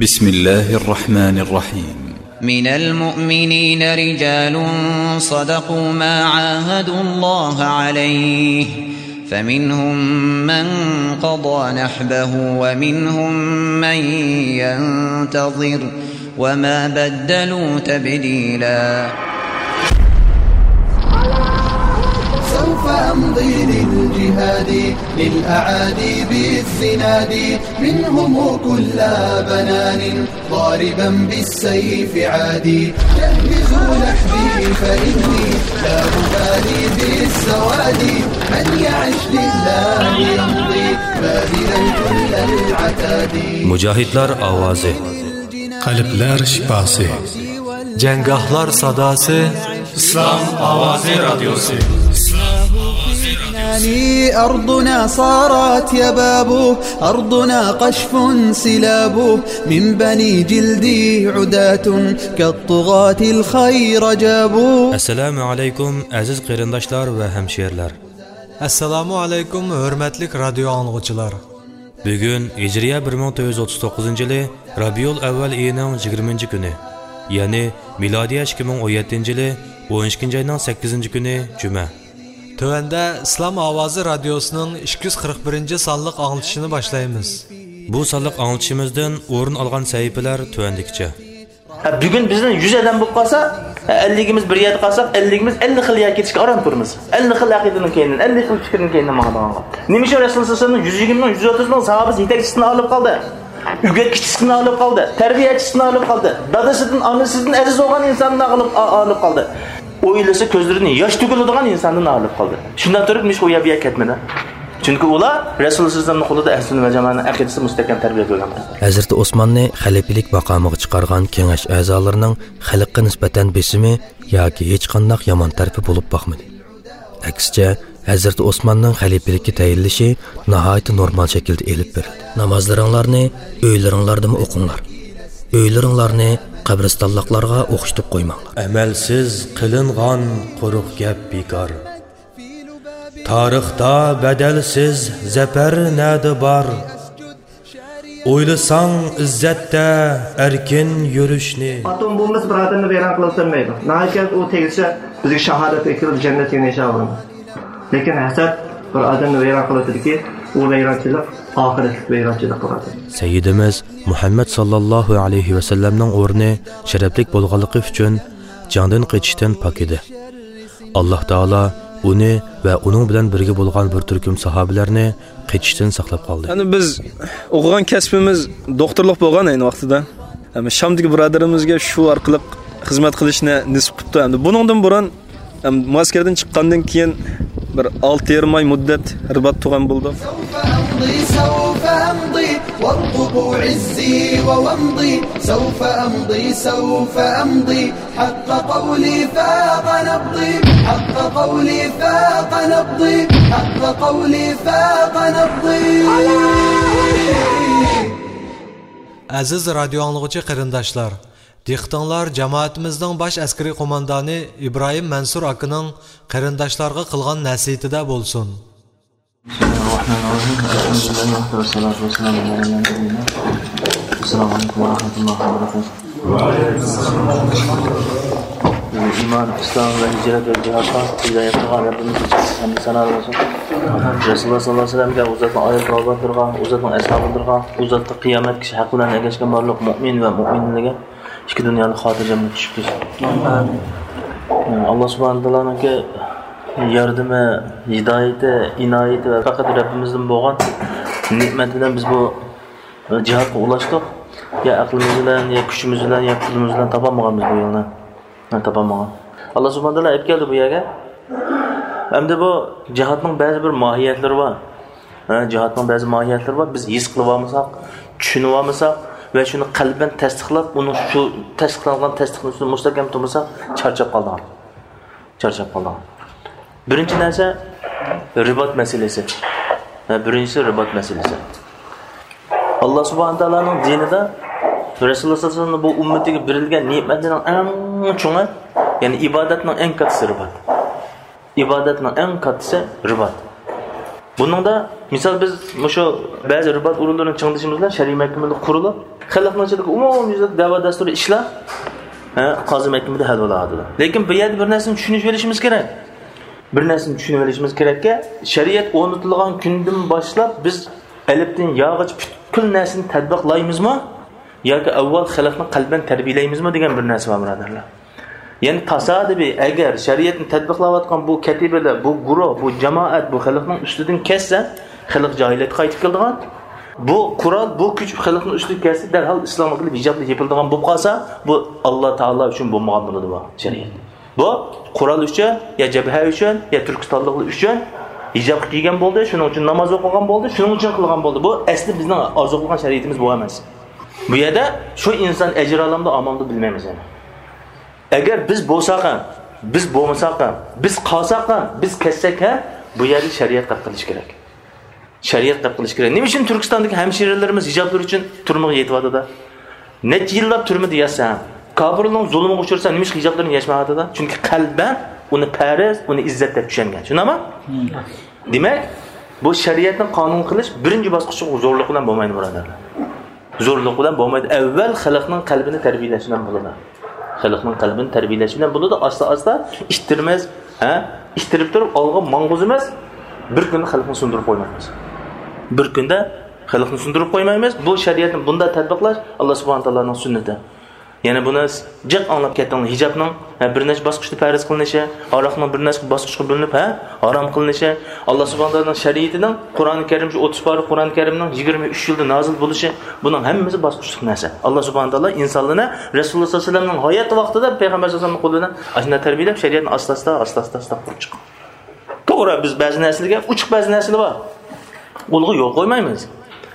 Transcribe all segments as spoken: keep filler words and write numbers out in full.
بسم الله الرحمن الرحيم. من المؤمنين رجال صدقوا ما عاهدوا الله عليه، فمنهم من قضى نحبه ومنهم من ينتظر، وما بدلوا تبديلا. سوف أمضي للجهاد، للأعادي بالزناد، منهم كل بنان، ضاربا بالسيف عادي. جهزوا نحبي فإني لا أبالي بالسواد، من يعش لله يمضي، باذلا كل العتاد. مۇجاھىدلار ئاۋازى. قەلبلەر شىپاسى. جەڭگاھلار ساداسى. ئىسلام ئاۋازى رادىيوسى. أرضنا صارت يباب، أرضنا قشف سلاب، من بني جلدي عداة، كالطغاة الخير جابوا. ئەسسالامۇ ئەلەيكۇم، ئەزىز قېرىنداشلار ۋە ھەمشىرىلەر. ئەسسالامۇ ئەلەيكۇم، ھۆرمەتلىك رادىيو ئاڭلىغۇچىلار. بۈگۈن ھىجرىيە بىر مىڭ تۆت يۈز ئوتتۇز توققۇزىنچى يىلى رابىئۇل ئەۋۋەل ئېيىنىڭ يىگىرمىنچى كۈنى، يەنى مىلادىيە ئىككى مىڭ ئون يەتتىنچى يىلى ئون ئىككىنچى ئاينىڭ سەككىزىنچى كۈنى جۈمە. تۆۋەندە ئىسلام ئاۋازى رادىيوسىنىڭ ئىككى يۈز قىرىق بىرىنچى سانلىق ئاڭلىتىشىنى باشلايمىز. بۇ سانلىق ئاڭلىتىشىمىزدىن ئورۇن ئالغان سەھىپىلەر تۆۋەندىكىچە. ھە، بۈگۈن بىزنىڭ يۈز ئادەم بولۇپ قالسا، ھە، ئەللىكىمىز بىر يەردە قالساق، ئەللىكىمىز ئەللىك خىل يەرگە كېتىشكە ئاران تۇرىمىز. ئەللىك خىل ئەقىدىنىڭ كەينىدىن، ئەللىك خىل پىكىرنىڭ كەينىدىن ماڭىدىغانغا. نېمە ئۈچۈن رەسۇل سەللەللاھۇ ئەلەيھى ۋەسەللەم يۈز يىگىرمە مىڭ، يۈز ئوتتۇز مىڭ ساھابىسى يېتەكچىسىدىن ئايرىلىپ قالدى؟ ئۆگەتكۈچىسىدىن ئايرىلىپ قالدى. تەربىيەچىسىدىن ئايرىلىپ قالدى. دادىسىدىن، ئانىسىدىن ئەزىز بولغان ئىنساندىن ئايرىلىپ، ئا-، ئايرىلىپ قالدى. ئويلىسا كۆزلىرىدىن ياش تۆكۈلىدىغان ئىنساندىن ئايرىلىپ قالدى. شۇنداق تۇرۇپ نېمىشقا ئۇ يەر بۇ يەرگە كەتمىدى؟ چۈنكى ئۇلار رەسۇل سەللەللاھۇ ئەلەيھى ۋەسەللەمنىڭ قولىدا ئەھلى سۈننە ۋە جامائەتنىڭ ئەقىدىسى مۇستەھكەم تەربىيە كۆرگەن. ھەزرىتى ئوسماننى خەلىپىلىك ماقامىغا چىقارغان كېڭەش ئەزالىرىنىڭ خەلققە نىسبەتەن بېسىمى ياكى ھېچقانداق يامان تەرىپى بولۇپ باقمىدى. ئەكسىچە، ھەزرىتى ئوسماننىڭ خەلىپىلىككە تەيىنلىشى ناھايىتى نورمال شەكىلدە ئېلىپ بېرىلدى. نامازلىرىڭلارنى ئۆيلىرىڭلاردىمۇ ئوقۇڭلار. ئۆيلىرىڭلارنى قەبرىستانلىقلارغا ئوخشىتىپ قويماڭلار. ئەمەلسىز قىلىنغان قۇرۇق گەپ بىكار. تارىختا بەدەلسىز زەپەر نەدە بار؟ ئويلىساڭ ئىززەتتە ئەركىن يۈرۈشنى. ئاتوم بومبىسى بىر ئادەمنى ۋەيران قىلىۋەتەلمەيدۇ. ناھايىتى ئۇ تېگىشە بىزگە شاھادەت ئېكىلىدۇ، جەننەتكە يېنىشاۋۇرىمىز. لېكىن ھەسەت بىر ئادەمنى ۋەيران قىلىۋېتىدۇكى، ئۇ ۋەيرانچىلىق ئاخىرەتلىك ۋەيرانچىلىق بولىدۇ. سەييىدىمىز مۇھەممەد ساللاللاھۇ ئەلەيھى ۋەسەللەمنىڭ ئورنى شەرەپلىك بولغانلىقى ئۈچۈن جەڭدىن قېچىشتىن پاك ئىدى. ئاللاھ تائالا ئۇنى ۋە ئۇنىڭ بىلەن بىرگە بولغان بىر تۈركۈم ساھابىلەرنى قېچىشتىن ساقلاپ قالدى. يەنى بىز ئوقۇغان كەسپىمىز دوختۇرلۇق بولغان ئەينى ۋاقتىدا. ھەم شامدىكى بۇرادىرىمىزگە شۇ ئارقىلىق خىزمەت قىلىشنى نېسىپ قىپتۇ. ئەمدى بۇنىڭدىن بۇرۇن، ھەم مۇئەسكەردىن چىققاندىن كېيىن بىر ئالتە يېرىم ئاي مۇددەت رىبات تۇرغان بولدۇق. سوف أمضي، سوف أمضي، وارقبوا عزي وومضي. سوف أمضي، سوف أمضي، حق قولي فاق نبضي، حق قولي فاق نبضي، حق قولي فاق نبضي. ئەزىز رادىيو ئاڭلىغۇچى قېرىنداشلار، دىققىتىڭلار جامائىتىمىزنىڭ باش ئەسكىرىي قوماندانى ئىبراھىم مەنسۇر ئاكىنىڭ قېرىنداشلارغا قىلغان نەسىھىتىدە بولسۇن. بسم الله الرحمن الرحيم. الحمد لله وحده والصلاة والسلام على من لا نبي بعده. السلام عليكم ورحمة الله وبركاته. ئىمان، ئىسلام ۋە ھىجرەت ۋە جىھادقا ھىدايەت قىلغان رەببىمىزگە ھەمدۇ سانالار بولسۇن. رەسۇلۇللا ساللاللاھۇ ئەلەيھى ۋەسەللەمگە، ئۇ زاتنىڭ ئائىلە قۇربانلىرىغا، ئۇ زاتنىڭ ئەسھابلىرىغا، ئۇ زاتقا قىيامەتكىچە ھەق بىلەن ئەگەشكەن بارلىق مۆمىن ۋە مۆمىنىلەرگە ئىككى دۇنيانى خاتىرجەملىك نېسىپ قىلسۇن. ئاللا سۇبھانەھۇ تائالانىڭكى ياردىمى، ھىدايىتى، ئىنايىتى ۋە پەقەت رەببىمىزدىن بولغان نېمەت بىلەن بىز بۇ جىھادقا ئۇلاشتۇق. يا ئەقلىمىز بىلەن، يا كۈچىمىز بىلەن، يا پۇلىمىز بىلەن تاپالمىغان بىز بۇ يولنى. ھە، تاپالمىغان. ئاللا سۇبھانەھۇ تائالا ئېلىپ كەلدى بۇ يەرگە. ئەمدى بۇ جىھادنىڭ بەزى بىر ماھىيەتلىرى بار. ھە، جىھادنىڭ بەزى ماھىيەتلىرى بار. بىز ھېس قىلىۋالمىساق، چۈشىنىۋالمىساق ۋە شۇنى قەلبەن تەستىقلاپ، ئۇنىڭ شۇ تەستىقلانغان تەستىقنىڭ ئۈستىدە مۇستەھكەم تۇرمىساق، چارچاپ قالىدىغان. چارچاپ قالىدىغان. بىرىنچى نەرسە، رىبات مەسىلىسى. ھە، بىرىنچىسى رىبات مەسىلىسى. ئاللا سۇبھانەھۇ تائالانىڭ دىنىدا رەسۇلۇللا ساللاللاھۇ ئەلەيھى ۋەسەللەم بۇ ئۈممىتىگە بېرىلگەن نېمەتلەرنىڭ ئەڭ چوڭى، يەنى ئىبادەتنىڭ ئەڭ كاتتىسى رىبات. ئىبادەتنىڭ ئەڭ كاتتىسى رىبات. بۇنىڭدا، مىسال، بىز مۇشۇ بەزى رىبات ئورۇنلىرىنى چىڭىتىشىمىز بىلەن شەرئىي مەھكىمىدە قۇرۇلۇپ، خەلقنىڭ ئىچىدىكى ئومۇميۈزلۈك دەۋا دەستۇرى ئىشلار، ھە، قازى مەھكىمىدە ھەل بولاۋاتىدۇ. لېكىن بۇ يەردە بىر نەرسىنى چۈشىنىپ ئېلىشىمىز كېرەك. بىر نەرسىنى چۈشىنىپ ئېلىشىمىز كېرەككى، شەرىئەت ئورنىتىلغان كۈندىن باشلاپ بىز ئەلىپتىن ياغىچە پۈتكۈل نەرسىنى تەتبىقلايمىزمۇ ياكى ئاۋۋال خەلقنى قەلبەن تەربىيەلەيمىزمۇ دېگەن بىر نەرسە بار، بۇرادەرلەر. يەنى تاسادىپىي، ئەگەر شەرىئەتنى تەتبىقلاۋاتقان بۇ كەتىبىلەر، بۇ گۇرۇھ، بۇ جامائەت، بۇ خەلقنىڭ ئۈستىدىن كەتسە، خەلق جاھىلىيەتكە قايتىپ كېلىدىغان. بۇ قورال، بۇ كۈچ خەلقنىڭ ئۈستىگە كەلسە، دەرھال ئىسلامغا كېلىپ ھىجابلىق يېپىلىدىغان بولۇپ قالسا، بۇ ئاللا تائالا ئۈچۈن بولمىغان بولىدۇ بۇ شەرىئەت. بۇ قورال ئۈچۈن، يا جەبھە ئۈچۈن، يا تۈركىستانلىقلار ئۈچۈن ھىجابقا كىيگەن بولدى، شۇنىڭ ئۈچۈن ناماز ئوقۇغان بولدى، شۇنىڭ ئۈچۈن قىلغان بولدى. بۇ ئەسلى بىزنىڭ ئارزۇ قىلغان شەرىئىتىمىز بۇ ئەمەس. بۇ يەردە شۇ ئىنسان ئەجىر ئالامدۇ، ئالمامدۇ بىلمەيمىز يەنە. ئەگەر بىز بولساق ھەم، بىز بولمىساق ھەم، بىز قالساق ھەم، بىز كەتسەك ھەم، بۇ يەردە شەرىئەت قەد قىلىش كېرەك. شەرىئەت قەد قىلىش كېرەك. نېمە ئۈچۈن تۈركىستاندىكى ھەمشىرىلىرىمىز ھىجابلىرى ئۈچۈن تۈرمىگە يېتىۋاتىدۇ؟ نەچچە يىللاپ تۈرمىدە ياتسا ھەم، كاپىرلارنىڭ زۇلمىغا ئۇچرىسا، نېمىشقا ھىجابلىرىنى يەشمەيۋاتىدۇ؟ چۈنكى قەلبەن ئۇنى پەرز، ئۇنى ئىززەت دەپ چۈشەنگەن. چۈشىنەمۇ؟ دېمەك، بۇ شەرىئەتنى قانۇن قىلىش بىرىنچى باسقۇچ زورلۇق بىلەن بولمايدۇ، بۇرادەرلەر. زورلۇق بىلەن بولمايدۇ. ئەۋۋەل خەلقنىڭ قەلبىنى تەربىيەلەش بىلەن بولىدۇ. خەلقنىڭ قەلبىنى تەربىيەلەش بىلەن بولىدۇ. ئاستا-ئاستا ئىتتىرىمىز، ھە؟ ئىتتىرىپ تۇرۇپ ئالغا ماڭغۇزىمىز. بىر كۈندە خەلقنى سۇندۇرۇپ قويمايمىز. بىر كۈندە خەلقنى سۇندۇرۇپ قويمايمىز. بۇ شەرىئەتنى بۇنداق تەتبىقلاش ئاللا سۇبھانە تائالانىڭ سۈننىتى. يەنە بۇنى جىق ئاڭلاپ كەتتىڭلار. ھىجابنىڭ، ھە، بىر نەچچە باسقۇچتا پەرز قىلىنىشى، ھاراقنىڭ بىر نەچچە باسقۇچقا بۆلۈنۈپ، ھە، ھارام قىلىنىشى، ئاللا سۇبھانە تائالانىڭ شەرىئىتىنىڭ قۇرئان كەرىم، شۇ ئوتتۇز پارە قۇرئان كەرىمنىڭ يىگىرمە ئۈچ يىلدا نازىل بولۇشى، بۇنىڭ ھەممىسى باسقۇچلۇق نەرسە. ئاللا سۇبھانە تائالا ئىنسانلارنى رەسۇلۇللا ساللاللاھۇ ئەلەيھى ۋەسەللەمنىڭ ھاياتى ۋاقتىدا پەيغەمبەر ساللاللاھۇ ئەلەيھى ۋەسەللەمنىڭ قولى بىلەن ئاشۇنداق تەربىيەلەپ، شەرىئەتنى ئاستا-ئاستا، ئاستا-ئاستا، ئاستا قۇرۇپ چىققان. توغرا، بىز بەزى نەرسىلەرگە ئوچۇق، بەزى نەرسىلەر بار. ئۇلارغا يول قويمايمىز.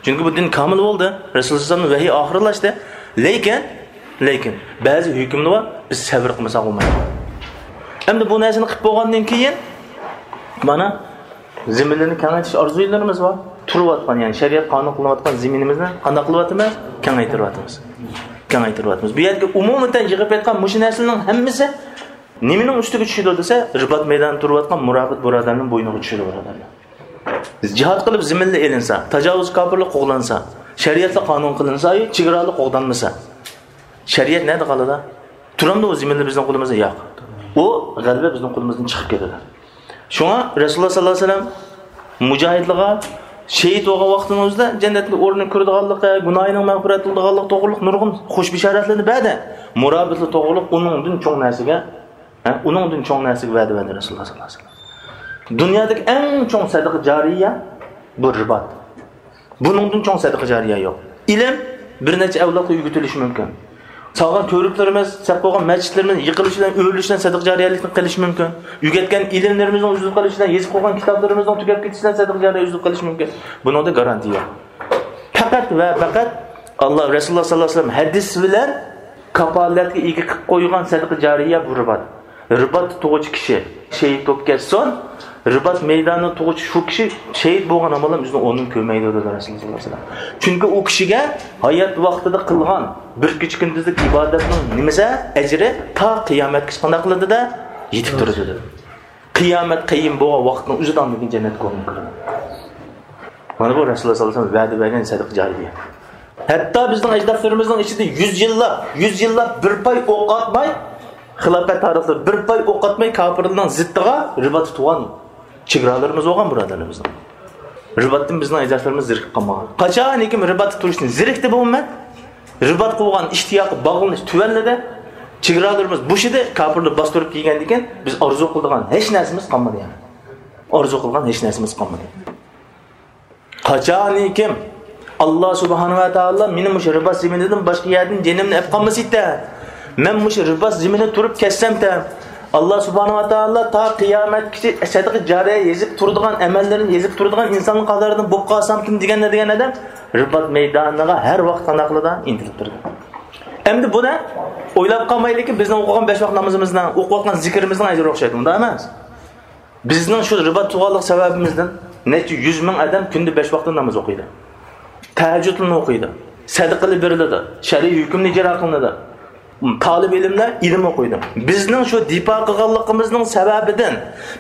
چۈنكى بۇ دىن كامىل بولدى. رەسۇلۇللا ساللاللاھۇ ئەلەيھى ۋەسەللەم ۋەھىي ئاخىرلاشتى. لېكىن، لېكىن بەزى ھۆكۈملەر بار، بىز سەۋر قىلمىساق بولمايدۇ. ئەمدى بۇ نەرسىنى قىلىپ بولغاندىن كېيىن، مانا، زېمىنلىرىنى كېڭەيتىش ئارزۇلىرىمىز بار. تۇرۇۋاتقان، يەنى شەرىئەت قانۇن قىلىنىۋاتقان زېمىنىمىزنى قانداق قىلىۋاتىمىز؟ كېڭەيتىۋاتىمىز. كېڭەيتىۋاتىمىز. بۇ يەردىكى ئومۇمەن يىغىپ ئېيتقان مۇشۇ نەرسىلەرنىڭ ھەممىسى نېمىنىڭ ئۈستىگە چۈشىدۇ دېسە، رىبات مەيدانىدا تۇرۇۋاتقان مۇرابىت بۇرادەرنىڭ بوينىغا چۈشىدۇ، بۇرادەرلەر. جىھاد قىلىپ زېمىنلار ئېلىنسا، تاجاۋۇز كاپىرلار قوغلانسا، شەرىئەتلەر قانۇن قىلىنسا، چېگرالار قوغدانمىسا، شەرىئەت نەدە قالىدۇ؟ تۇرامدۇ ئۇ زېمىنلار بىزنىڭ قولىمىزدا؟ ياق. ئۇ غەلىبە بىزنىڭ قولىمىزدىن چىقىپ كېتىدۇ. شۇڭا رەسۇلۇللا ساللاللاھۇ ئەلەيھى ۋەسەللەم مۇجاھىدلارغا شېھىت بولغان ۋاقتىنىڭ ئۆزىدە جەننەتنىڭ ئورنىنى كۆرىدىغانلىقى، گۇناھىنىڭ مەغپىرەت قىلىدىغانلىقى توغرۇلۇق نۇرغۇن خۇش بېشارەتلەرنى بەردى. مۇرابىتلار توغرۇلۇق ئۇنىڭدىن چوڭ نەرسىگە، ھە، ئۇنىڭدىن چوڭ نەرسىگە ۋەدە بەردى رەسۇلۇللا ساللاللاھۇ ئەلەيھى ۋەسەللەم. دۇنيادىكى ئەڭ چوڭ سەدىقە جارىيە بۇ رىبات. بۇنىڭدىن چوڭ سەدىقە جارىيە يوق. ئىلىم بىر نەچچە ئەۋلادقا ئۆگىتىلىشى مۇمكىن. سالغان تۈركلىرىمىز، سەپ قويغان مەسچىتلىرىمىز يىقىلىش بىلەن، ئۆرۈلۈش بىلەن سەدىقە جارىيەلىكتىن قېلىشى مۇمكىن. ئۆگەتكەن ئىلىملىرىمىزنىڭ ئۈزۈلۈپ قېلىشى بىلەن، يېزىپ قويغان كىتابلىرىمىزنىڭ تۈگەپ كېتىشى بىلەن سەدىقە جارىيە ئۈزۈلۈپ قېلىشى مۇمكىن. بۇنىڭدا گارانتىيە يوق. پەقەت ۋە پەقەت ئاللا، رەسۇلۇللا ساللاللاھۇ ئەلەيھى ۋەسەللەم ھەدىس بىلەن كاپالەتكە ئىگە قىلىپ قويغان سەدىقە جارىيە بۇ رىبات. رىبات تۇغۇچى كىشى شېھىت بولۇپ كەتسۇن، رىبات مەيدانىدا تۇغۇچى شۇ كىشى شېھىت بولغان ئاماللار ئۆزىنىڭ ئورنىنى كۆرمەيدۇ، دېدى رەسۇلۇللا ساللاللاھۇ ئەلەيھى ۋەسەللەم. چۈنكى ئۇ كىشىگە ھايات ۋاقتىدا قىلغان بىر كېچە كۈندۈزلۈك ئىبادەتنىڭ نېمىسى، ئەجرى تا قىيامەتكىچە قانداق قىلىدۇ-دە؟ يېتىپ تۇرىدۇ، دېدى. قىيامەت قايىم بولغان ۋاقىتنىڭ ئۆزىدە ئاندىن كېيىن جەننەتكە ئورۇن كىرىدۇ. مانا بۇ رەسۇلۇللا ساللاللاھۇ ئەلەيھى ۋەسەللەم ۋەدە بەرگەن سەدىقە جارىيە. ھەتتا بىزنىڭ ئەجدادلىرىمىزنىڭ ئىچىدە يۈز يىللاپ، يۈز يىللاپ بىر پاي ئوق ئاتماي، خىلاپەت تارىخلىرى بىر پاي ئوق ئاتماي كاپىرلارنىڭ زىتىغا رىباتتا تۇغان چېگرالىرىمىز بولغان، بۇرادەرلىرىمىزنىڭ. رىباتتىن بىزنىڭ ئەجدادلىرىمىز زېرىكىپ قالمىغان. قاچانكى رىباتتا تۇرۇشتىن زېرىكتى بۇ ئۈممەت، رىباتقا بولغان ئىشتىياقى، باغلىنىش تۆۋەنلىدى، چېگرالىرىمىز بوشىدى، كاپىرلار باستۇرۇپ كەلگەندىن كېيىن بىز ئارزۇ قىلىدىغان ھېچ نەرسىمىز قالمىدى يەنە. ئارزۇ قىلغان ھېچ نەرسىمىز قالمىدى. قاچانكى ئاللا سۇبھانەھۇ ۋە تائالا مېنى مۇشۇ رىبات زېمىنىدىن باشقا يەردىن جېنىمنى ئەپ قالمىسىتە، مەن مۇشۇ رىبات زېمىنىدە تۇرۇپ كەتسەمتە، ئاللا سۇبھانەھۇ ۋە تائالا تا قىيامەتكىچە سەدىقە جارىيە يېزىپ تۇرىدىغان، ئەمەللىرىنى يېزىپ تۇرىدىغان ئىنساننىڭ قاتارىدىن بولۇپ قالسامتىم دېگەن، دېگەن ئادەم رىبات مەيدانىغا ھەر ۋاقىت قانداق قىلىدۇ؟ ئىنتىلىپ تۇرىدۇ. ئەمدى بۇنى ئويلاپ قالمايلىكى، بىزنىڭ ئوقۇغان بەش ۋاق نامىزىمىزنىڭ، ئوقۇۋاتقان زىكرىمىزنىڭ ئەجرى ئوخشايدۇ، ئۇنداق ئەمەس؟ بىزنىڭ شۇ رىبات تۇغانلىق سەۋەبىمىزدىن نەچچە يۈز مىڭ ئادەم كۈندە بەش ۋاقىت ناماز ئوقۇيدۇ. تەھەججۇدنى ئوقۇيدۇ. سەدىقىلەر بېرىلىدۇ. شەرئىي ھۆكۈمنى ئىجرا قىلىنىدۇ. تالىب ئىلىملەر ئىلىم ئوقۇيدۇ. بىزنىڭ شۇ دىپا قىلغانلىقىمىزنىڭ سەۋەبىدىن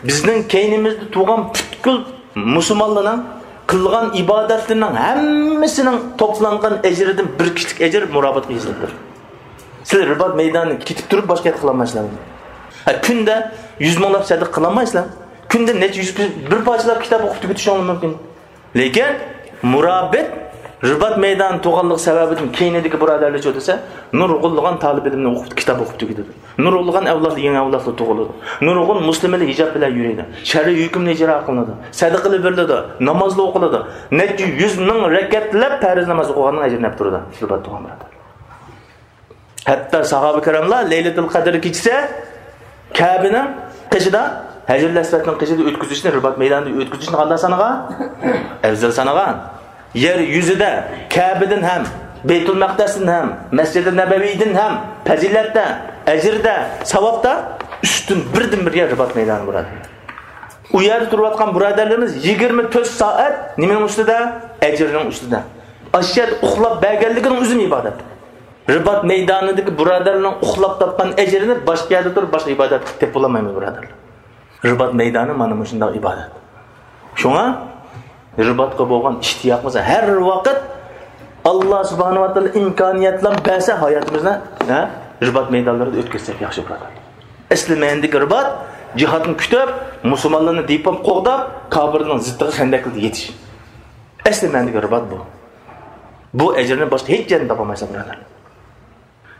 بىزنىڭ كەينىمىزدە تۇرغان پۈتكۈل مۇسۇلمانلارنىڭ قىلغان ئىبادەتلىرىنىڭ ھەممىسىنىڭ توپلانغان ئەجرىدىن بىر كىشىلىك ئەجىر مۇرابىتقا يېزىلىپتۇ. سىلەر رىبات مەيدانىغا كېتىپ تۇرۇپ باشقا يەردە قىلالمايسىلەر. ھە، كۈندە يۈز مىڭلاپ سەدىقە قىلالمايسىلەر. كۈندە نەچچە يۈز، بىر پارچىلاپ كىتاب ئوقۇپ تۈگىتىشىڭلار مۇمكىن. لېكىن مۇرابىت رىبات مەيدانى تۇغانلىقى سەۋەبىدىن كەينىدىكى بۇرادەرلەرچۇ دېسە، نۇرغۇنلىغان تالىپ ئىلىمنى ئوقۇپ، كىتاب ئوقۇپ تۈگىتىدۇ. نۇرغۇنلىغان ئەۋلادلار، يېڭى ئەۋلادلار تۇغۇلىدۇ. نۇرغۇن مۇسلىملار ھىجاب بىلەن يۈرىدۇ. شەرئىي ھۆكۈمنى ئىجرا قىلىدۇ. سەدىقىلەر بېرىلىدۇ. نامازلار ئوقۇلىدۇ. نەچچە يۈز مىڭ رەكەتلەپ پەرز ناماز ئوقۇغاننىڭ ئەجرىنى ئېلىپ تۇرىدۇ. رىبات تۇغان بۇرادەر. ھەتتا ساھابە كىراملار لەيلەتۇل قەدىر كېچىسى كەبىنىڭ قېشىدا، ھەجەرۇل ئەسۋەدنىڭ قېشىدا ئۆتكۈزۈشنى، رىبات مەيدانىدا ئۆتكۈزۈشنى قانداق سانىغان؟ ئەۋزەل سانىغان. يەر يۈزىدە كەبىدىن ھەم، بەيتۇل مەقدەستىن ھەم، مەسجىدى نەبەۋىدىن ھەم پەزىلەتتە، ئەجىردە، ساۋابتا ئۈستۈن بىردىن بىر يەر رىبات مەيدانى بۇرادەر. ئۇ يەردە تۇرۇۋاتقان بۇرادەرلىرىمىز يىگىرمە تۆت سائەت نېمىنىڭ ئۈستىدە؟ ئەجرىنىڭ ئۈستىدە. ئاشۇ يەردە ئۇخلاپ بەرگەنلىكىنىڭ ئۆزىمۇ ئىبادەت. رىبات مەيدانىدىكى بۇرادەرلىرىنىڭ ئۇخلاپ تاپقان ئەجرىنى باشقا يەردە تۇرۇپ باشقا ئىبادەت قىلىپ تېپىپ بولالمايمىز، بۇرادەرلەر. رىبات مەيدانى مانا مۇشۇنداق ئىبادەت. شۇڭا رىباتقا بولغان ئىشتىياقىمىز ھەر ۋاقىت ئاللا سۇبھانەھۇ ۋە تائالا ئىمكانىيەتلەر بەرسە ھاياتىمىزنى، ھە، رىبات مەيدانلىرىدا ئۆتكۈزسەك ياخشى بۇرادەرلەر. ئەسلى مەنىدىكى رىبات، جىھادنى كۈتۈپ، مۇسۇلمانلارنى دىيپاپ قوغداپ، كاپىرنىڭ زىتىغا خەندەكلىرىدە يېتىش. ئەسلى مەنىدىكى رىبات بۇ. بۇ ئەجىرنى باشقا ھېچ يەردىن تاپالمايسەن، بۇرادەرلەر.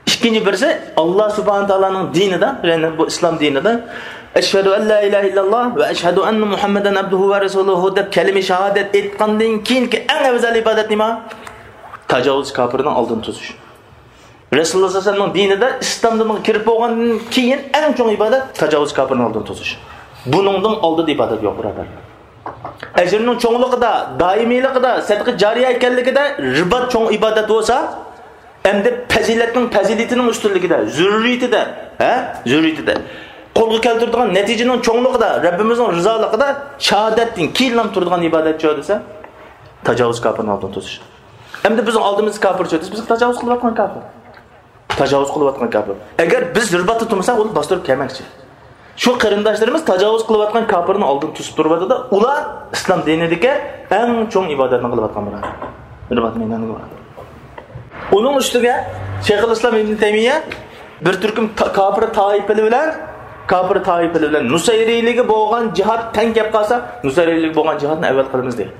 ئىككىنچى بىرسى، ئاللا سۇبھانەھۇ تائالانىڭ دىنىدا، يەنى بۇ ئىسلام دىنىدا، «ئەشھەدۇ ئەن لا ئىلاھە ئىللاللا ۋە ئەشھەدۇ ئەننە مۇھەممەدەن ئەبدۇھۇ ۋە رەسۇلۇھۇ» دەپ كەلىمە شاھادەت ئېيتقاندىن كېيىنكى ئەڭ ئەۋزەل ئىبادەت نېمە؟ تاجاۋۇز كاپىرنىڭ ئالدىنى توسۇش. رەسۇلۇللا سەللەللاھۇ ئەلەيھى ۋەسەللەم دىنىدا، ئىسلام دىنىغا كىرىپ بولغاندىن كېيىن ئەڭ چوڭ ئىبادەت تاجاۋۇز كاپىرنىڭ ئالدىنى توسۇش. بۇنىڭدىن ئالدىدا ئىبادەت يوق، بۇرادەرلەر. ئەجرىنىڭ چوڭلۇقىدا، دائىمىيلىقىدا، سەدىقە جارىيە ئىكەنلىكىدە رىبات چوڭ ئىبادەت بولسا، ئەمدى پەزىلەتنىڭ، پەزىلىتىنىڭ ئۈستۈنلۈكىدە، زۆرۈرىيىتىدە، ھە؟ زۆرۈرىيىتىدە. قولغا كەلتۈرىدىغان نەتىجىنىڭ چوڭلۇقىدا، رەببىمىزنىڭ رىزالىقىدا شاھادەتتىن كېيىنلا تۇرىدىغان ئىبادەتچۇ دېسە، تاجاۋۇز كاپىرنىڭ ئالدىنى توسۇش. ئەمدى بىزنىڭ ئالدىمىزدا كاپىر چۆتىسى، بىز تاجاۋۇز قىلىۋاتقان كاپىر. تاجاۋۇز قىلىۋاتقان كاپىر. ئەگەر بىز رىباتتا تۇرمىساق، ئۇلار باستۇرۇپ كەلمەكچى. شۇ قېرىنداشلىرىمىز تاجاۋۇز قىلىۋاتقان كاپىرنىڭ ئالدىنى توسۇپ تۇرۇۋاتىدۇ. ئۇلار ئىسلام دىنىدىكى ئەڭ چوڭ ئىبادەتنى قىلىۋاتقان بۇرادەر. رىبات مەيدانىغا بارىدۇ. ئۇنىڭ ئۈستىگە شەيخۇل ئىسلام ئىبن تەيمىيە بىر تۈركۈم تا-، كاپىر تائىپىلىرى بىلەن، كاپىر تائىپىلىرى بىلەن نۇسەيرىيلىگە بولغان جىھاد تەڭ كەپ قالسا، نۇسەيرىيلىگە بولغان جىھادنى ئەۋۋەل قىلىمىز دېگەن.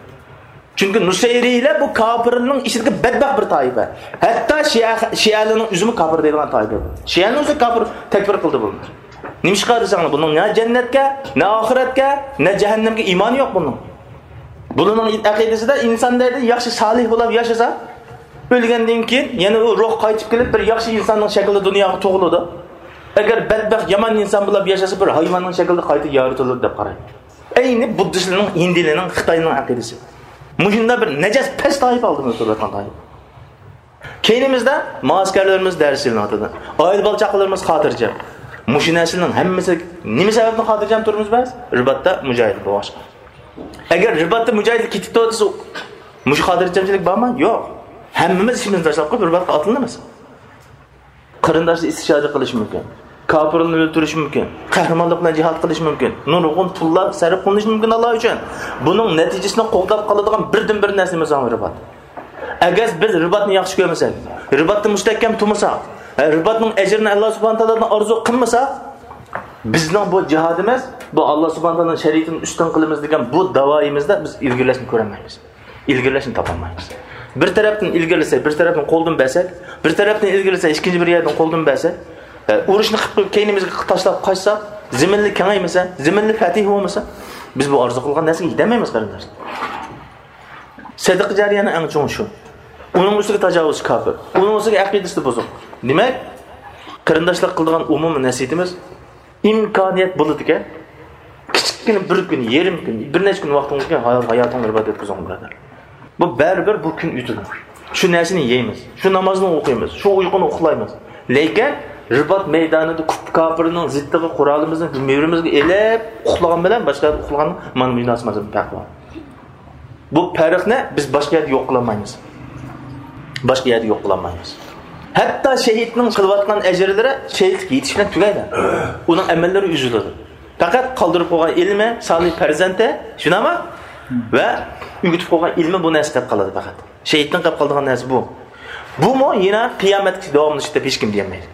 چۈنكى نۇسەيرىيلەر بۇ كاپىرلارنىڭ ئىچىدىكى بەتبەخت بىر تائىپە. ھەتتا شىئە، شىئەلەرنىڭ ئۆزىمۇ كاپىر دەيدىغان تائىپە. شىئەنى ئۆزى كاپىر، تەكپىر قىلدى بۇلار. نېمىشقا دېسەڭلار، بۇنىڭ نە جەننەتكە، نە ئاخىرەتكە، نە جەھەننەمگە ئىمانى يوق بۇنىڭ. بۇلارنىڭ ئەقىدىسىدە ئىنسان دەيدۇ، ياخشى سالىھ بولۇپ ياشىسا، ئۆلگەندىن كېيىن يەنە ئۇ روھ قايتىپ كېلىپ، بىر ياخشى ئىنساننىڭ شەكلىدە دۇنياغا تۇغۇلىدۇ. ئەگەر بەتبەخت يامان ئىنسان بولۇپ ياشىسا، بىر ھايۋاننىڭ شەكلىدە قايتا يارىتىلىدۇ دەپ قارايدۇ. ئەينى بۇددىستلارنىڭ، ھىندىلارنىڭ، خىتاينىڭ ئەقىدىسى. مۇشۇنداق بىر نەجەس، پەس تائىپە ئالدىمىزدا تۇرۇۋاتقان تائىپە. كەينىمىزدە مائەسكەرلىرىمىز دەرس ئېلىنىۋاتىدۇ. ئائىلە بالا-چاقىلىرىمىز خاتىرجەم. مۇشۇ نەرسىلەرنىڭ ھەممىسى نېمە سەۋەبتىن خاتىرجەم تۇرىمىز بىز؟ رىباتتا مۇجاھىدە بولغاچقا. ئەگەر رىباتتا مۇجاھىدلار كېتىپ تۇرسا، مۇشۇ خاتىرجەمچىلىك بارمۇ؟ يوق. ھەممىمىز ئىشىمىزنى تاشلاپ قويۇپ رىباتقا ئاتلىنىمىز. قېرىنداشلار ئىستىشھادە قىلىشى مۇمكىن. كاپىرلارنى ئۆلتۈرۈشى مۇمكىن. قەھرىمانلىق بىلەن جىھاد قىلىشى مۇمكىن. نۇرغۇن پۇللار سەرپ قىلىنىشى مۇمكىن ئاللا ئۈچۈن. بۇنىڭ نەتىجىسىنى قوغداپ قالىدىغان بىردىنبىر نەرسىمىز رىبات. ئەگەر بىز رىباتنى ياخشى كۆرمىسەك، رىباتتا مۇستەھكەم تۇرمىساق، ھە، رىباتنىڭ ئەجرىنى ئاللا سۇبھانەھۇ تائالادىن ئارزۇ قىلمىساق، بىزنىڭ بۇ جىھادىمىز، بۇ ئاللا سۇبھانەھۇ تائالانىڭ شەرىئىتىنى ئۈستۈن قىلىمىز دېگەن بۇ داۋايىمىزدا بىز ئىلگىرىلەشنى كۆرەلمەيمىز. ئىلگىرىلەشنى تاپالمايمىز. بىر تەرەپتىن ئىلگىرىلىسەك، بىر تەرەپتىن قولدىن بەرسەك، بىر تەرەپتىن ئىلگىرىلىسەك، ئىككىنچى بىر يەردىن قولدىن بەرسەك، ئە، ئۇرۇشنى قىلىپ قويۇپ، كەينىمىزگە تاشلاپ قاچساق، زېمىنلىرى كېڭەيمىسە، زېمىنلىرى پەتىھ بولمىسا، بىز بۇ ئارزۇ قىلغان نەرسىگە يېتەلمەيمىز، قېرىنداشلار. سەدىقە جارىيەنىڭ ئەڭ چوڭى شۇ. ئۇنىڭ ئۈستىگە تاجاۋۇزچى كاپىر. ئۇنىڭ ئۈستىگە ئەقىدىسى بۇزۇق. دېمەك، قېرىنداشلار قىلىدىغان ئومۇمىي نەسىھىتىمىز، ئىمكانىيەت بولىدىكەن، كىچىككىنە بىر كۈن، يېرىم كۈن، بىر نەچچە كۈن ۋاقتىڭىزنى ھايا-، ھاياتىڭلارنى رىبات ئۆتكۈزۈڭ، بۇرادەر. بۇ بەرىبىر بۇ كۈن ئۆتىدۇ. شۇ نەرسىنى يەيمىز، شۇ نامازنى ئوقۇيمىز، شۇ ئۇيقۇنى ئۇخلايمىز. لېكىن رىبات مەيدانىدا كۇپ-، كاپىرنىڭ زىتىغا قورالىمىزنى مۈرىمىزگە ئېلىپ ئۇخلىغان بىلەن باشقا يەردە ئۇخلىغاننىڭ مانا مۇنداق پەرقى بار. بۇ پەرقنى بىز باشقا يەردە يوق قىلالمايمىز. باشقا يەردە يوق قىلالمايمىز. ھەتتا شېھىتنىڭ قىلىۋاتقان ئەجىرلىرى شېھىتلىككە يېتىش بىلەن تۈگەيدۇ. ئۇنىڭ ئەمەللىرى ئۈزۈلىدۇ. پەقەت قالدۇرۇپ قويغان ئىلمى، سالىھ پەرزەنتى، شۇنداقمۇ؟ ۋە ئۆگىتىپ قويغان ئىلمى بۇ نەرسە قېلىپ قالىدۇ پەقەت. شېھىتتىن قېلىپ قالىدىغان نەرسە بۇ. بۇمۇ يەنە قىيامەتكىچە داۋاملىشىدۇ دەپ ھېچكىم دېيەلمەيدۇ.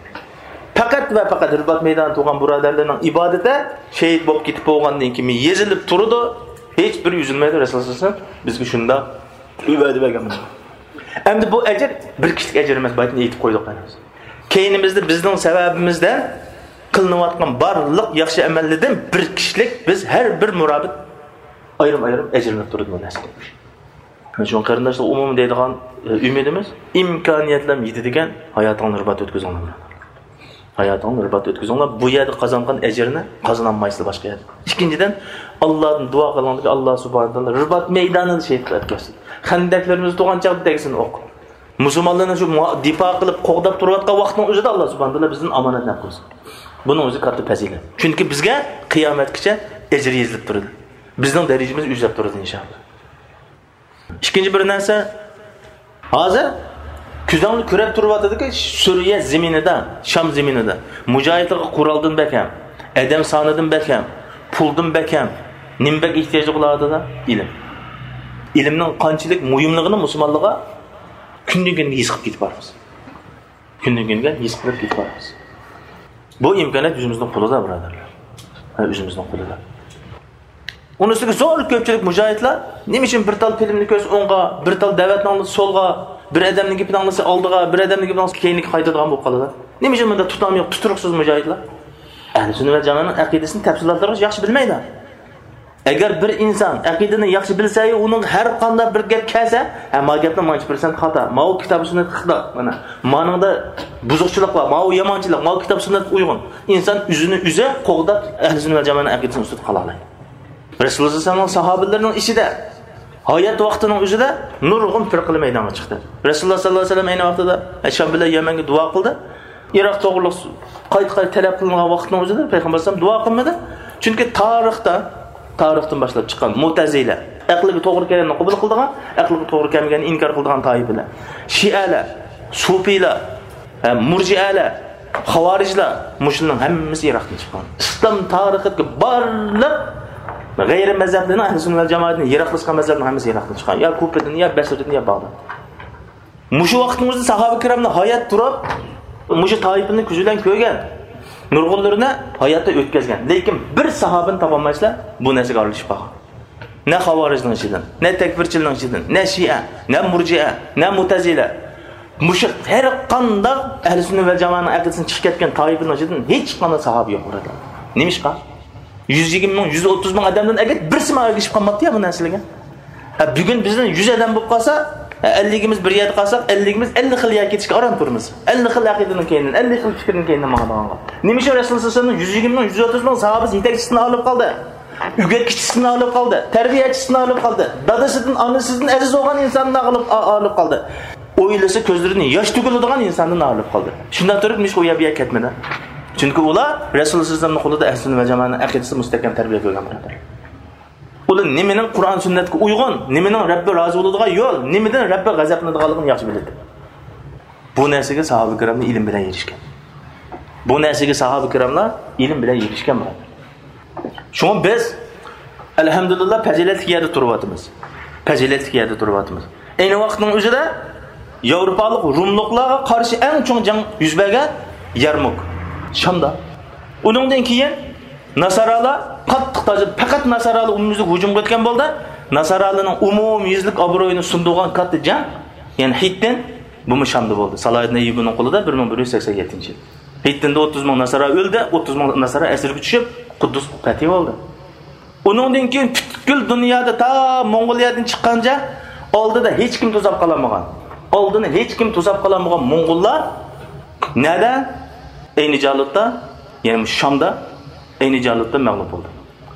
پەقەت ۋە پەقەت رىبات مەيدانىدا تۇرغان بۇرادەرلەرنىڭ ئىبادىتى شېھىت بولۇپ كېتىپ بولغاندىن كېيىن يېزىلىپ تۇرىدۇ. ھېچ بىرى ئۈزۈلمەيدۇ. رەسۇلۇللا سەللەللاھۇ ئەلەيھى ۋەسەللەم بىزگە شۇنداق ۋەدە بەرگەن. ئەمدى بۇ ئەجىر بىر كىشىلىك ئەجىر ئەمەس، بايىتىن ئېيتىپ قويدۇق. كەينىمىزدە بىزنىڭ سەۋەبىمىزدىن قىلىنىۋاتقان بارلىق ياخشى ئەمەللەردىن بىر كىشىلىك بىز ھەر بىر مۇرابىت ئايرىم-ئايرىم ئەجىرلىنىپ تۇرىدۇ بۇ نەرسىدىن. شۇڭا قېرىنداشلار، ئومۇمەن دەيدىغان، ئە، ئۈمىدىمىز، ئىمكانىيەتلەر يېتىدىكەن، ھاياتىڭلارنى رىبات ئۆتكۈزۈڭلار. ھاياتىڭلارنى رىبات ئۆتكۈزۈڭلار. بۇ يەردە قازانغان ئەجىرنى قازىنالمايسىلەر باشقا يەردە. ئىككىنچىدىن، ئاللادىن دۇئا قىلىڭلاركى، ئاللا سۇبھانەھۇ ۋە تائالا رىبات مەيدانىدا شېھىتلەر ئۆتكۈزسۇن. خەندەكلىرىمىزدە تۇرغان چاغدا تەگسۇن ئوق. مۇسۇلمانلارنى شۇ مۇ-، دىپا قىلىپ، قوغداپ تۇرۇۋاتقان ۋاقىتنىڭ ئۆزىدە ئاللا سۇبھانەھۇ ۋە تائالا بىزدىن ئامانەتنى ئەپ قويسۇن. بۇنىڭ ئۆزى كاتتا پەزىلەت. چۈنكى بىزگە قىيامەتكىچە ئەجىر يېزىلىپ تۇرىدۇ. بىزنىڭ دەرىجىمىز ئۆسۈپ تۇرىدۇ، ئىنشائاللا. ئىككىنچى بىر نەرسە، ھازىر كۆزۈڭلار كۆرۈپ تۇرۇۋاتىدۇكى، سۈرىيە زېمىنىدا، شام زېمىنىدا مۇجاھىدلارغا قورالدىن بەك ھەم، ئادەم سانىدىن بەك ھەم، پۇلدىن بەك ھەم نېمە بەك ئېھتىياجلىق بولۇۋاتىدۇ؟ ئىلىم. ئىلىمنىڭ قانچىلىك مۇھىملىقىنى مۇسۇلمانلارغا كۈندىن كۈنگە ھېس قىلىپ كېتىپ بارىمىز. كۈندىن كۈنگە ھېس قىلىپ كېتىپ بارىمىز. بۇ ئىمكانىيەت ئۆزىمىزنىڭ قولىدا، بۇرادەرلەر. ھە، ئۆزىمىزنىڭ قولىدا. ئۇنىڭ ئۈستىگە زور كۆپچىلىك مۇجاھىدلار نېمە ئۈچۈن بىر تال فىلىمنى كۆرسە ئوڭغا، بىر تال دەۋەتنى ئاڭلىسا سولغا، بىر ئادەمنىڭ گېپىنى ئاڭلىسا ئالدىغا، بىر ئادەمنىڭ گېپىنى ئاڭلىسا كەينىگە قايتىدىغان بولۇپ قالىدۇ؟ نېمە ئۈچۈن بۇنداق تۇتام يوق، تۇتۇرۇقسىز مۇجاھىدلار؟ ئەھلى سۈننە ۋەل جامائەنىڭ ئەقىدىسىنى تەپسىلاتلىرىغا ياخشى بىلمەيدۇ. ئەگەر بىر ئىنسان ئەقىدىنى ياخشى بىلسە، ئۇنىڭ ھەر قانداق بىر گەپ كەلسە، ھە، ما گەپنىڭ مانچە پىرسەنت خاتا، ماۋۇ كىتاب سۈننەتكە خىلاپ، مانا، مانىڭدا بۇزۇقچىلىق بار، ماۋۇ يامانچىلىق، ماۋۇ كىتاب سۈننەتكە ئۇيغۇن. ئىنسان ئۆزىنى ئۆزى قوغداپ، ئەھلى سۈننە ۋەل جامائەتنىڭ ئەقىدىسىنىڭ ئۈستىدە قالالايدۇ. رەسۇلۇللا سەللەللاھۇ ئەلەيھى ۋەسەللەمنىڭ ساھابىلىرىنىڭ ئىچىدە ھايات ۋاقتىنىڭ ئۆزىدە نۇرغۇن پىرقىلەر مەيدانغا چىقتى. رەسۇلۇللا سەللەللاھۇ ئەلەيھى ۋەسەللەم ئەينى ۋاقتىدا شام بىلەن يەمەنگە دۇئا قىلدى. ئىراق توغرۇلۇق قايتا-قايتا تەلەپ قىلىنغان ۋاقىتنىڭ ئۆزىدە پەيغەمبەر ئەلەيھىسسالام دۇئا قىلمىدى. چۈنكى تارىختا، تارىختىن باشلاپ چىققان مۇتەزىلە، ئەقلىگە توغرا كەلگەننى قوبۇل قىلىدىغان، ئەقلىگە توغرا كەلمىگەننى ئىنكار قىلىدىغان تائىپىلەر، شىئەلەر، سۇپىيلار، ھە، مۇرجىئەلەر، خاۋارىجلار، مۇشۇلارنىڭ ھەممىسى ئىراقتىن چىققان. ئىسلام تارىخىدىكى بارلىق غەيرىي مەزھەپلەرنىڭ، ئەھلى سۈننە ۋەل جامائەتتىن يىراقلاشقان مەزھەپنىڭ ھەممىسى ئىراقتىن چىققان. يا كۇپىدىن، يا بەسرىدىن، يا باغداد. مۇشۇ ۋاقىتنىڭ ئۆزىدە ساھابە كىراملار ھايات تۇرۇپ، مۇشۇ تائىپىنى كۆزى بىلەن كۆرگەن. نۇرغۇنلىرىنى ھاياتتا ئۆتكۈزگەن. لېكىن بىر ساھابىنى تاپالمايسىلەر، بۇ نەرسىگە ئارىلىشىپ قالغان. نە خاۋارىجنىڭ ئىچىدىن، نە تەكفىرچىلەرنىڭ ئىچىدىن، نە شىئە، نە مۇرجىئە، نە مۇتەزىلە. مۇشۇ ھەر قانداق ئەھلى سۈننە ۋەل جامائەنىڭ ئەقىدىسىدىن چىقىپ كەتكەن تائىپىنىڭ ئىچىدىن ھېچقانداق ساھابە يوق، بۇرادەر. نېمىشقا؟ يۈز يىگىرمە مىڭ، يۈز ئوتتۇز مىڭ ئادەمدىن ئەگەر بىرسىمۇ ئەگىشىپ قالماپتۇ يا بۇ نەرسىلەرگە. ھە، بۈگۈن بىزدىن يۈز ئادەم بولۇپ قالسا، ھە، ئەللىكىمىز بىر يەردە قالساق، ئەللىكىمىز ئەللىك خىل يەرگە كېتىشكە ئاران تۇرىمىز. ئەللىك خىل ئەقىدىنىڭ كەينىدىن، ئەللىك خىل پىكىرنىڭ كەينىدىن ماڭىدىغانغا. نېمە ئۈچۈن رەسۇلۇللا سەللەللاھۇ ئەلەيھى ۋەسەللەمنىڭ يۈز يىگىرمە مىڭ، يۈز ئوتتۇز مىڭ ساھابىسى يېتەكچىسىدىن ئايرىلىپ قالدى؟ ئۆگەتكۈچىسىدىن ئايرىلىپ قالدى، تەربىيەچىسىدىن ئايرىلىپ قالدى، دادىسىدىن، ئانىسىدىن ئەزىز بولغان ئىنساندىن ئايرىلىپ، ئا-، ئايرىلىپ قالدى. ئويلىسا كۆزلىرىدىن ياش تۆكۈلىدىغان ئىنساندىن ئايرىلىپ قالدى. شۇنداق تۇرۇپ، نېمىشقا ئۇ يەر بۇ يەرگە كەتمىدى؟ چۈنكى ئۇلار رەسۇلۇللا سەللەللاھۇ ئەلەيھى ۋەسەللەمنىڭ قولىدا ئەھلى سۈننە ۋەل جامائەنىڭ ئەقىدىسى مۇستەھكەم تەربىيە كۆرگەن بۇرادەر. ئۇلار نېمىنىڭ قۇرئان سۈننەتكە ئۇيغۇن، نېمىنىڭ رەببى رازى بولىدىغان يول، نېمىدىن رەببى غەزەپلىنىدىغانلىقىنى ياخشى بىلىدۇ. بۇ نەرسىگە ساھابە كىراملار ئىلىم بىلەن ئېرىشكەن. بۇ نەرسىگە ساھابە كىراملار ئىلىم بىلەن ئېرىشكەن، بۇرادەر. شۇڭا بىز، ئەلھەمدۇلىللا، پەزىلەتلىك يەردە تۇرۇۋاتىمىز. پەزىلەتلىك يەردە تۇرۇۋاتىمىز. ئەينى ۋاقىتنىڭ ئۆزىدە ياۋروپالىق روملۇقلارغا قارشى ئەڭ چوڭ جەڭ يۈز بەرگەن يەرمۇك، شامدا. ئۇنىڭدىن كېيىن ناسارالار قاتتىق تاجىپ، پەقەت ناسارالار ئومۇميۈزلۈك ھۇجۇم قىلىۋەتكەن بولدى. ناسارالارنىڭ ئومۇميۈزلۈك ئابرۇيىنى سۇندۇرغان كاتتا جەڭ، يەنى ھىتتىن، بۇمۇ شامدا بولدى. سالاھىدىن ئەييۇبىنىڭ قولىدا بىر مىڭ بىر يۈز سەكسەن يەتتىنچى يىل. ھىتتىندا ئوتتۇز مىڭ ناسارا ئۆلدى، ئوتتۇز مىڭ ناسارا ئەسىرگە چۈشۈپ، قۇددۇس پەتھى بولدى. ئۇنىڭدىن كېيىن پۈتكۈل دۇنيادا تا موڭغۇلىيەدىن چىققانچە ئالدىدا ھېچكىم توساپ قالالمىغان. ئالدىنى ھېچكىم توساپ قالالمىغان موڭغۇللار نەدە؟ ئەينى جالۇتتا، يەنى شامدا، ئەينى جالۇتتا مەغلۇپ بولدى.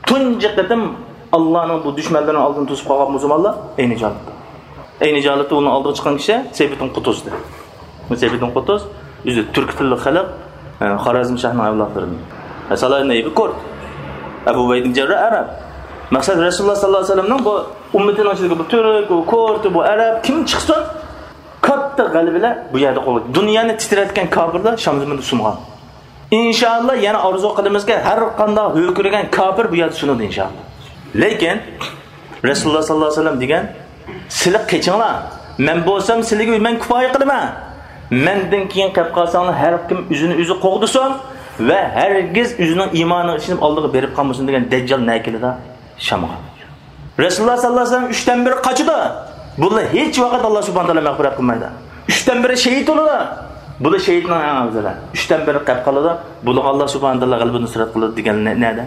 تۇنجى قېتىم ئاللانىڭ بۇ دۈشمەنلىرىنىڭ ئالدىنى توسۇپ قالغان مۇسۇلمانلار ئەينى جالۇتتا. ئەينى جالۇتتا ئۇنىڭ ئالدىغا چىققان كىشى سەيپىدىن قۇتۇز ئىدى. بۇ سەيپىدىن قۇتۇز ئۆزى تۈركىي تىللىق خەلق، ئە، خارەزم شاھنىڭ ئەۋلادلىرىدىن. ئە، سالاھىدىن ئەييۇبى كورد. ئەبۇ ئۇبەيدە ئىبن جەرراھ ئەرەب. مەقسەت، رەسۇلۇللا ساللاللاھۇ ئەلەيھى ۋەسەللەمنىڭ بۇ ئۈممىتىنىڭ ئىچىدىكى بۇ تۈرك، بۇ كورد، بۇ ئەرەب كىم چىقسۇن، كاتتا غەلىبە بىلەن بۇ يەردە قولغا. دۇنيانى تىترەتكەن كاپىرلار شام زېمىنىدا سۇنغان. ئىنشائاللا، يەنە ئارزۇ قىلىمىزكى، ھەر قانداق ھۆركىرىگەن كاپىر بۇ يەردە سۇنىدۇ، ئىنشائاللا. لېكىن رەسۇلۇللاھ سەللەللاھۇ ئەلەيھى ۋەسەللەم دېگەن، سىلى قېچىڭلار، مەن بولسام سىلىگە مەن كۇپايە قىلىمەن. مەندىن كېيىن قېلىپ قالساڭلار، ھەر كىم ئۆزىنى ئۆزى قوغدىسۇن ۋە ھەرگىز ئۆزىنىڭ ئىمانىغا ئىشىنىپ ئالدىغا بېرىپ قالمىسۇن دېگەن دەججال نەگە كېلىدۇ؟ شامغا. رەسۇلۇللاھ سەللەللاھۇ ئەلەيھى ۋەسەللەم ئۈچتىن بىرى قاچىدۇ. بۇلار ھېچ ۋاقىت ئاللاھ سۇبھانەھۇ ۋە تائالا مەغپىرەت قىلمايدۇ. ئۈچتىن بىرى شېھىت بولىدۇ. بۇلار شېھىتنىڭ ئەڭ ئەۋزىلى. ئۈچتىن بىرى قېلىپ قالىدۇ. بۇلارغا ئاللاھ سۇبھانەھۇ ۋە تائالا غەلىبە نۇسرەت قىلىدۇ دېگەن نە-، نەدە؟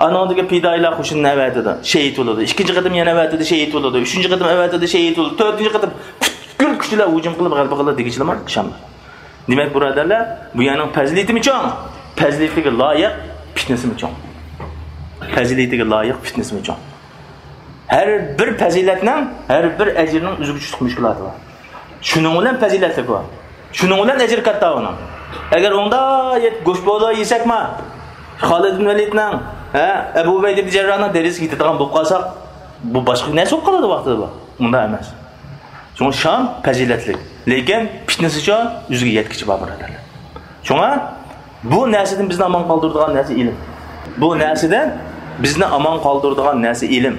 ئانىڭدىكى پىدائىيلار قوشۇنىنى ئەۋەتىدۇ، شېھىت بولىدۇ. ئىككىنچى قېتىم يەنە ئەۋەتىدۇ، شېھىت بولىدۇ. ئۈچىنچى قېتىم ئەۋەتىدۇ، شېھىت بولىدۇ. تۆتىنچى قېتىم پۈتكۈل كۈچ بىلەن ھۇجۇم قىلىپ غەلىبە قىلىدۇ دېگۈچىلەر بار شامدا. دېمەك، بۇرادەرلەر، بۇ يەرنىڭ پەزىلىتىمۇ چوڭ، پەزىلىتىگە لايىق پىتنىسىمۇ چوڭ. پەزىلىتىگە لايىق پىتنىسىمۇ چوڭ. ھەر بىر پەزىلەتنىڭ، ھەر بىر ئەجرنىڭ ئۆزىگە چۈشلۈك مۈشكۈلاتى بار. شۇنىڭ بىلەن پەزىلەتلىك بۇ. شۇنىڭ بىلەن ئەجرى كاتتا ئۇنىڭ. ئەگەر ئۇنداق يەپ گۆش بولا يېسەكما، خالىد ئىبن ۋەلىدنىڭ، ھە، ئەبۇ ئۇبەيدە ئىبن جەرراننىڭ دەرىجىسىگە يېتىدىغان بولۇپ قالساق، بۇ باشقا نەرسە بولۇپ قالىدۇ ۋاقتىدا بۇ. ئۇنداق ئەمەس. شۇڭا شام پەزىلەتلىك. لېكىن پىتنىسىچۇ ئۆزىگە يەتكۈچە بار، بۇرادەرلەر. شۇڭا بۇ نەرسىدىن بىزنى ئامان قالدۇرىدىغان نەرسە ئىلىم. بۇ نەرسىدىن بىزنى ئامان قالدۇرىدىغان نەرسە ئىلىم.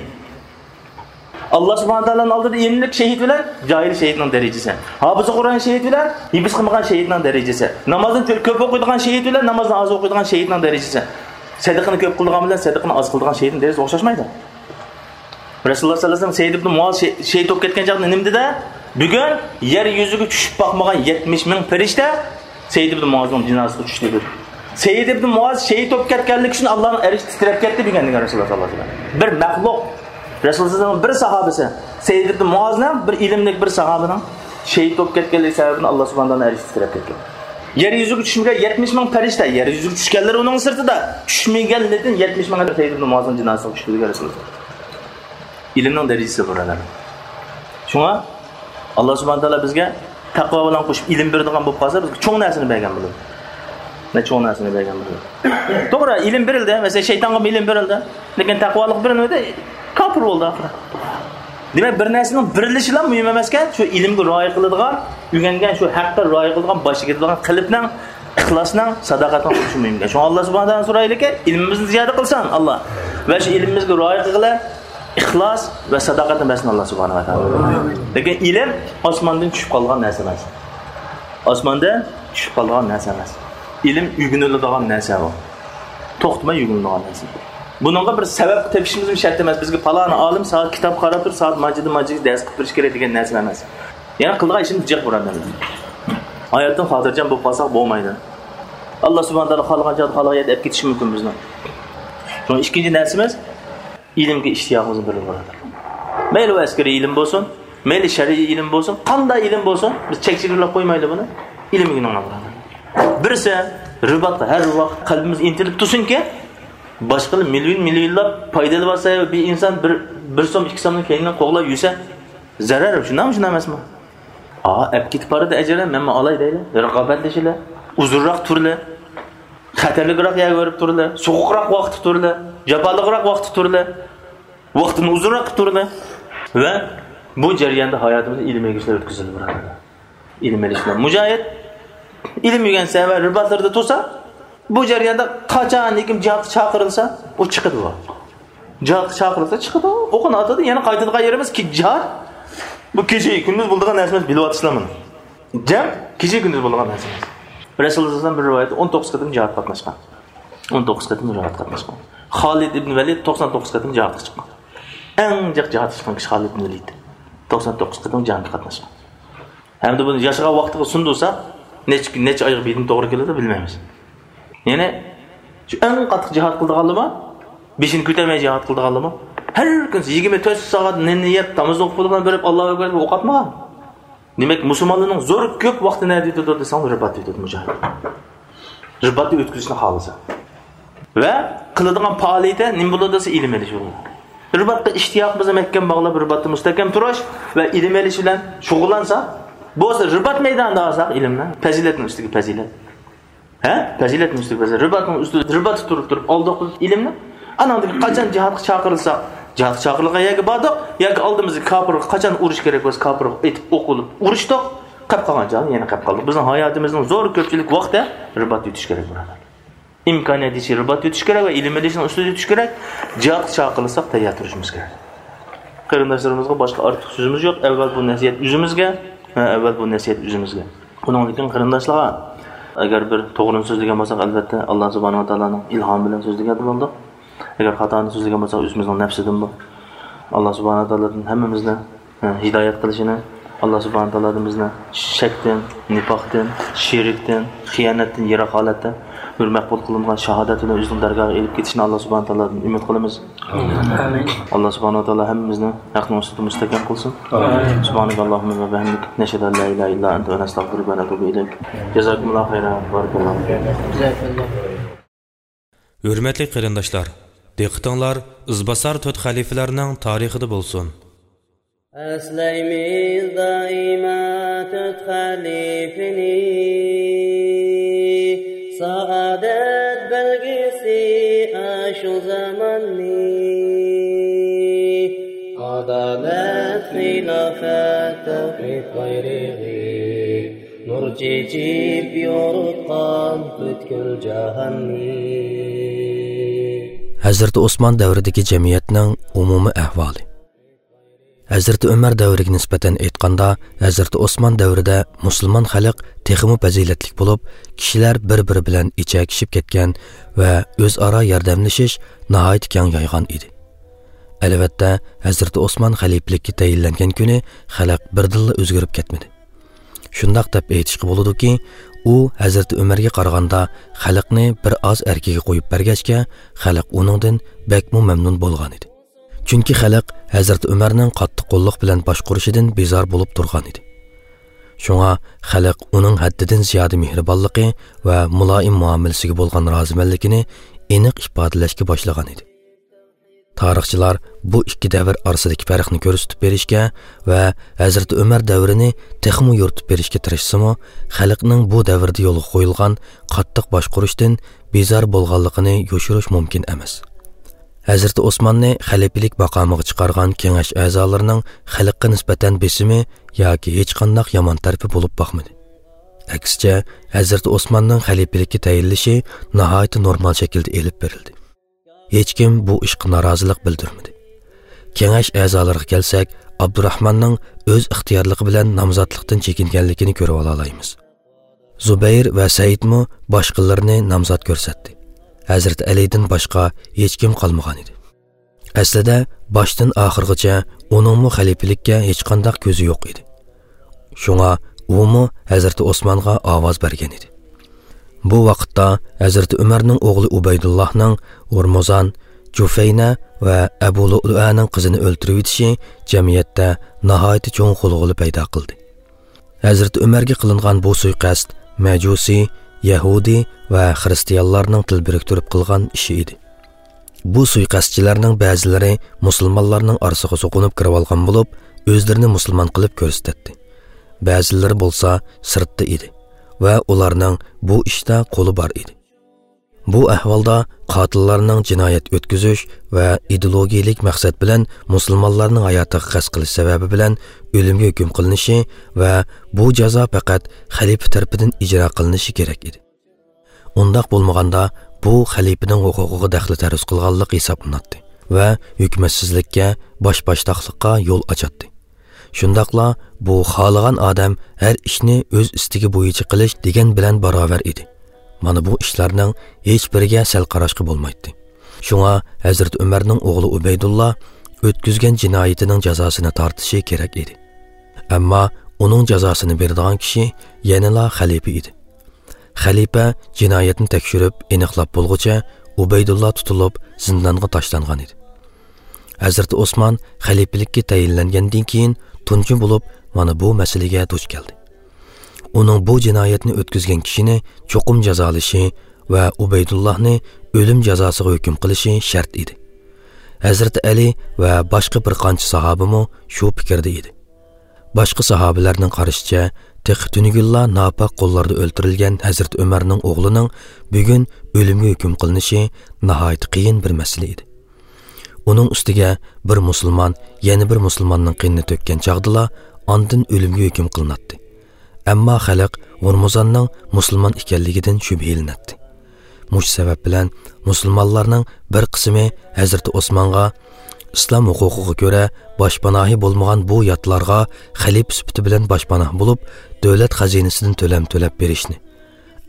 ئاللاھ سۇبھانەھۇ ۋە تائالانىڭ ئالدىدا ئىلىملىك شېھىت بىلەن جاھىل شېھىتنىڭ دەرىجىسى. ھاپىز قۇرئان شېھىت بىلەن ھىپىز قىلمىغان شېھىتنىڭ دەرىجىسى. نامازنى كۆپ ئوقۇيدىغان شېھىت بىلەن نامازنى ئاز ئوقۇيدىغان شېھىتنىڭ دەرىجىسى. سەدىقىنى كۆپ قىلىدىغان بىلەن سەدىقىنى ئاز قىلىدىغان شېھىتنىڭ دەرىجىسى ئوخشاشمايدۇ. رەسۇلۇللاھ سەللەللاھۇ ئەلەيھى ۋەسەللەم سەئىد ئىبن مۇئاز شېھ-، شېھىت بولۇپ كەتكەن چاغدا نېمە دېدى؟ بۈگۈن يەر يۈزىگە چۈشۈپ باقمىغان يەتمىش مىڭ پەرىشتە سەئىد ئىبن مۇئازنىڭ جىنازىسىغا چۈشتى دېدى. سەئىد ئىبن مۇئاز شېھىت بولۇپ كەتكەنلىكى ئۈچۈن ئاللاھنىڭ ئەرشى تىترەپ كەتتى دېگەن دېگەن رەسۇلۇللاھ سەللەللاھۇ ئەلەيھى ۋەسەللەم. بىر مەخلۇق، رەسۇلۇللاھ سەللەللاھۇ ئەلەيھى ۋەسەللەم بىر ساھابىسى، سەئىد ئىبن مۇئازنىڭ بىر ئىلىملىك بىر ساھابىنىڭ شېھىت بولۇپ كەتكەنلىكى سەۋەبىدىن ئاللاھ سۇبھانەھۇ ۋە تائالانىڭ ئەرشى تىترەپ كەتكەن. يەر يۈزىگە چۈشمىگەن يەتمىش مىڭ پەرىشتە، يەر يۈزىگە چۈشكەنلەر ئۇنىڭ سىرتىدا، چۈشمىگەنلىرىدىن يەتمىش مىڭ سەئىد ئىبن مۇئازنىڭ جىنازىسىغا چۈشتى دېگەن رەسۇلۇللاھ. ئىلىمنىڭ دەرىجىسى بۇرادەرلەر. شۇڭا ئاللاھ سۇبھانەھۇ ۋە تائالا بىزگە تەقۋا بىلەن قوشۇپ ئىلىم بېرىدىغان بولۇپ قالسا، بىزگە چوڭ نەرسىنى بەرگەن بولىدۇ. نە چوڭ نەرسىنى بەرگەن بولىدۇ. توغرا، ئىلىم بېرىلدى. مەسىلەن، شەيتانغا ئىلىم بېرىلدى. لېكىن تەقۋالىق بېرىلمىدى. كاپىر بولدى ئاخىرى. دېمەك، بىر نەرسىنىڭ بېرىلىشىلا مۇھىم ئەمەسكەن، شۇ ئىلىمگە رىئايە قىلىدىغان، ئۆگەنگەن شۇ ھەققە رىئايە قىلىدىغان، باشقا كېتىدىغان قەلبنىڭ، ئىخلاسنىڭ، ساداقەتنىڭ بولۇشى مۇھىمكەن. شۇڭا ئاللاھ سۇبھانەھۇ ۋە تائالادىن سورايلىكى، ئىلمىمىزنى زىيادە قىلسۇن، ئاللاھ. ۋە شۇ ئىلمىمىزگە رىئايە قىلغىلى ئىخلاس ۋە ساداقەتنى بەرسۇن ئاللاھ سۇبھانەھۇ ۋە تائالا. لېكىن ئىلىم ئاسماندىن چۈشۈپ قالغان نەرسە ئەمەس. ئاسماندىن چۈشۈپ قالغان نەرسە ئەمەس. ئىلىم ئۆگىنىلىدىغان نەرسە بۇ. توختىماي ئۆگىنىلىدىغان نەرسە. بۇنىڭغا بىر سەۋەب تېپىشىمىزمۇ شەرت ئەمەس. بىزگە پالانى ئالىم سائەت كىتاب قاراپ تۇرۇپ، سائەت ماجىدا ماجىدا دەرس قىلىپ بېرىش كېرەك دېگەن نەرسە ئەمەس. يەنە قىلىدىغان ئىشىمىز جىق، بۇرادەرلەر. ھاياتتىن خاتىرجەم بولۇپ قالساق بولمايدۇ. ئاللاھ سۇبھانەھۇ ۋە تائالا خالىغان چاغدا، خالىغان يەردە ئەپ كېتىشى مۇمكىن بىزنى. شۇڭا ئىككىنچى نەرسىمىز، ئىلىمگە ئىشتىياقىمىزنى بېرىدۇ، بۇرادەرلەر. مەيلى ئۇ ئەسكىرىي ئىلىم بولسۇن، مەيلى شەرئىي ئىلىم بولسۇن، قانداق ئىلىم بولسۇن، بىز چەك چېگرىلەپ قويمايلى بۇنى. ئىلىم ئۆگىنىڭلار، بۇرادەرلەر. بىرسى، رىباتقا ھەر ۋاقىت قەلبىمىز ئىنتىلىپ تۇرسۇنكى، باشقىلار مىليون مىليونلاپ پايدىلىنىۋاتسا، بىر ئىنسان بىر، بىر سوم، ئىككى سومنىڭ كەينىدىن قوغلاپ يۈرسە، زەرەر، شۇنداقمۇ، شۇنداق ئەمەسمۇ؟ ئا، ئەپ كېتىپ بارىدۇ ئەجرى، مەنمۇ ئالاي دەيلى. رىقابەتلىشىلى، ئۇزۇنراق تۇرىلى، خەتەرلىكراق يەرگە بېرىپ تۇرىلى، سوغۇقراق ۋاقىتتا تۇرىلى، جاپالىقراق ۋاقىتتا تۇرىلى، ۋاقتىنى ئۇزۇنراق قىلىپ تۇرىلى. ۋە بۇ جەرياندا ھاياتىمىزدا ئىلىم ئېلىشلار ئۆتكۈزۈلدى، بۇرادەرلەر. ئىلىم ئېلىشلار. مۇجاھىد ئىلىم ئۆگەنسە ۋە رىباتلىرىدا تۇرسا، بۇ جەرياندا قاچان ھېكىم جىھادقا چاقىرىلسا، ئۇ چىقىدۇ. جىھادقا چاقىرىلسا چىقىدۇ، ئوقىنى ئاتىدۇ، يەنە قايتىدىغان يېرىمىز كى-، جىھاد. بۇ كېچە كۈندۈز بولىدىغان نەرسە ئەمەس، بىلىۋاتىسىلەر مۇنى. جەڭ كېچە كۈندۈز بولىدىغان نەرسە ئەمەس. رەسۇلۇللاھ سەللەللاھۇ ئەلەيھى ۋەسەللەم بىر رىۋايەتتە ئون توققۇز قېتىم جىھادقا قاتناشقان. ئون توققۇز قېتىم جىھادقا قاتناشقان. خالىد ئىبن ۋەلىد توقسان توققۇز قېتىم جىھادقا چىققان. ئەڭ جىق جىھادقا چىققان كىشى خالىد ئىبن ۋەلىد. توقسان توققۇز قېتىم جەڭگە قاتناشقان. ھەمدە بۇنى ياشىغان ۋاقتىغا سۇندۇرسا، نەچچە، نەچچە ئايغا بىردىن توغرا كېلىدۇ، بىلمەيمىز. يەنى شۇ ئەڭ قاتتىق جىھاد قىلىدىغانلىرىمۇ، بېشىنى كۆتۈرمەي جىھاد قىلىدىغانلىرىمۇ، ھەر كۈن يىگىرمە تۆت سائەت نېنىنى يەپ، تامىزىغا قۇلىغان بېرىپ، ئاللاھۇ ئەكبەر دەپ ئوق ئاتمىغان. دېمەك، مۇسۇلمانلارنىڭ زور كۆپ ۋاقتى نەدە ئۆتىدۇ دېسەڭ، رىباتتا ئۆتىدۇ مۇجاھىد. رىباتنى ئۆتكۈزۈشنى خالىسا. ۋە قىلىدىغان پائالىيىتى نېمە بولىدۇ دېسە، ئىلىم ئېلىش بولىدۇ. رىباتقا ئىشتىياقىمىزنى مەھكەم باغلاپ، رىباتتا مۇستەھكەم تۇرۇش ۋە ئىلىم ئېلىش بىلەن شۇغۇللانسا، بولسا رىبات مەيدانىدا ئالساق ئىلىمنى، پەزىلەتنىڭ ئۈستىگە پەزىلەت. ھە؟ پەزىلەتنىڭ ئۈستىگە پەزىلەت. رىباتنىڭ ئۈستىدە، رىباتتا تۇرۇپ، تۇرۇپ ئالدۇق بىز ئىلىمنى. ئاناندىن كېيىن قاچان جىھادقا چاقىرىلساق، جىھادقا چاقىرىلغان يەرگە باردۇق، ياكى ئالدىمىزدا كاپىرغا قاچان ئۇرۇش كېرەك بولسا، كاپىرغا ئېتىپ ئوق ئۇرۇپ ئۇرۇشتۇق، قېلىپ قالغان جايدا يەنە قېلىپ قالدۇق. بىزنىڭ ھاياتىمىزنىڭ زور كۆپچىلىك ۋاقتى رىباتتا ئۆتۈش كېرەك، بۇرادەر. ئىمكانىيەت يېتىشىچە رىبات يۈتۈش كېرەك ۋە ئىلىم ئېلىشنىڭ ئۈستىدە يۈتۈش كېرەك. جىھادقا چاقىرىلساق تەييار تۇرۇشىمىز كېرەك. قېرىنداشلىرىمىزغا باشقا ئارتۇق سۆزىمىز يوق. ئەۋۋەل بۇ نەسىھەت ئۆزىمىزگە، ھە، ئەۋۋەل بۇ نەسىھەت ئۆزىمىزگە. ئۇنىڭدىن كېيىن قېرىنداشلارغا، ئەگەر بىر توغرىنى سۆزلىگەن بولساق، ئەلۋەتتە، ئاللا سۇبھانەھۇ ۋە تائالانىڭ ئىلھامى بىلەن سۆزلىگەن بولدۇق. ئەگەر خاتانى سۆزلىگەن بولساق، ئۆزىمىزنىڭ نەپسىدىن بۇ. ئاللا سۇبھانەھۇ ۋە تائالادىن ھەممىمىزنى، ھە، ھىدايەت قىلىشىنى، ئاللا سۇبھانەھۇ ۋە تائالا بىزنى شەكتىن، نىپاقتىن، شېرىكتىن، خىيانەتتىن يىراق ھالەتتە بىر مەقبۇل قىلىنغان شاھادەت بىلەن ئۆزىنىڭ دەرگاھىغا ئېلىپ كېتىشىنى ئاللا سۇبھانەھۇ ۋە تائالادىن ئۈمىد قىلىمىز. ئامىن. ئاللا سۇبھانەھۇ ۋە تائالا ھەممىمىزنى ھەقنىڭ ئۈستىدە مۇستەھكەم قىلسۇن. ئامىن. سۇبھانەكەللاھۇممە ۋە بىھەمدىك، نەشھەدۇ ئەن لا ئىلاھە ئىللا ئەنتە ۋە نەستەغفىرۇكە ۋە نەتۇبۇ ئىلەيك. جازاكۇمۇللاھۇ خەيرەن. بارىكاللاھۇ فىكۇم. جازاكاللاھ. ھۆرمەتلىك قېرىنداشلار، دىققىتىڭلار ئىزباسار تۆت خەلىپىلەرنىڭ تارىخىدا بولسۇن. ئەسلەيمىز دائىما تۆت خەلىپىنى، سائادەت بەلگىسى ئاشۇ زاماننى. ئادالەت، خىلاپەت، تەۋھىد بايرىقى، نۇر چېچىپ يورۇتقان پۈتكۈل جاھاننى. ھەزرىتى ئوسمان دەۋرىدىكى جەمئىيەتنىڭ ئومۇمىي ئەھۋالى. ھەزرىتى ئۆمەر دەۋرىگە نىسبەتەن ئېيتقاندا، ھەزرىتى ئوسمان دەۋرىدە مۇسۇلمان خەلق تېخىمۇ پەزىلەتلىك بولۇپ، كىشىلەر بىر-بىرى بىلەن ئېچەكىشىپ كەتكەن ۋە ئۆزئارا ياردەملىشىش ناھايىتى كەڭ يايغان ئىدى. ئەلۋەتتە، ھەزرىتى ئوسمان خەلىپىلىككە تەيىنلەنگەن كۈنى خەلق بىردىنلا ئۆزگىرىپ كەتمىدى. شۇنداق دەپ ئېيتىشقا بولىدۇكى، ئۇ ھەزرىتى ئۆمەرگە قارىغاندا خەلقنى بىر ئاز ئەركىگە قويۇپ بەرگەچكە، خەلق ئۇنىڭدىن بەكمۇ مەمنۇن بولغانىدى. چۈنكى خەلق ھەزرىتى ئۆمەرنىڭ قاتتىق قوللۇق بىلەن باشقۇرۇشىدىن بىزار بولۇپ تۇرغانىدى. شۇڭا خەلق ئۇنىڭ ھەددىدىن زىيادە مېھرىبانلىقى ۋە مۇلائىم مۇئامىلىسىگە بولغان رازىمەنلىكىنى ئېنىق ئىپادىلەشكە باشلىغانىدى. تارىخچىلار بۇ ئىككى دەۋر ئارىسىدىكى پەرقنى كۆرسىتىپ بېرىشكە ۋە ھەزرىتى ئۆمەر دەۋرىنى تېخىمۇ يورۇتۇپ بېرىشكە تىرىشسىمۇ، خەلقنىڭ بۇ دەۋردە يولغا قويۇلغان قاتتىق باشقۇرۇشتىن بىزار بولغانلىقىنى يوشۇرۇش مۇمكىن ئەمەس. ھەزرىتى ئوسماننى خەلىپىلىك ماقامىغا چىقارغان كېڭەش ئەزالىرىنىڭ خەلققە نىسبەتەن بېسىمى ياكى ھېچقانداق يامان تەرىپى بولۇپ باقمىدى. ئەكسىچە، ھەزرىتى ئوسماننىڭ خەلىپىلىككە تەيىنلىشى ناھايىتى نورمال شەكىلدە ئېلىپ بېرىلدى. ھېچكىم بۇ ئىشقا نارازىلىق بىلدۈرمىدى. كېڭەش ئەزالىرىغا كەلسەك، ئابدۇراخماننىڭ ئۆز ئىختىيارلىقى بىلەن نامزاتلىقتىن چېكىنگەنلىكىنى كۆرۈۋالالايمىز. زۇبەير ۋە سەئىدمۇ باشقىلىرىنى نامزات كۆرسەتتى. ھەزرىتى ئەلىدىن باشقا ھېچكىم قالمىغانىدى. ئەسلىدە، باشتىن ئاخىرغىچە ئۇنىڭمۇ خەلىپىلىككە ھېچقانداق كۆزى يوق ئىدى. شۇڭا ئۇمۇ ھەزرىتى ئوسمانغا ئاۋاز بەرگەن ئىدى. بۇ ۋاقىتتا ھەزرىتى ئۆمەرنىڭ ئوغلى ئۇبەيدۇللاھنىڭ ھورمۇزان، جۇفەينە ۋە ئەبۇ لۇئلۇئەنىڭ قىزىنى ئۆلتۈرۈۋېتىشى جەمئىيەتتە ناھايىتى چوڭ غۇلغۇلا پەيدا قىلدى. ھەزرىتى ئۆمەرگە قىلىنغان بۇ سۇيىقەست مەجۇسىي، يەھۇدىي ۋە خىرىستىيانلارنىڭ تىل بىرىكتۈرۈپ قىلغان ئىشى ئىدى. بۇ سۇيىقەستچىلەرنىڭ بەزىلىرى مۇسۇلمانلارنىڭ ئارىسىغا سوقۇنۇپ كىرىۋالغان بولۇپ، ئۆزلىرىنى مۇسۇلمان قىلىپ كۆرسىتەتتى. بەزىلىرى بولسا سىرتتا ئىدى ۋە ئۇلارنىڭ بۇ ئىشتا قولى بار ئىدى. بۇ ئەھۋالدا قاتىللارنىڭ جىنايەت ئۆتكۈزۈش ۋە ئىدېئولوگىيەلىك مەقسەت بىلەن مۇسۇلمانلارنىڭ ھاياتىغا قەست قىلىش سەۋەبى بىلەن ئۆلۈمگە ھۆكۈم قىلىنىشى ۋە بۇ جازا پەقەت خەلىپە تەرىپىدىن ئىجرا قىلىنىشى كېرەك ئىدى. ئۇنداق بولمىغاندا، بۇ خەلىپىنىڭ ھوقۇقىغا دەخلى تەرۇز قىلغانلىق ھېسابلىناتتى ۋە ھۆكۈمەتسىزلىككە، باش-باشتاقلىققا يول ئاچاتتى. شۇنداقلا بۇ خالىغان ئادەم ھەر ئىشنى ئۆز ئىستىكى بويىچە قىلىش دېگەن بىلەن باراۋەر ئىدى. مانا بۇ ئىشلارنىڭ ھېچبىرىگە سەل قاراشقا بولمايتتى. شۇڭا ھەزرىتى ئۆمەرنىڭ ئوغلى ئۇبەيدۇللا ئۆتكۈزگەن جىنايىتىنىڭ جازاسىنى تارتىشى كېرەك ئىدى. ئەمما ئۇنىڭ جازاسىنى بېرىدىغان كىشى يەنىلا خەلىپە ئىدى. خەلىپە جىنايەتنى تەكشۈرۈپ ئېنىقلاپ بولغۇچە، ئۇبەيدۇللا تۇتۇلۇپ زىندانغا تاشلانغان ئىدى. ھەزرىتى ئوسمان خەلىپىلىككە تەيىنلەنگەندىن كېيىن تۇنجى بولۇپ مانا بۇ مەسىلىگە دۇچ كەلدى. ئۇنىڭ بۇ جىنايەتنى ئۆتكۈزگەن كىشىنى چوقۇم جازالىشى ۋە ئۇبەيدۇللاھنى ئۆلۈم جازاسىغا ھۆكۈم قىلىشى شەرت ئىدى. ھەزرىتى ئەلى ۋە باشقا بىر قانچە ساھابىمۇ شۇ پىكىردە ئىدى. باشقا ساھابىلەرنىڭ قارىشىچە، تېخى تۈنۈگۈنلا ناپاك قوللاردا ئۆلتۈرۈلگەن ھەزرىتى ئۆمەرنىڭ ئوغلىنىڭ بۈگۈن ئۆلۈمگە ھۆكۈم قىلىنىشى ناھايىتى قىيىن بىر مەسىلە ئىدى. ئۇنىڭ ئۈستىگە بىر مۇسۇلمان يەنە بىر مۇسۇلماننىڭ قېنىنى تۆككەن چاغدىلا ئاندىن ئۆلۈمگە ھۆكۈم قىلىناتتى. ئەمما خەلق ھورمۇزاننىڭ مۇسۇلمان ئىكەنلىكىدىن شۈبھىلىنەتتى. مۇشۇ سەۋەب بىلەن مۇسۇلمانلارنىڭ بىر قىسمى ھەزرىتى ئوسمانغا ئىسلام ھوقۇقىغا كۆرە باشپاناھى بولمىغان بۇ ياتلارغا خەلىپە سۈپىتى بىلەن باشپاناھ بولۇپ، دۆلەت خەزىنىسىدىن تۆلەم تۆلەپ بېرىشنى،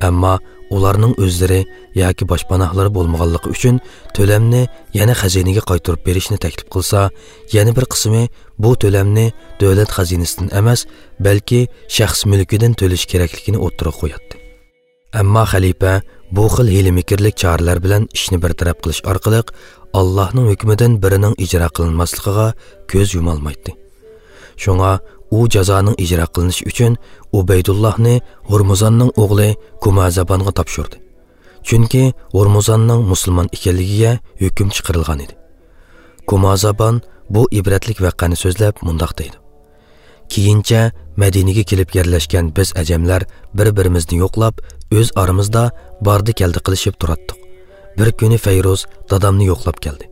ئەمما ئۇلارنىڭ ئۆزلىرى ياكى باشپاناھلىرى بولمىغانلىقى ئۈچۈن تۆلەمنى يەنە خەزىنىگە قايتۇرۇپ بېرىشنى تەكلىپ قىلسا، يەنە بىر قىسمى بۇ تۆلەمنى دۆلەت خەزىنىسىدىن ئەمەس، بەلكى شەخس مۈلكىدىن تۆلىشى كېرەكلىكىنى ئوتتۇرىغا قوياتتى. ئەمما خەلىپە بۇ خىل ھىيلە-مىكىرلىك چارىلەر بىلەن ئىشنى بىر تەرەپ قىلىش ئارقىلىق ئاللاھنىڭ ھۆكمىدىن بىرىنىڭ ئىجرا قىلىنماسلىقىغا كۆز يۇمالمايتتى. شۇڭا ئۇ جازانىڭ ئىجرا قىلىنىشى ئۈچۈن ئۇبەيدۇللاھنى ھورمۇزاننىڭ ئوغلى كۇمازابانغا تاپشۇردى. چۈنكى ھورمۇزاننىڭ مۇسۇلمان ئىكەنلىكىگە ھۆكۈم چىقىرىلغان ئىدى. كۇمازابان بۇ ئىبرەتلىك ۋەقەنى سۆزلەپ مۇنداق دەيدۇ: كېيىنچە مەدىنىگە كېلىپ يەرلەشكەن بىز ئەجەملەر بىر-بىرىمىزنى يوقلاپ، ئۆز ئارىمىزدا باردى-كەلدى قىلىشىپ تۇراتتۇق. بىر كۈنى فەيرۇز دادامنى يوقلاپ كەلدى.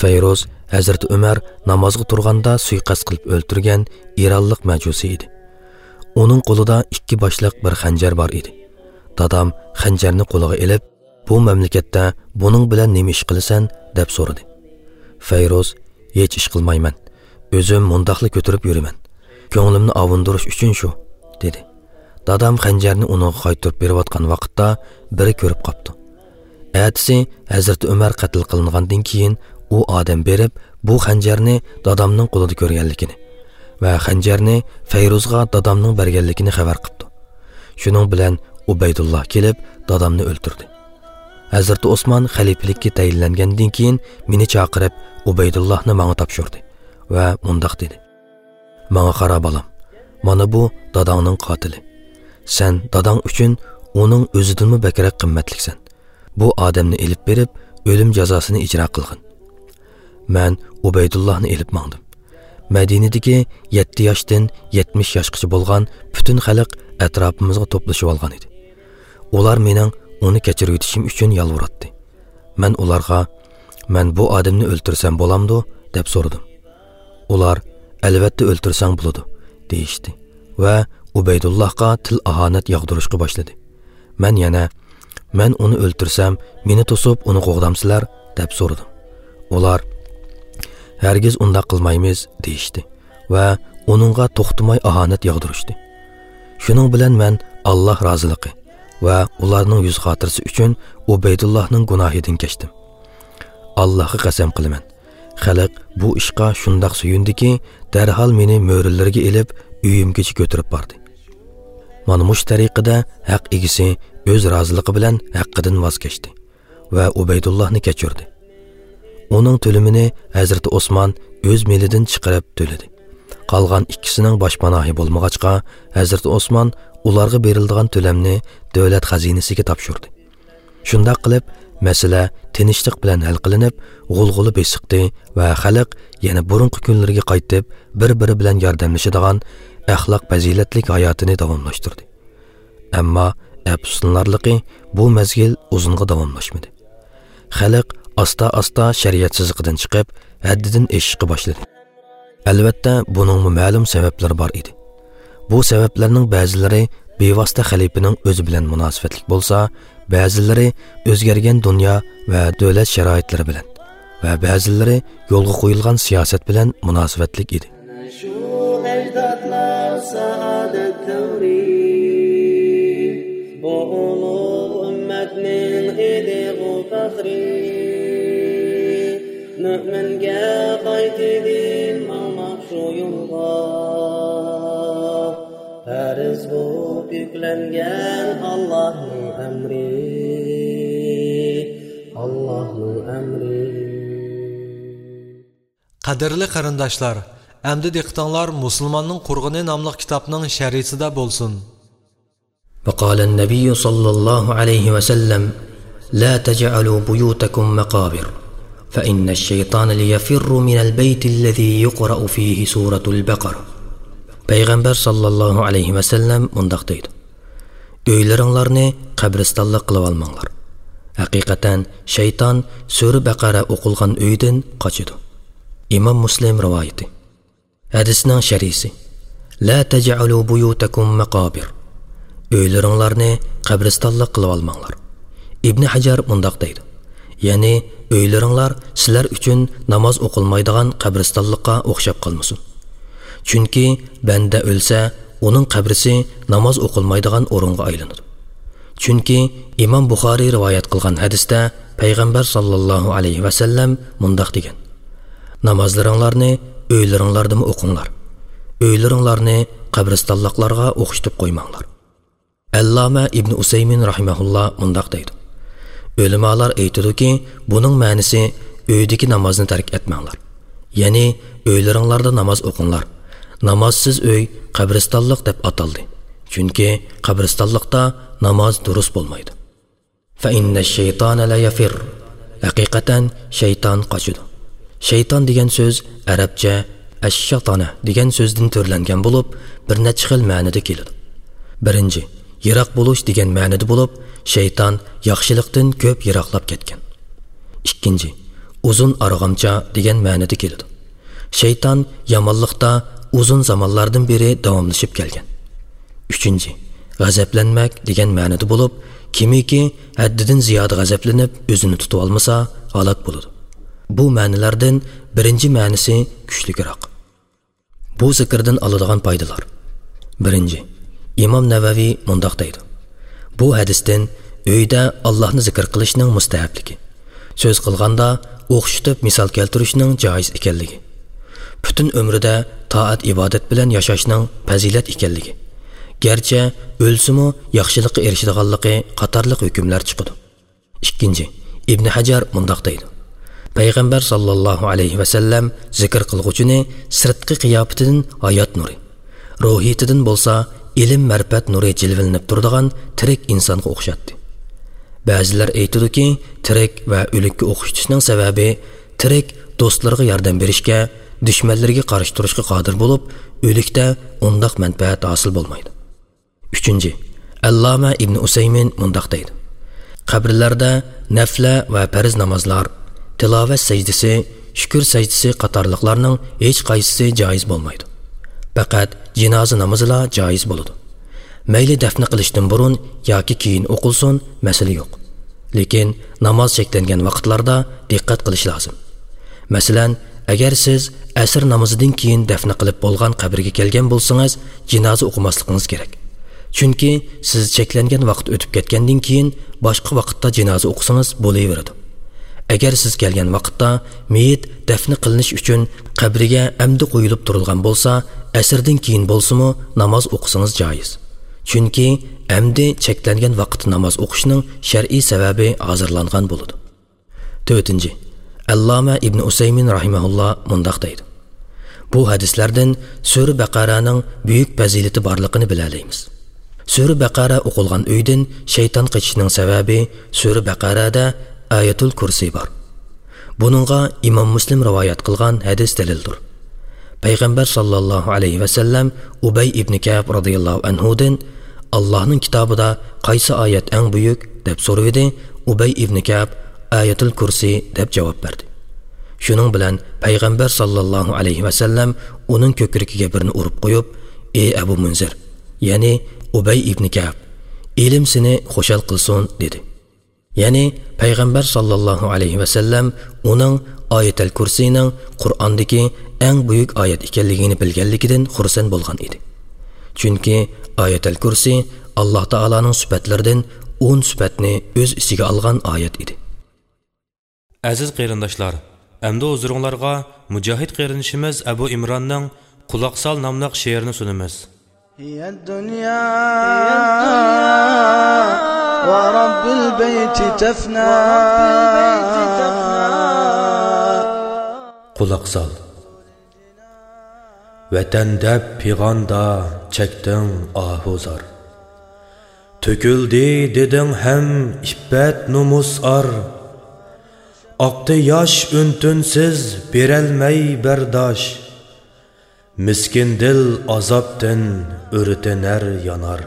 فەيرۇز ھەزرىتى ئۆمەر نامازغا تۇرغاندا سۇيىقەست قىلىپ ئۆلتۈرگەن ئىرانلىق مەجۇسى ئىدى. ئۇنىڭ قولىدا ئىككى باشلىق بىر خەنجەر بار ئىدى. دادام خەنجەرنى قولىغا ئېلىپ، «بۇ مەملىكەتتە بۇنىڭ بىلەن نېمە ئىش قىلىسەن؟» دەپ سورىدى. فەيرۇز: «ھېچ ئىش قىلمايمەن. ئۆزۈم مۇنداقلا كۆتۈرۈپ يۈرىمەن. كۆڭلۈمنى ئاۋۇندۇرۇش ئۈچۈن شۇ»، دېدى. دادام خەنجەرنى ئۇنىڭغا قايتۇرۇپ بېرىۋاتقان ۋاقىتتا بىرى كۆرۈپ قاپتۇ. ئەتىسى ھەزرىتى ئۆمەر قەتل قىلىنغاندىن كېيىن ئۇ ئادەم بېرىپ، بۇ خەنجەرنى دادامنىڭ قولىدا كۆرگەنلىكىنى ۋە خەنجەرنى فەيرۇزغا دادامنىڭ بەرگەنلىكىنى خەۋەر قىپتۇ. شۇنىڭ بىلەن ئۇبەيدۇللا كېلىپ، دادامنى ئۆلتۈردى. ھەزرىتى ئوسمان خەلىپىلىككە تەيىنلەنگەندىن كېيىن مېنى چاقىرىپ، ئۇبەيدۇللاھنى ماڭا تاپشۇردى ۋە مۇنداق دېدى: «ماڭا قارا، بالام، مانا بۇ داداڭنىڭ قاتىلى. سەن داداڭ ئۈچۈن ئۇنىڭ ئۆزىدىنمۇ بەكرەك قىممەتلىكسەن. بۇ ئادەمنى ئېلىپ بېرىپ، ئۆلۈم جازاسىنى ئىجرا قىلغىن.» مەن ئۇبەيدۇللاھنى ئېلىپ ماڭدىم. مەدىنىدىكى يەتتە ياشتىن يەتمىش ياشقىچە بولغان پۈتۈن خەلق ئەتراپىمىزغا توپلىشىۋالغان ئىدى. ئۇلار مېنىڭ ئۇنى كەچۈرۈۋېتىشىم ئۈچۈن يالۋۇراتتى. مەن ئۇلارغا، «مەن بۇ ئادەمنى ئۆلتۈرسەم بولامدۇ؟» دەپ سورىدىم. ئۇلار، «ئەلۋەتتە ئۆلتۈرسەڭ بولىدۇ» دېيىشتى ۋە ئۇبەيدۇللاھقا تىل-ئاھانەت ياغدۇرۇشقا باشلىدى. مەن يەنە، «مەن ئۇنى ئۆلتۈرسەم، مېنى توسۇپ ئۇنى قوغدامسىلەر؟» دەپ سورىدىم. ئۇلار، «ھەرگىز ئۇنداق قىلمايمىز» دېيىشتى ۋە ئۇنىڭغا توختىماي ئاھانەت ياغدۇرۇشتى. شۇنىڭ بىلەن مەن ئاللاھ رازىلىقى ۋە ئۇلارنىڭ يۈز خاتىرىسى ئۈچۈن ئۇبەيدۇللاھنىڭ گۇناھىدىن كەچتىم. ئاللاھقا قەسەم قىلىمەن، خەلق بۇ ئىشقا شۇنداق سۆيۈندىكى، دەرھال مېنى مۆرىلىرىگە ئېلىپ، ئۆيۈمگىچە كۆتۈرۈپ باردى. مانا مۇشۇ تەرىقىدە ھەق ئىگىسى ئۆز رازىلىقى بىلەن ھەققىدىن ۋاز كەچتى ۋە ئۇبەيدۇللاھنى كەچۈردى. ئۇنىڭ تۆلىمىنى ھەزرىتى ئوسمان ئۆز مېلىدىن چىقىرىپ تۆلىدى. قالغان ئىككىسىنىڭ باشپاناھى بولمىغاچقا، ھەزرىتى ئوسمان ئۇلارغا بېرىلىدىغان تۆلەمنى دۆلەت خەزىنىسىگە تاپشۇردى. شۇنداق قىلىپ، مەسىلە تىنچلىق بىلەن ھەل قىلىنىپ، غۇلغۇلا بېسىقتى ۋە خەلق يەنە بۇرۇنقى كۈنلىرىگە قايتىپ، بىر-بىرى بىلەن ياردەملىشىدىغان ئەخلاق-پەزىلەتلىك ھاياتىنى داۋاملاشتۇردى. ئەمما ئەپسۇسلىنارلىقى، بۇ مەزگىل ئۇزۇنغا داۋاملاشمىدى. خەلق ئاستا-ئاستا شەرىئەت سىزىقىدىن چىقىپ، ھەددىدىن ئېشىشقا باشلىدى. ئەلۋەتتە، بۇنىڭمۇ مەلۇم سەۋەبلىرى بار ئىدى. بۇ سەۋەبلەرنىڭ بەزىلىرى بىۋاسىتە خەلىپىنىڭ ئۆزى بىلەن مۇناسىۋەتلىك بولسا، بەزىلىرى ئۆزگەرگەن دۇنيا ۋە دۆلەت شارائىتلىرى بىلەن ۋە بەزىلىرى يولغا قويۇلغان سىياسەت بىلەن مۇناسىۋەتلىك ئىدى. شۇ ئەجدادلار سائادەت تەۋرى، بۇ ئۇلۇغ ئۈممەتنىڭ ئىدىغۇ پەخرى. مۆمىنگە قايتىدىن ماڭماق شۇ يولغا، پەرز بولۇپ يۈكلەنگەن ئاللاھنىڭ ئەمرى، ئاللاھنىڭ ئەمرى. قەدىرلىك قېرىنداشلار، ئەمدى دىققىتىڭلار مۇسۇلماننىڭ قۇرغىنى ناملىق كىتابنىڭ شەرھىسىدە بولسۇن. وقال النبي صلى الله عليه وسلم: لا تجعلوا بيوتكم مقابر، فإن الشيطان ليفر من البيت الذي يقرأ فيه سورة البقرة. پەيغەمبەر ساللاللاھۇ ئەلەيھى ۋەسەللەم مۇنداق دەيدۇ: ئۆيلىرىڭلارنى قەبرىستانلىق قىلىۋالماڭلار. ھەقىقەتەن شەيتان سۈرە بەقەرە ئوقۇلغان ئۆيدىن قاچىدۇ. ئىمام مۇسلىم رىۋايىتى. ھەدىسنىڭ شەرھىسى. لا تجعلوا بيوتكم مقابر. ئۆيلىرىڭلارنى قەبرىستانلىق قىلىۋالماڭلار. ئىبنى ھەجەر مۇنداق دەيدۇ، يەنى ئۆيلىرىڭلار سىلەر ئۈچۈن ناماز ئوقۇلمايدىغان قەبرىستانلىققا ئوخشاپ قالمىسۇن. چۈنكى بەندە ئۆلسە، ئۇنىڭ قەبرىسى ناماز ئوقۇلمايدىغان ئورۇنغا ئايلىنىدۇ. چۈنكى ئىمام بۇخارىي رىۋايەت قىلغان ھەدىستە پەيغەمبەر ساللاللاھۇ ئەلەيھى ۋەسەللەم مۇنداق دېگەن، نامازلىرىڭلارنى ئۆيلىرىڭلاردىمۇ ئوقۇڭلار. ئۆيلىرىڭلارنى قەبرىستانلىقلارغا ئوخشىتىپ قويماڭلار. ئەللامە ئىبنى ئۇسەيمىن رەھىمەھۇللا مۇنداق دەيدۇ، ئۆلىمالار ئېيتىدۇكى، بۇنىڭ مەنىسى ئۆيدىكى نامازنى تەرك ئەتمەڭلار. يەنى ئۆيلىرىڭلاردا ناماز ئوقۇڭلار. نامازسىز ئۆي قەبرىستانلىق دەپ ئاتالدى. چۈنكى قەبرىستانلىقتا ناماز دۇرۇس بولمايدۇ. فَإِنَّ الشَّيْطَانَ لَيَفِرُّ. ھەقىقەتەن شەيتان قاچىدۇ. شەيتان دېگەن سۆز ئەرەبچە ئەششاتانە دېگەن سۆزدىن تۈرلەنگەن بولۇپ، بىر نەچچە خىل مەنىدە كېلىدۇ. بىرىنچى، يىراق بولۇش دېگەن مەنىدە بولۇپ، شەيتان ياخشىلىقتىن كۆپ يىراقلاپ كەتكەن. ئىككىنچى، ئۇزۇن ئارغامچا دېگەن مەنىدە كېلىدۇ. شەيتان يامانلىقتا ئۇزۇن زامانلاردىن بېرى داۋاملىشىپ كەلگەن. ئۈچىنچى، غەزەپلەنمەك دېگەن مەنىدە بولۇپ، كىمكى ھەددىدىن زىيادە غەزەپلىنىپ ئۆزىنى تۇتۇۋالمىسا، ھالاك بولىدۇ. بۇ مەنىلەردىن بىرىنچى مەنىسى كۈچلۈكرەك. بۇ زىكىردىن ئالىدىغان پايدىلار. بىرىنچى، ئىمام نەۋەۋى مۇنداق دەيدۇ، بۇ ھەدىستىن ئۆيدە ئاللاھنى زىكىر قىلىشنىڭ مۇستەھەپلىكى، سۆز قىلغاندا ئوخشىتىپ مىسال كەلتۈرۈشنىڭ جائىز ئىكەنلىكى، پۈتۈن ئۆمرىدە تائەت-ئىبادەت بىلەن ياشاشنىڭ پەزىلەت ئىكەنلىكى، گەرچە ئۆلسىمۇ ياخشىلىققا ئېرىشىدىغانلىقى قاتارلىق ھۆكۈملەر چىقىدۇ. ئىككىنچى، ئىبنى ھەجەر مۇنداق دەيدۇ، پەيغەمبەر ساللاللاھۇ ئەلەيھى ۋەسەللەم زىكىر قىلغۇچىنى سىرتقى قىياپىتىدىن ھايات نۇرى، روھىيىتىدىن بولسا ئىلىم-مەرىپەت نۇرى جىلۋىلىنىپ تۇرىدىغان تىرىك ئىنسانغا ئوخشاتتى. بەزىلەر ئېيتىدۇكى، تىرىك ۋە ئۆلۈككە ئوخشىتىشنىڭ سەۋەبى، تىرىك دوستلىرىغا ياردەم بېرىشكە، دۈشمەنلىرىگە قارشى تۇرۇشقا قادىر بولۇپ، ئۆلۈكتە ئۇنداق مەنپەئەت ھاسىل بولمايدۇ. ئۈچىنچى، ئەللامە ئىبنى ئۇسەيمىن مۇنداق دەيدۇ، قەبرىلەردە نەفلە ۋە پەرز نامازلار، تىلاۋەت سەجدىسى، شۈكۈر سەجدىسى قاتارلىقلارنىڭ ھېچقايسىسى جائىز بولمايدۇ. پەقەت جىنازا نامىزىلا جائىز بولىدۇ. مەيلى دەفنە قىلىشتىن بۇرۇن ياكى كېيىن ئوقۇلسۇن، مەسىلە يوق. لېكىن ناماز چەكلەنگەن ۋاقىتلاردا دىققەت قىلىش لازىم. مەسىلەن، ئەگەر سىز ئەسىر نامىزىدىن كېيىن دەفنە قىلىپ بولغان قەبرىگە كەلگەن بولسىڭىز، جىنازا ئوقۇماسلىقىڭىز كېرەك. چۈنكى سىز چەكلەنگەن ۋاقىت ئۆتۈپ كەتكەندىن كېيىن باشقا ۋاقىتتا جىنازا ئوقۇسىڭىز بولۇۋېرىدۇ. ئەگەر سىز كەلگەن ۋاقىتتا مېيىت دەفنە قىلىنىش ئۈچۈن قەبرىگە ئەمدى قويۇلۇپ تۇرۇلغان بولسا، ئەسىردىن كېيىن بولسىمۇ ناماز ئوقۇسىڭىز جائىز. چۈنكى ئەمدى چەكلەنگەن ۋاقىتتا ناماز ئوقۇشنىڭ شەرئىي سەۋەبى ھازىرلانغان بولىدۇ. تۆتىنچى، ئەللامە ئىبنى ئۇسەيمىن رەھىمەھۇللا مۇنداق دەيدۇ، بۇ ھەدىسلەردىن سۈرە بەقەرەنىڭ بۈيۈك پەزىلىتى بارلىقىنى بىلەلەيمىز. سۈرە بەقەرە ئوقۇلغان ئۆيدىن شەيتان قېچىشنىڭ سەۋەبى سۈرە بەقەرەدە ئايەتۇل كۇرسى بار. بۇنىڭغا ئىمام مۇسلىم رىۋايەت قىلغان ھەدىس دەلىلدۇر. پەيغەمبەر ساللاللاھۇ ئەلەيھى ۋەسەللەم ئۇبەي ئىبنى كەئب رازىياللاھۇ ئەنھۇدىن، ئاللاھنىڭ كىتابىدا قايسى ئايەت ئەڭ بۈيۈك؟ دەپ سورىۋىدى. ئۇبەي ئىبنى كەئب، ئايەتۇل كۇرسى، دەپ جاۋاب بەردى. شۇنىڭ بىلەن پەيغەمبەر ساللاللاھۇ ئەلەيھى ۋەسەللەم ئۇنىڭ كۆكرىكىگە بىرنى ئۇرۇپ قويۇپ، ئى ئەبۇ مۇنزىر، يەنى ئۇبەي ئىبنى كەئب، ئىلىم سېنى خۇشال قىلسۇن، دېدى. يەنى پەيغەمبەر ساللاللاھۇ ئەلەيھى ۋەسەللەم ئۇنىڭ ئايەتەل كۇرسىنىڭ قۇرئاندىكى ئەڭ بۈيۈك ئايەت ئىكەنلىكىنى بىلگەنلىكىدىن خۇرسەن بولغان ئىدى. چۈنكى ئايەتەل كۇرسى ئاللاھ تائالانىڭ سۈپەتلىرىدىن ئون سۈپەتنى ئۆز ئىچىگە ئالغان ئايەت ئىدى. ئەزىز قېرىنداشلار، ئەمدى ھۇزۇرۇڭلارغا مۇجاھىد قېرىندىشىمىز ئەبۇ ئىمراننىڭ قۇلاق سال ناملىق شېئىرىنى سۇنىمىز. هي الدنيا ورب البيت تفنى. قۇلاق سال. ۋەتەن دەپ پىغاندا چەكتىڭ ئاھۇ زار. تۆكۈلدى دېدىڭ ھەم ئىپپەت نومۇس ئار. ئاقتى ياش ئۈن-تىنسىز بېرەلمەي بەرداش. مىسكىن دىل ئازابتىن ئۆرتىنەر يانار.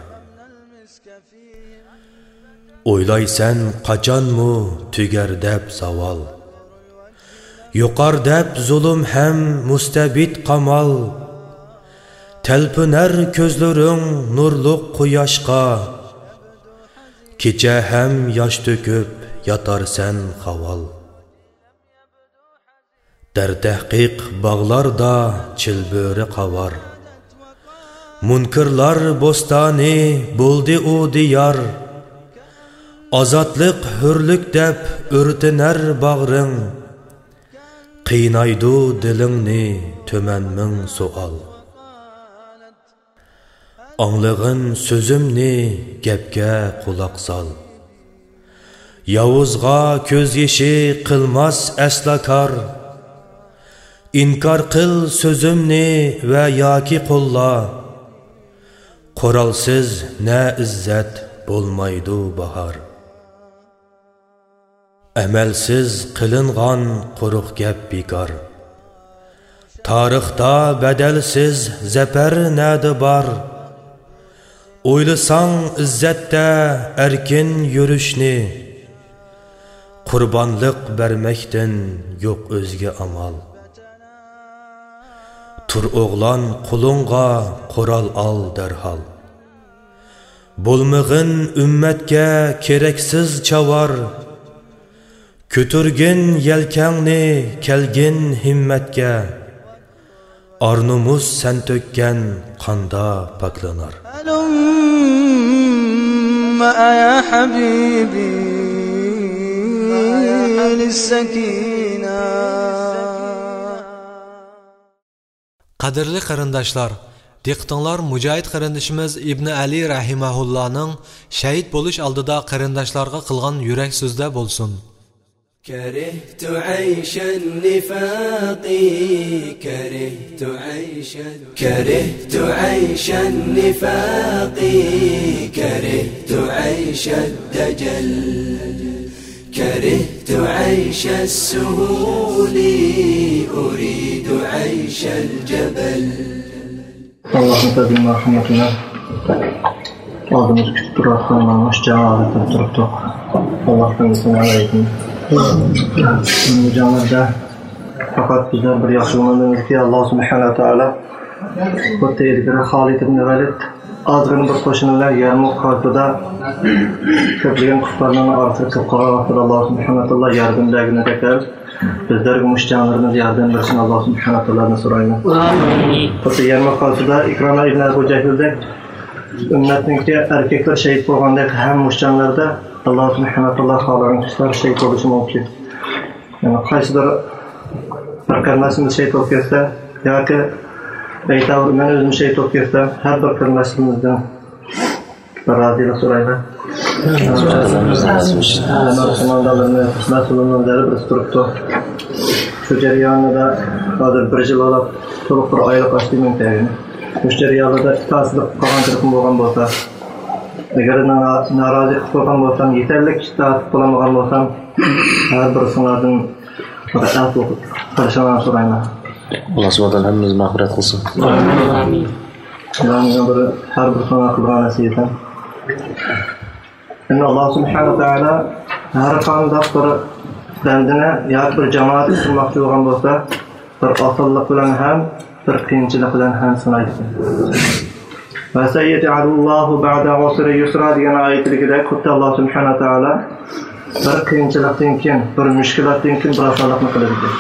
ئويلايسەن قاچانمۇ تۈگەر دەپ زاۋال. يۇقار دەپ زۇلۇم ھەم مۇستەبىت قامال. تەلپۈنەر كۆزلىرىڭ نۇرلۇق قۇياشقا. كېچە ھەم ياش تۆكۈپ ياتارسەن خاۋال. دەرتەھقىق باغلاردا چىلبۆرە قاۋار. مۇنكىرلار بوستانى بولدى ئۇ دىيار. ئازادلىق، ھۆرلۈك دەپ ئۆرتىنەر باغرىڭ. قىينايدۇ دىلىڭنى تۈمەن مىڭ سوئال. ئاڭلىغىن سۆزۈمنى، گەپكە قۇلاق سال. ياۋۇزغا كۆز يېشى قىلماس ئەسلا كار. ئىنكار قىل سۆزۈمنى ۋە ياكى قوللا. قورالسىز نە ئىززەت، بولمايدۇ باھار. ئەمەلسىز قىلىنغان قۇرۇق گەپ بىكار. تارىختا بەدەلسىز زەپەر نەدە بار؟ ئويلىساڭ ئىززەتتە ئەركىن يۈرۈشنى. قۇربانلىق بەرمەكتىن يوق ئۆزگە ئامال. تۇر ئوغلان قولۇڭغا قورال ئال دەرھال. بولمىغىن ئۈممەتكە كېرەكسىز چاۋار. كۆتۈرگىن يەلكەڭنى، كەلگىن ھىممەتكە. ئار-نومۇس سەن تۆككەن قاندا پاكلىنار. هلم يا حبيبي للسكينة. قەدىرلىك قېرىنداشلار، دىققىتىڭلار مۇجاھىد قېرىندىشىمىز ئىبنى ئەلى رەھىمەھۇللانىڭ شەھىت بولۇش ئالدىدا قېرىنداشلارغا قىلغان يۈرەك سۆزىدە بولسۇن. كرهت عيش النفاق، كرهت عيش، كرهت عيش النفاق، كرهت عيش الدجل. كرهت عيش السهول، أريد عيش الجبل. ئاللاھنىڭ پەزلى مەرھەمىتى بىلەن ئالدىمىزدا كۈتۈپ تۇرۇۋاتقان مانا مۇشۇ جەڭ ھالەتتە تۇرۇپتۇق. ئاللاھتىن بىزنى ئالايتىن. بۇ جەڭلەردە پەقەت بىزنىڭ بىر ياخشى گۇمانىمىزكى، ئاللاھ سۇبھانەھۇ ۋە تائالا خۇددى ئىلگىرى خالىد ئىبن ۋەلىد ئازغىنە بىر قوشۇن بىلەن يەرمۇك خەلقىدە كۆپلىگەن كۇففارلارنىڭ ئارىسىدا كىرىپ قالغان ۋاقتىدا ئاللاھ سۇبھانەھۇ ۋە تائالا ياردەم بەرگىنىدەك، بىزلەرگە مۇشۇ جەڭلىرىمىزدە ياردەم بېرىشىنى ئاللاھ سۇبھانەھۇ ۋە تائالادىن سورايمىز. ئامىن. خۇددى يەرمۇك غەزۋىسىدە ئىكرىمە ئىبن ئەبۇ جەھلدەك ئۈممەتنىڭكى ئەركەكلىرى شېھىت بولغاندەك، ھەم مۇشۇ جەڭلەردە ئاللاھ سۇبھانەھۇ ۋە تائالا خالىغان كىشىلەر شېھىت بولۇشى مۇمكىن. يەنى قايسىدۇر بىر قېرىنداشىمىز شېھىت بولۇپ كەتسە ياكى ئەيتاۋۇر مەن ئۆزۈم شېھىت بولۇپ كەتسەم، ھەر بىر قېرىنداشلىرىمىزدىن بىر رازىلىق سورايمەن. قوماندانلىرىمىز، مەسئۇللىرىمىز ھەر بىرسى تۇرۇپتۇ. شۇ جەريانىدا ھازىر بىر يىل بولۇپ، تولۇق بىر ئايلىق ئاشتى مەن كەلگىنى. مۇشۇ جەرياندا ئىتائەتسىزلىك قىلغان تەرىپىم بولغان بولسا، ئەگەر نارا-، نارازى قىلىپ قويغان بولسام، يېتەرلىك ئىتائەت قىلالمىغان بولسام، ھەر بىرسىڭلاردىن بىر ئەپۇ قىلىشىڭلارنى سورايمەن. ئاللا سۇبھانەھۇ ۋە تائالا ھەممىمىزگە مەغپىرەت قىلسۇن. ئامىن. ئامىن. بۇلارنىڭ بىر، ھەر بىر ساڭا قىلغان نەسىھەتىم. ئەمدى ئاللا سۇبھانەھۇ ۋە تائالا ھەر قانداق بىر بەندىنى ياكى بىر جامائەتنى قۇرماقچى بولغان بولسا، بىر ئاسانلىق بىلەن ھەم، بىر قىيىنچىلىق بىلەن ھەم سىنايدىكەن. «وسيجعل الله بعد عسر يسرا» دېگەن ئايىتىدىكىدەك، خۇددى ئاللا سۇبھانەھۇ ۋە تائالا بىر قىيىنچىلىقتىن كېيىن، بىر مۈشكۈلاتتىن كېيىن بىر ئاسانلىقنى قىلىدىكەن.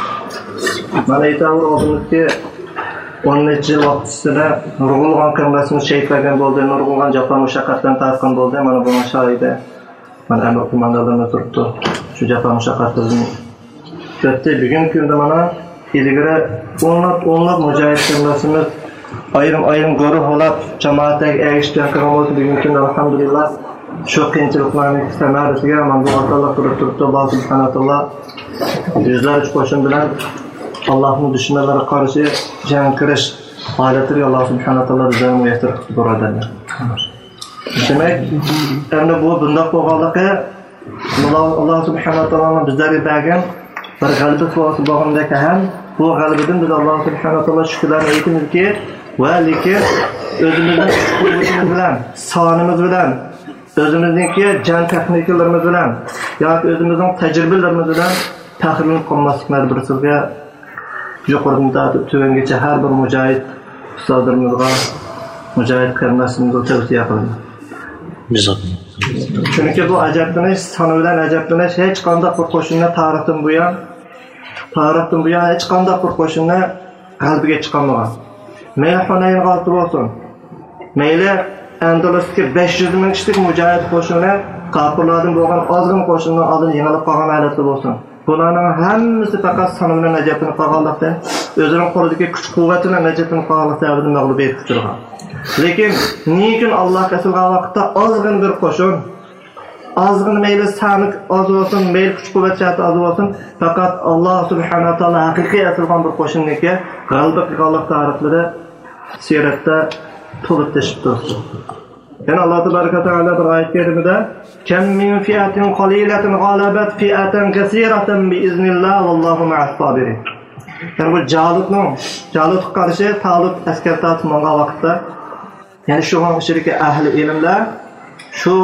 مانا ئېيتاۋۇر، ئالدىمىزدىكى ئون نەچچە يىل ۋاقىت ئىچىدە نۇرغۇنلىغان قېرىنداشلىرىمىز شېھىت بولغان بولدى، نۇرغۇنلىغان جاپا مۇشەققەتلەرنى تارتقان بولدى. مانا بۇنىڭ شاھىدى مانا ئەمىر قوماندانلىرىمىز تۇرۇپتۇ. شۇ جاپا مۇشەققەتلەردىن ئۆتتى. بۈگۈنكى كۈندە مانا ئىلگىرى ئونلاپ، ئونلاپ مۇجاھىد قېرىنداشلىرىمىز ئايرىم-ئايرىم گۇرۇھ بولاپ، جامائەتلەرگە ئەگىشىپ جەڭ قىلغان بولسا، بۈگۈنكى كۈندە، ئەلھەمدۇلىللا، شۇ قىيىنچىلىقلارنىڭ سەمەرىسىگە مانا بۇ ئاسانلىق بېرىپ تۇرۇپتۇ. ئاللا سۇبھانەھۇ ۋە تائالا يۈزلەرچە قوشۇن بىلەن ئاللانىڭ دۈشمەنلىرىگە قارشى جەڭ قىلىش ھالەتلىرىگە ئاللا سۇبھانەھۇ ۋە تائالا بىزلەرنى مۇيەسسەر قىلسۇن، بۇرادەرلەر. دېمەك، ئەمدى بۇ بۇنداق بولغانلىقى، ئاللا، ئاللا سۇبھانەھۇ ۋە تائالانىڭ بىزلەرگە بەرگەن بىر غەلىبىسى بولغاندەك ھەم بۇ غەلىبىدىن بىز ئاللا سۇبھانەھۇ ۋە تائالاغا شۈكۈرلەرنى ئېيتىمىزكى، ۋە لېكىن ئۆزىمىزنىڭ كۈچ قۇۋۋىتىمىز بىلەن، سانىمىز بىلەن، ئۆزىمىزنىڭكى جەڭ تېخنىكىلىرىمىز بىلەن ياكى ئۆزىمىزنىڭ تەجرىبىلىرىمىز بىلەن پەخىرلىنىپ قالماسلىقنى ھەر بىرسىمىزگە يۇقىرىدىن تارتىپ تۆۋەنگىچە ھەر بىر مۇجاھىد ئۇستازلىرىمىزغا، مۇجاھىد قېرىنداشلىرىمىزغا تەۋسىيە قىلىمەن. بىز چۈنكى بۇ ئەجەبلىنىش، سانى بىلەن ئەجەبلىنىش، ھېچقانداق بىر قوشۇننى تارىختىن بۇيان، تارىختىن بۇيان ھېچقانداق بىر قوشۇننى غەلىبىگە چىقارمىغان. مەيلى ھۇنەينغا ئالتە بولسۇن، مەيلى ئەندىلۇستىكى بەش يۈز مىڭ كىشىلىك مۇجاھىد قوشۇنى كاپىرلاردىن بولغان ئازغىنە قوشۇننىڭ ئالدىدا يېڭىلىپ قالغان ھالەتتە بولسۇن، بۇلارنىڭ ھەممىسى پەقەت سانى بىلەن ئەجەبلىنىپ قالغانلىقتىن، ئۆزىنىڭ قولىدىكى كۈچ-قۇۋۋىتى بىلەن ئەجەبلىنىپ قالغانلىقى سەۋەبىدىن مەغلۇبىيەتكە ئۇچرىغان. لېكىن نېمە ئۈچۈن ئاللاھقا ئېسىلغان ۋاقىتتا ئازغىنە بىر قوشۇن، ئازغىنە مەيلى سانى ئاز بولسۇن، مەيلى كۈچ-قۇۋۋەت جەھەتتە ئاز بولسۇن، پەقەت ئاللاھ سۇبھانەھۇ ۋە تائالا ھەقىقىي ئېسىلغان بىر قوشۇننىڭكى غەلىبە قىلغانلىق تارىخلىرى سىيرەتتە تولۇپ تېشىپ تۇرۇپتۇ. يەنە ئاللاھ تەبارەك ۋە تائالا بىر ئايەت كەرىمىدە، كم من فئة قليلة غلبت فئة كثيرة بإذن الله والله مع الصابرين. يەنى بۇ جالۇتنىڭ، جالۇتقا قارشى تالۇت ئەسكەر تارتىپ ماڭغان ۋاقىتتا، يەنى شۇنىڭ ئىچىدىكى ئەھلى ئىلىملەر شۇ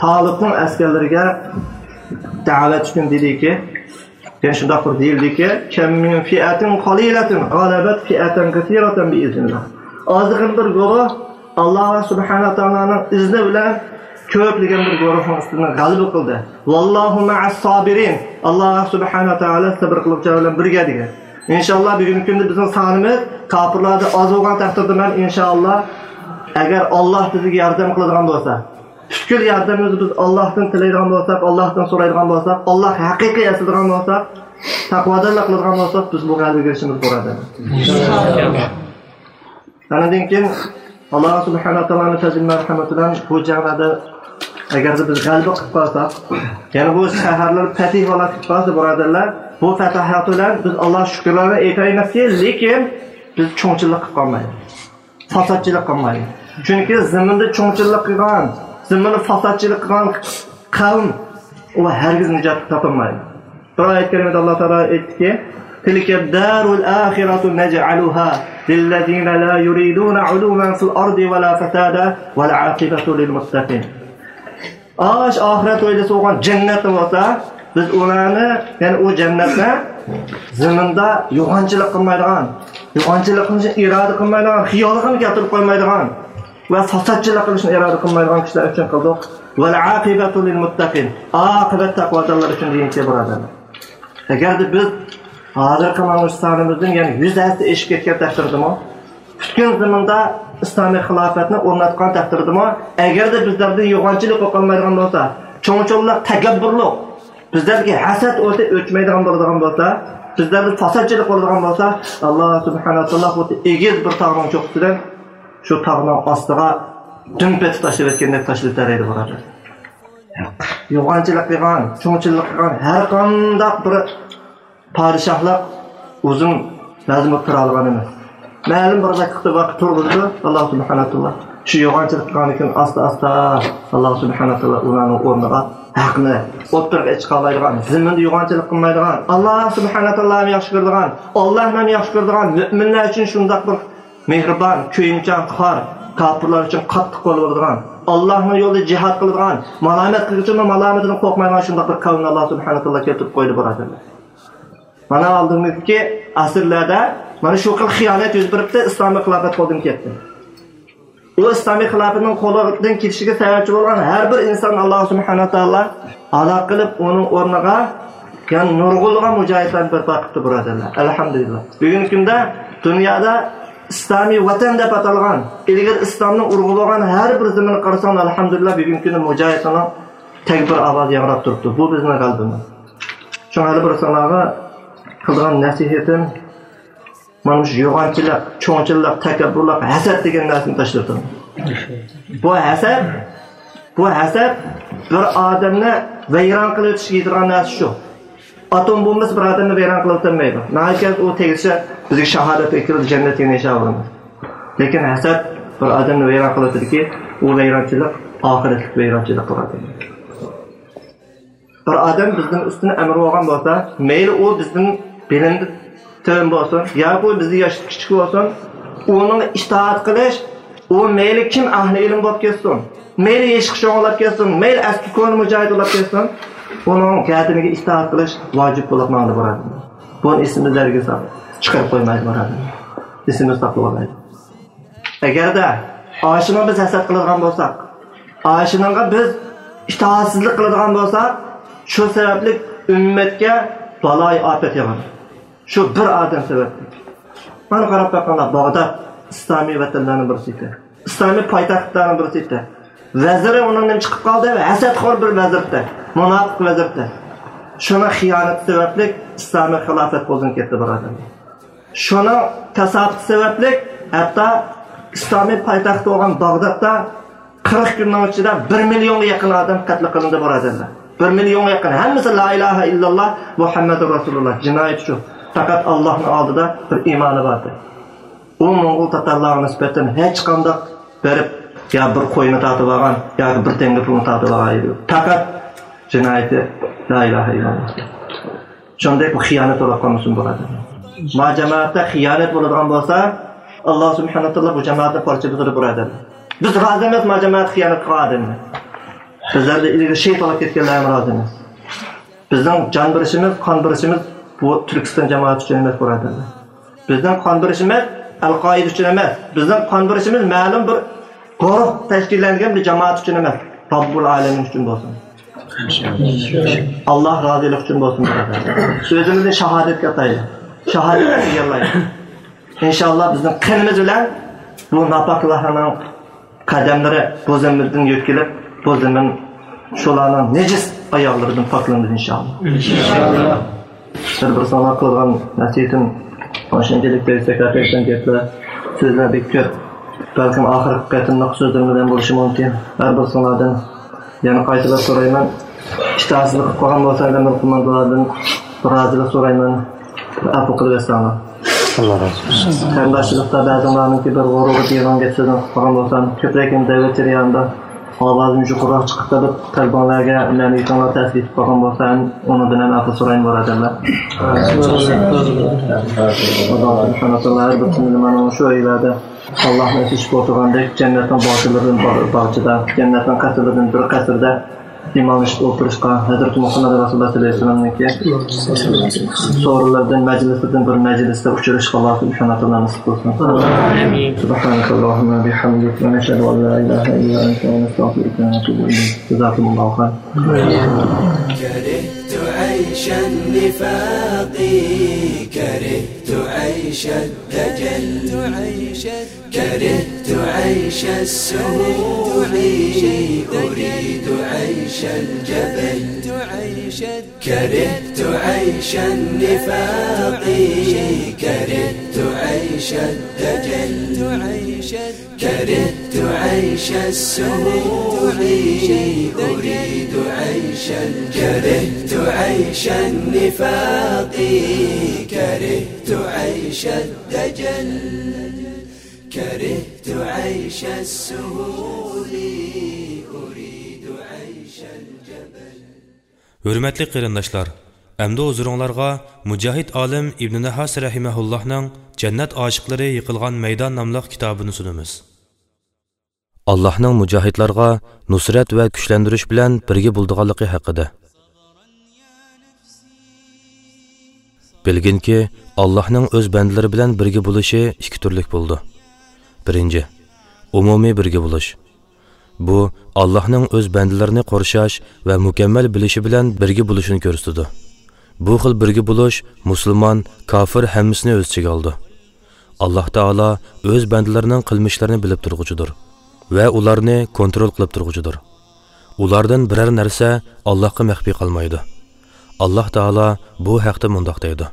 تالۇتنىڭ ئەسكەرلىرىگە دەۋەت ئۈچۈن دېدىكى، يەنى شۇنداق بىر دېيىلدىكى، كم من فئة قليلة غلبت فئة كثيرة بإذن الله. ئازغىنە بىر گۇرۇھ ئاللاھ سۇبھانەھۇ ۋە تائالانىڭ ئىزنى بىلەن كۆپلىگەن بىر گۇرۇھنىڭ ئۈستىدىن غەلىبە قىلدى. والله مع الصابرين. ئاللاھ سۇبھانەھۇ ۋە تائالا سەبىر قىلغۇچىلار بىلەن بىرگە دېگەن. ئىنشاللاھ بۈگۈنكى كۈندە بىزنىڭ سانىمىز كاپىرلاردا ئاز بولغان تەقدىردە، مەن ئىنشاللاھ، ئەگەر ئاللاھ بىزگە ياردەم قىلىدىغان بولسا، پۈتكۈل ياردەمنى بىز ئاللاھتىن تىلەيدىغان بولساق، ئاللاھتىن سورايدىغان بولساق، ئاللاھقا ھەقىقىي ئەسلەيدىغان بولساق، تەقۋادارلىق قىلىدىغان بولساق، بىز بۇ غەلىبىگە ئېرىشىمىز، بۇرادەرلەر. ئاندىن كېيىن ئاللاھ سۇبھانەھۇ ۋە تائالانىڭ پەزلى مەرھەمىتى بىلەن بۇ جەڭلەردە ئەگەردە بىز غەلىبە قىلىپ قالساق، يەنى بۇ شەھەرلەر پەتھى بولۇپ قالسا، بۇرادەرلەر، بۇ پەتاھەت بىلەن بىز ئاللاھقا شۈكۈرلەرنى ئېيتايمىزكى، لېكىن بىز چوڭچىلىق قىلىپ قالمايلى. فاسادچىلىق قىلمايلى. چۈنكى زېمىندا چوڭچىلىق قىلغان، زېمىندا فاسادچىلىق قىلغان قەۋم، ئۇ ھەرگىز نىجات تاپالمايدۇ. بىر ئايەت كەرىمىدە ئاللاھ تائالا ئېيتتىكى، تلك الدار الآخرة نجعلها للذين لا يريدون علوا في الأرض ولا فسادا والعاقبة للمتقين. ئاش ئاخىرەت ھويلىسى بولغان جەننەتنى بولسا، بىز ئۇلارنى، يەنى ئۇ جەننەتنى زېمىندا يوغانچىلىق قىلمايدىغان، يوغانچىلىق قىلىشنى ئىرادە قىلمايدىغان، خىيالىغىمۇ كەلتۈرۈپ قويمايدىغان ۋە فاسادچىلىق قىلىشنى ئىرادە قىلمايدىغان كىشىلەر ئۈچۈن قىلدۇق. والعاقبة للمتقين. ئاقىۋەت تەقۋادارلار ئۈچۈن دېگەنكى، بۇرادەرلەر. ئەگەردە بىز ھازىرقى مانا مۇشۇ سانىمىزدىن يەنە يۈز ھەسسە ئېشىپ كەتكەن تەقدىردىمۇ، پۈتكۈل زېمىندا ئىسلامىي خىلاپەتنى ئورناتقان تەقدىردىمۇ، ئەگەردە بىزلەردە يوغانچىلىق بولۇپ قالمايدىغان بولسا، چوڭچىلىق، تەكەببۇرلۇق، بىزلەردىكى ھەسەت ئوتى ئۆچمەيدىغان بولىدىغان بولسا، بىزلەردە پاساتچىلىق بولىدىغان بولسا، ئاللاھ سۇبھانەھۇ ۋە تائالا خۇددى ئېگىز بىر تاغنىڭ چوققىسىدىن شۇ تاغنىڭ ئاستىغا دۈم پېتى تاشلىۋەتكەندەك تاشلىۋېتەلەيدۇ، بۇرادەر. يوغانچىلىق قىلغان، چوڭچىلىق قىلغان ھەر قانداق بىر پادىشاھلىق ئۇزۇن نەزم بولۇپ تۇرالىغان ئەمەس. مەلۇم بىر ۋاقىتتا ۋاقىت تۇرغۇزىدۇ ئاللاھ سۇبھانەھۇ ۋە تائالا. شۇ يوغانچىلىق قىلغاندىن كېيىن ئاستا-ئاستا ئاللاھ سۇبھانەھۇ ۋە تائالا ئۇلارنىڭ ئورنىغا ھەقنى ئوتتۇرىغا چىقالايدىغان، زېمىندا يوغانچىلىق قىلمايدىغان، ئاللاھ سۇبھانەھۇ ۋە تائالانى ياخشى كۆرىدىغان، ئاللاھنى ياخشى كۆرىدىغان، مۆمىنلەر ئۈچۈن شۇنداق بىر مېھرىبان، كۆيۈمچان، خار، كاپىرلار ئۈچۈن قاتتىق قول بولىدىغان، ئاللاھنىڭ يولىدا جىھاد قىلىدىغان، مالامەت قىلغۇچىنىڭ مالامىتىدىن قورقمايدىغان شۇنداق بىر قەۋمنى ئاللاھ سۇبھانەھۇ ۋە تائالا كەلتۈرۈپ قويدى، بۇرادەرلەر. مانا ئالدىمىزدىكى ئەسىرلەردە مانا شۇ خىل خىيانەت يۈز بېرىپتۇ، ئىسلامىي خىلاپەت قولدىن كەتتى. ئۇ ئىسلامىي خىلاپەتنىڭ قولدىن كېتىشىگە سەۋەبچى بولغان ھەر بىر ئىنسان ئاللاھ سۇبھانەھۇ ۋە تائالا ھالاك قىلىپ، ئۇنىڭ ئورنىغا يەنە نۇرغۇنلىغان مۇجاھىدلارنى بەرپا قىپتۇ، بۇرادەرلەر. ئەلھەمدۇلىللاھ. بۈگۈنكى كۈندە دۇنيادا ئىسلامىي ۋەتەن دەپ ئاتالغان، ئىلگىرى ئىسلامنىڭ ئۇرغۇ بولغان ھەر بىر زېمىنىغا قارىساڭ، ئەلھەمدۇلىللاھ، بۈگۈنكى كۈندە مۇجاھىدلارنىڭ تەكبىر ئاۋازى ياڭراپ تۇرۇپتۇ. بۇ بىزنىڭ غەلىبىمىز. شۇڭا ھەر بىر ساڭلارغا قىلىدىغان نەسىھىتىم، مانا مۇشۇ يوغانچىلىق، چوڭچىلىق، تەكەببۇرلۇق، ھەسەت دېگەن نەرسىنى تاشلىتىڭ. بۇ ھەسەت، بۇ ھەسەت بىر ئادەمنى ۋەيران قىلىۋېتىشكە يېتىدىغان نەرسە شۇ. ئاتوم بومبىسى بىر ئادەمنى ۋەيران قىلىۋېتەلمەيدۇ. ناھايىتى ئۇ تېگىشى بىزگە شاھادەتكە كىرىدۇ، جەننەتكە يەنە ئىنشائاللاھ. لېكىن ھەسەت بىر ئادەمنى ۋەيران قىلىۋېتىدۇكى، ئۇ ۋەيرانچىلىق ئاخىرەتلىك ۋەيرانچىلىق بولىدۇ. بىر ئادەم بىزدىن ئۈستۈن ئەمىر بولغان بولسا، مەيلى ئۇ بىزدىن بىلىمدە تۆۋەن بولسۇن، ياكى ئۇ بىزدىن ياشتا كىچىك بولسۇن، ئۇنىڭغا ئىتائەت قىلىش، ئۇ مەيلى كىم ئەھلى ئىلىم بولۇپ كەتسۇن، مەيلى يېشى چوڭ بولۇپ كەتسۇن، مەيلى ئەسكى كونا مۇجاھىد بولۇپ كەتسۇن، ئۇنىڭ گەدىنىگە ئىتائەت قىلىش ۋاجىپ بولۇپ ماڭىدۇ، بۇرادەرلەر. بۇنى ئېسىمىزدىن ھەرگىز چىقىرىپ قويمايلى، بۇرادەرلەر. ئېسىمىزدە ساقلىۋالايلى. ئەگەردە ئاشۇنىڭغا بىز ھەسەت قىلىدىغان بولساق، ئاشۇنىڭغا بىز ئىتائەتسىزلىك قىلىدىغان بولسا، شۇ سەۋەبلىك ئۈممەتكە بالايىئاپەت ياغىدۇ. شۇ بىر ئادەم سەۋەبلىك. مانا قاراپ باققاندا، باغداد ئىسلامىي ۋەتەنلەرنىڭ بىرسى ئىكەن. ئىسلامىي پايتەختلەرنىڭ بىرسى ئىكەن. ۋەزىرى ئۇنىڭدىن چىقىپ قالدى، ھەسەتخور بىر ۋەزىرتتە، مۇناپىق ۋەزىرتتە. شۇنىڭ خىيانىتى سەۋەبلىك ئىسلامىي خىلاپەت قولدىن كەتتى، بۇرادەرلەر. شۇنىڭ كاساپىتى سەۋەبلىك ھەتتا ئىسلامىي پايتەخت بولغان باغدادتا قىرىق كۈننىڭ ئىچىدە بىر مىليونغا يېقىن ئادەم قەتل قىلىندى، بۇرادەرلەر. بىر مىليونغا يېقىن. ھەممىسى لا ئىلاھە ئىللاللا مۇھەممەدۇر رەسۇلۇللا. جىنايەت شۇ. پەقەت ئاللاھنىڭ ئالدىدا بىر ئىمانى بار ئىدى. ئۇ موڭغۇل تاتارلارغا نىسبەتەن ھېچقانداق بېرىپ يا بىر قوينى تارتىپ ئالغان ياكى بىر تەڭگە پۇلنى تارتىپ ئالغان ئىدى. پەقەت جىنايىتى لا ئىلاھە ئىللاللا. شۇنداق بۇ خىيانەت بولۇپ قالمىسۇن، بۇرادەرلەر. ما جامائەتتە خىيانەت بولىدىغان بولسا، ئاللا سۇبھانەھۇ ۋە تائالا بۇ جامائەتنى پارچە بۇزىدۇ، بۇرادەرلەر. بىز رازى ئەمەس ما جامائەت خىيانەت قىلغان ئادەمنى. بىزلەردە ئىلگىرى شېھىت بولۇپ كەتكەنلەر ھەم رازى ئەمەس. بىزنىڭ جان بېرىشىمىز، قان بېرىشىمىز بۇ تۈركىستان جامائىتى ئۈچۈن ئەمەس، بۇرادەرلەر. بىزنىڭ قان بېرىشىمىز ئەل-قائىدە ئۈچۈن ئەمەس. بىزنىڭ قان بېرىشىمىز مەلۇم بىر گۇرۇھ تەشكىللەنگەن بىر جامائەت ئۈچۈن ئەمەس. رەببۇل ئالەمىن ئۈچۈن بولسۇن. ئاللا رازىلىقى ئۈچۈن بولسۇن، بۇرادەر. ئۆزىمىزنى شاھادەتكە ئاتايلى. شاھادەتكە تەييارلايلى. ئىنشاللا بىزنىڭ قېنىمىز بىلەن بۇ ناپاكلارنىڭ قەدەملىرى بۇ زېمىندىن يۆتكىلىپ، بۇ زېمىن شۇلارنىڭ نىجىس ئاياغلىرىدىن پاكلىنىدۇ، ئىنشاللا. ئىنشاللا. بىر-بىرسىڭلار قىلغان نەسىھىتىم شۇنچىلىك بەك زاكاتەكشەن گەپلەر، سۆزلەر بەك كۆپ. بەلكىم ئاخىرقى قېتىملىق سۆزلىرىم بىلەن بولۇشى مۇمكىن. ھەر بىرسىڭلاردىن يەنە قايتىلاپ سورايمەن. ئىتائەتسىزلىك قىلىپ قالغان بولسام، ئەمىر قوماندانلاردىن بىر رازىلىق سورايمەن. بىر ئەپۇ قىلىۋەتسەڭلار. ئاللا رازى بولسۇن. قېرىنداشچىلىقتا بەزىلەرنىڭكى بىر غۇرۇرغا دېگەن گەپ سۆزنى قىلىپ قالغان بولسام، كۆپرەك دەۋەت جەريانىدا ئاۋازىم يۇقىرىراق چىقىپ قېلىپ، قەلبىڭلارگە مەنىۋىيىتىڭلار تەسىر يېتىپ قالغان بولسا، ئۇنىڭدىن ھەم ئەپۇ سورايمەن، بۇرادەرلەر. ئاللا سۇبھانەھۇ ۋە تائالا ھەر بىر تىلىمانىڭ شۇ ئۆيلەردە ئاللاھنى ئېسىشىپ ئولتۇرغاندەك، جەننەتنىڭ باغچىلىرىدىن باغ-، باغچىدا، جەننەتنىڭ قەسىرلىرىدىن بىر قەسىردە ئىمانلىشىپ ئولتۇرۇشقا، ھەزرىتى مۇھەممەد رەسۇلۇللا سەللەللاھۇ ئەلەيھى ۋەسەللەمنىڭكى سورۇنلىرىدىن، مەجلىسىدىن بىر مەجلىستە ئۇچرىشىشقا ئاللا سۇبھانەھۇ ۋە تائالا نېسىپ قىلسۇن. ئامىن. سۇبھانەكاللاھۇممە ۋە بىھەمدىك، ۋە نەشھەدۇ ئەن لا ئىلاھە ئىللا ئەنتە، ۋە نەستەغفىرۇكە، ۋە نەتۇبۇ ئىلەيك. جازاكۇمۇللاھۇ خەيرەن. كرهت عيش النفاق، كرهت عيش الدجل، كرهت عيش السهول، أريد عيش الجبل. كرهت عيش النفاق، كرهت عيش الدجل، كرهت عيش السهول، أريد عيش ال-، كرهت عيش النفاق، كرهت عيش الدجل، كرهت عيش السهول، أريد عيش الجبل. ھۆرمەتلىك قېرىنداشلار، ئەمدى ھۇزۇرۇڭلارغا مۇجاھىد ئالىم ئىبنى نەھاس رەھىمەھۇللاھنىڭ جەننەت ئاشىقلىرى يىقىلغان مەيدان ناملىق كىتابىنى سۇنىمىز. ئاللاھنىڭ مۇجاھىدلارغا نۇسرەت ۋە كۈچلەندۈرۈش بىلەن بىرگە بولىدىغانلىقى ھەققىدە. بىلگىنكى، ئاللاھنىڭ ئۆز بەندىلىرى بىلەن بىرگە بولۇشى ئىككى تۈرلۈك بولىدۇ. بىرىنچى، ئومۇمىي بىرگە بولۇش. بۇ، ئاللاھنىڭ ئۆز بەندىلىرىنى قورشاش ۋە مۇكەممەل بىلىشى بىلەن بىرگە بولۇشىنى كۆرسىتىدۇ. بۇ خىل بىرگە بولۇش مۇسۇلمان، كاپىر ھەممىسىنى ئۆز ئىچىگە ئالىدۇ. ئاللاھ تائالا ئۆز بەندىلىرىنىڭ قىلمىشلىرىنى بىلىپ تۇرغۇچىدۇر ۋە ئۇلارنى كونترول قىلىپ تۇرغۇچىدۇر. ئۇلاردىن بىرەر نەرسە ئاللاھقا مەخپىي قالمايدۇ. ئاللاھ تائالا بۇ ھەقتە مۇنداق دەيدۇ: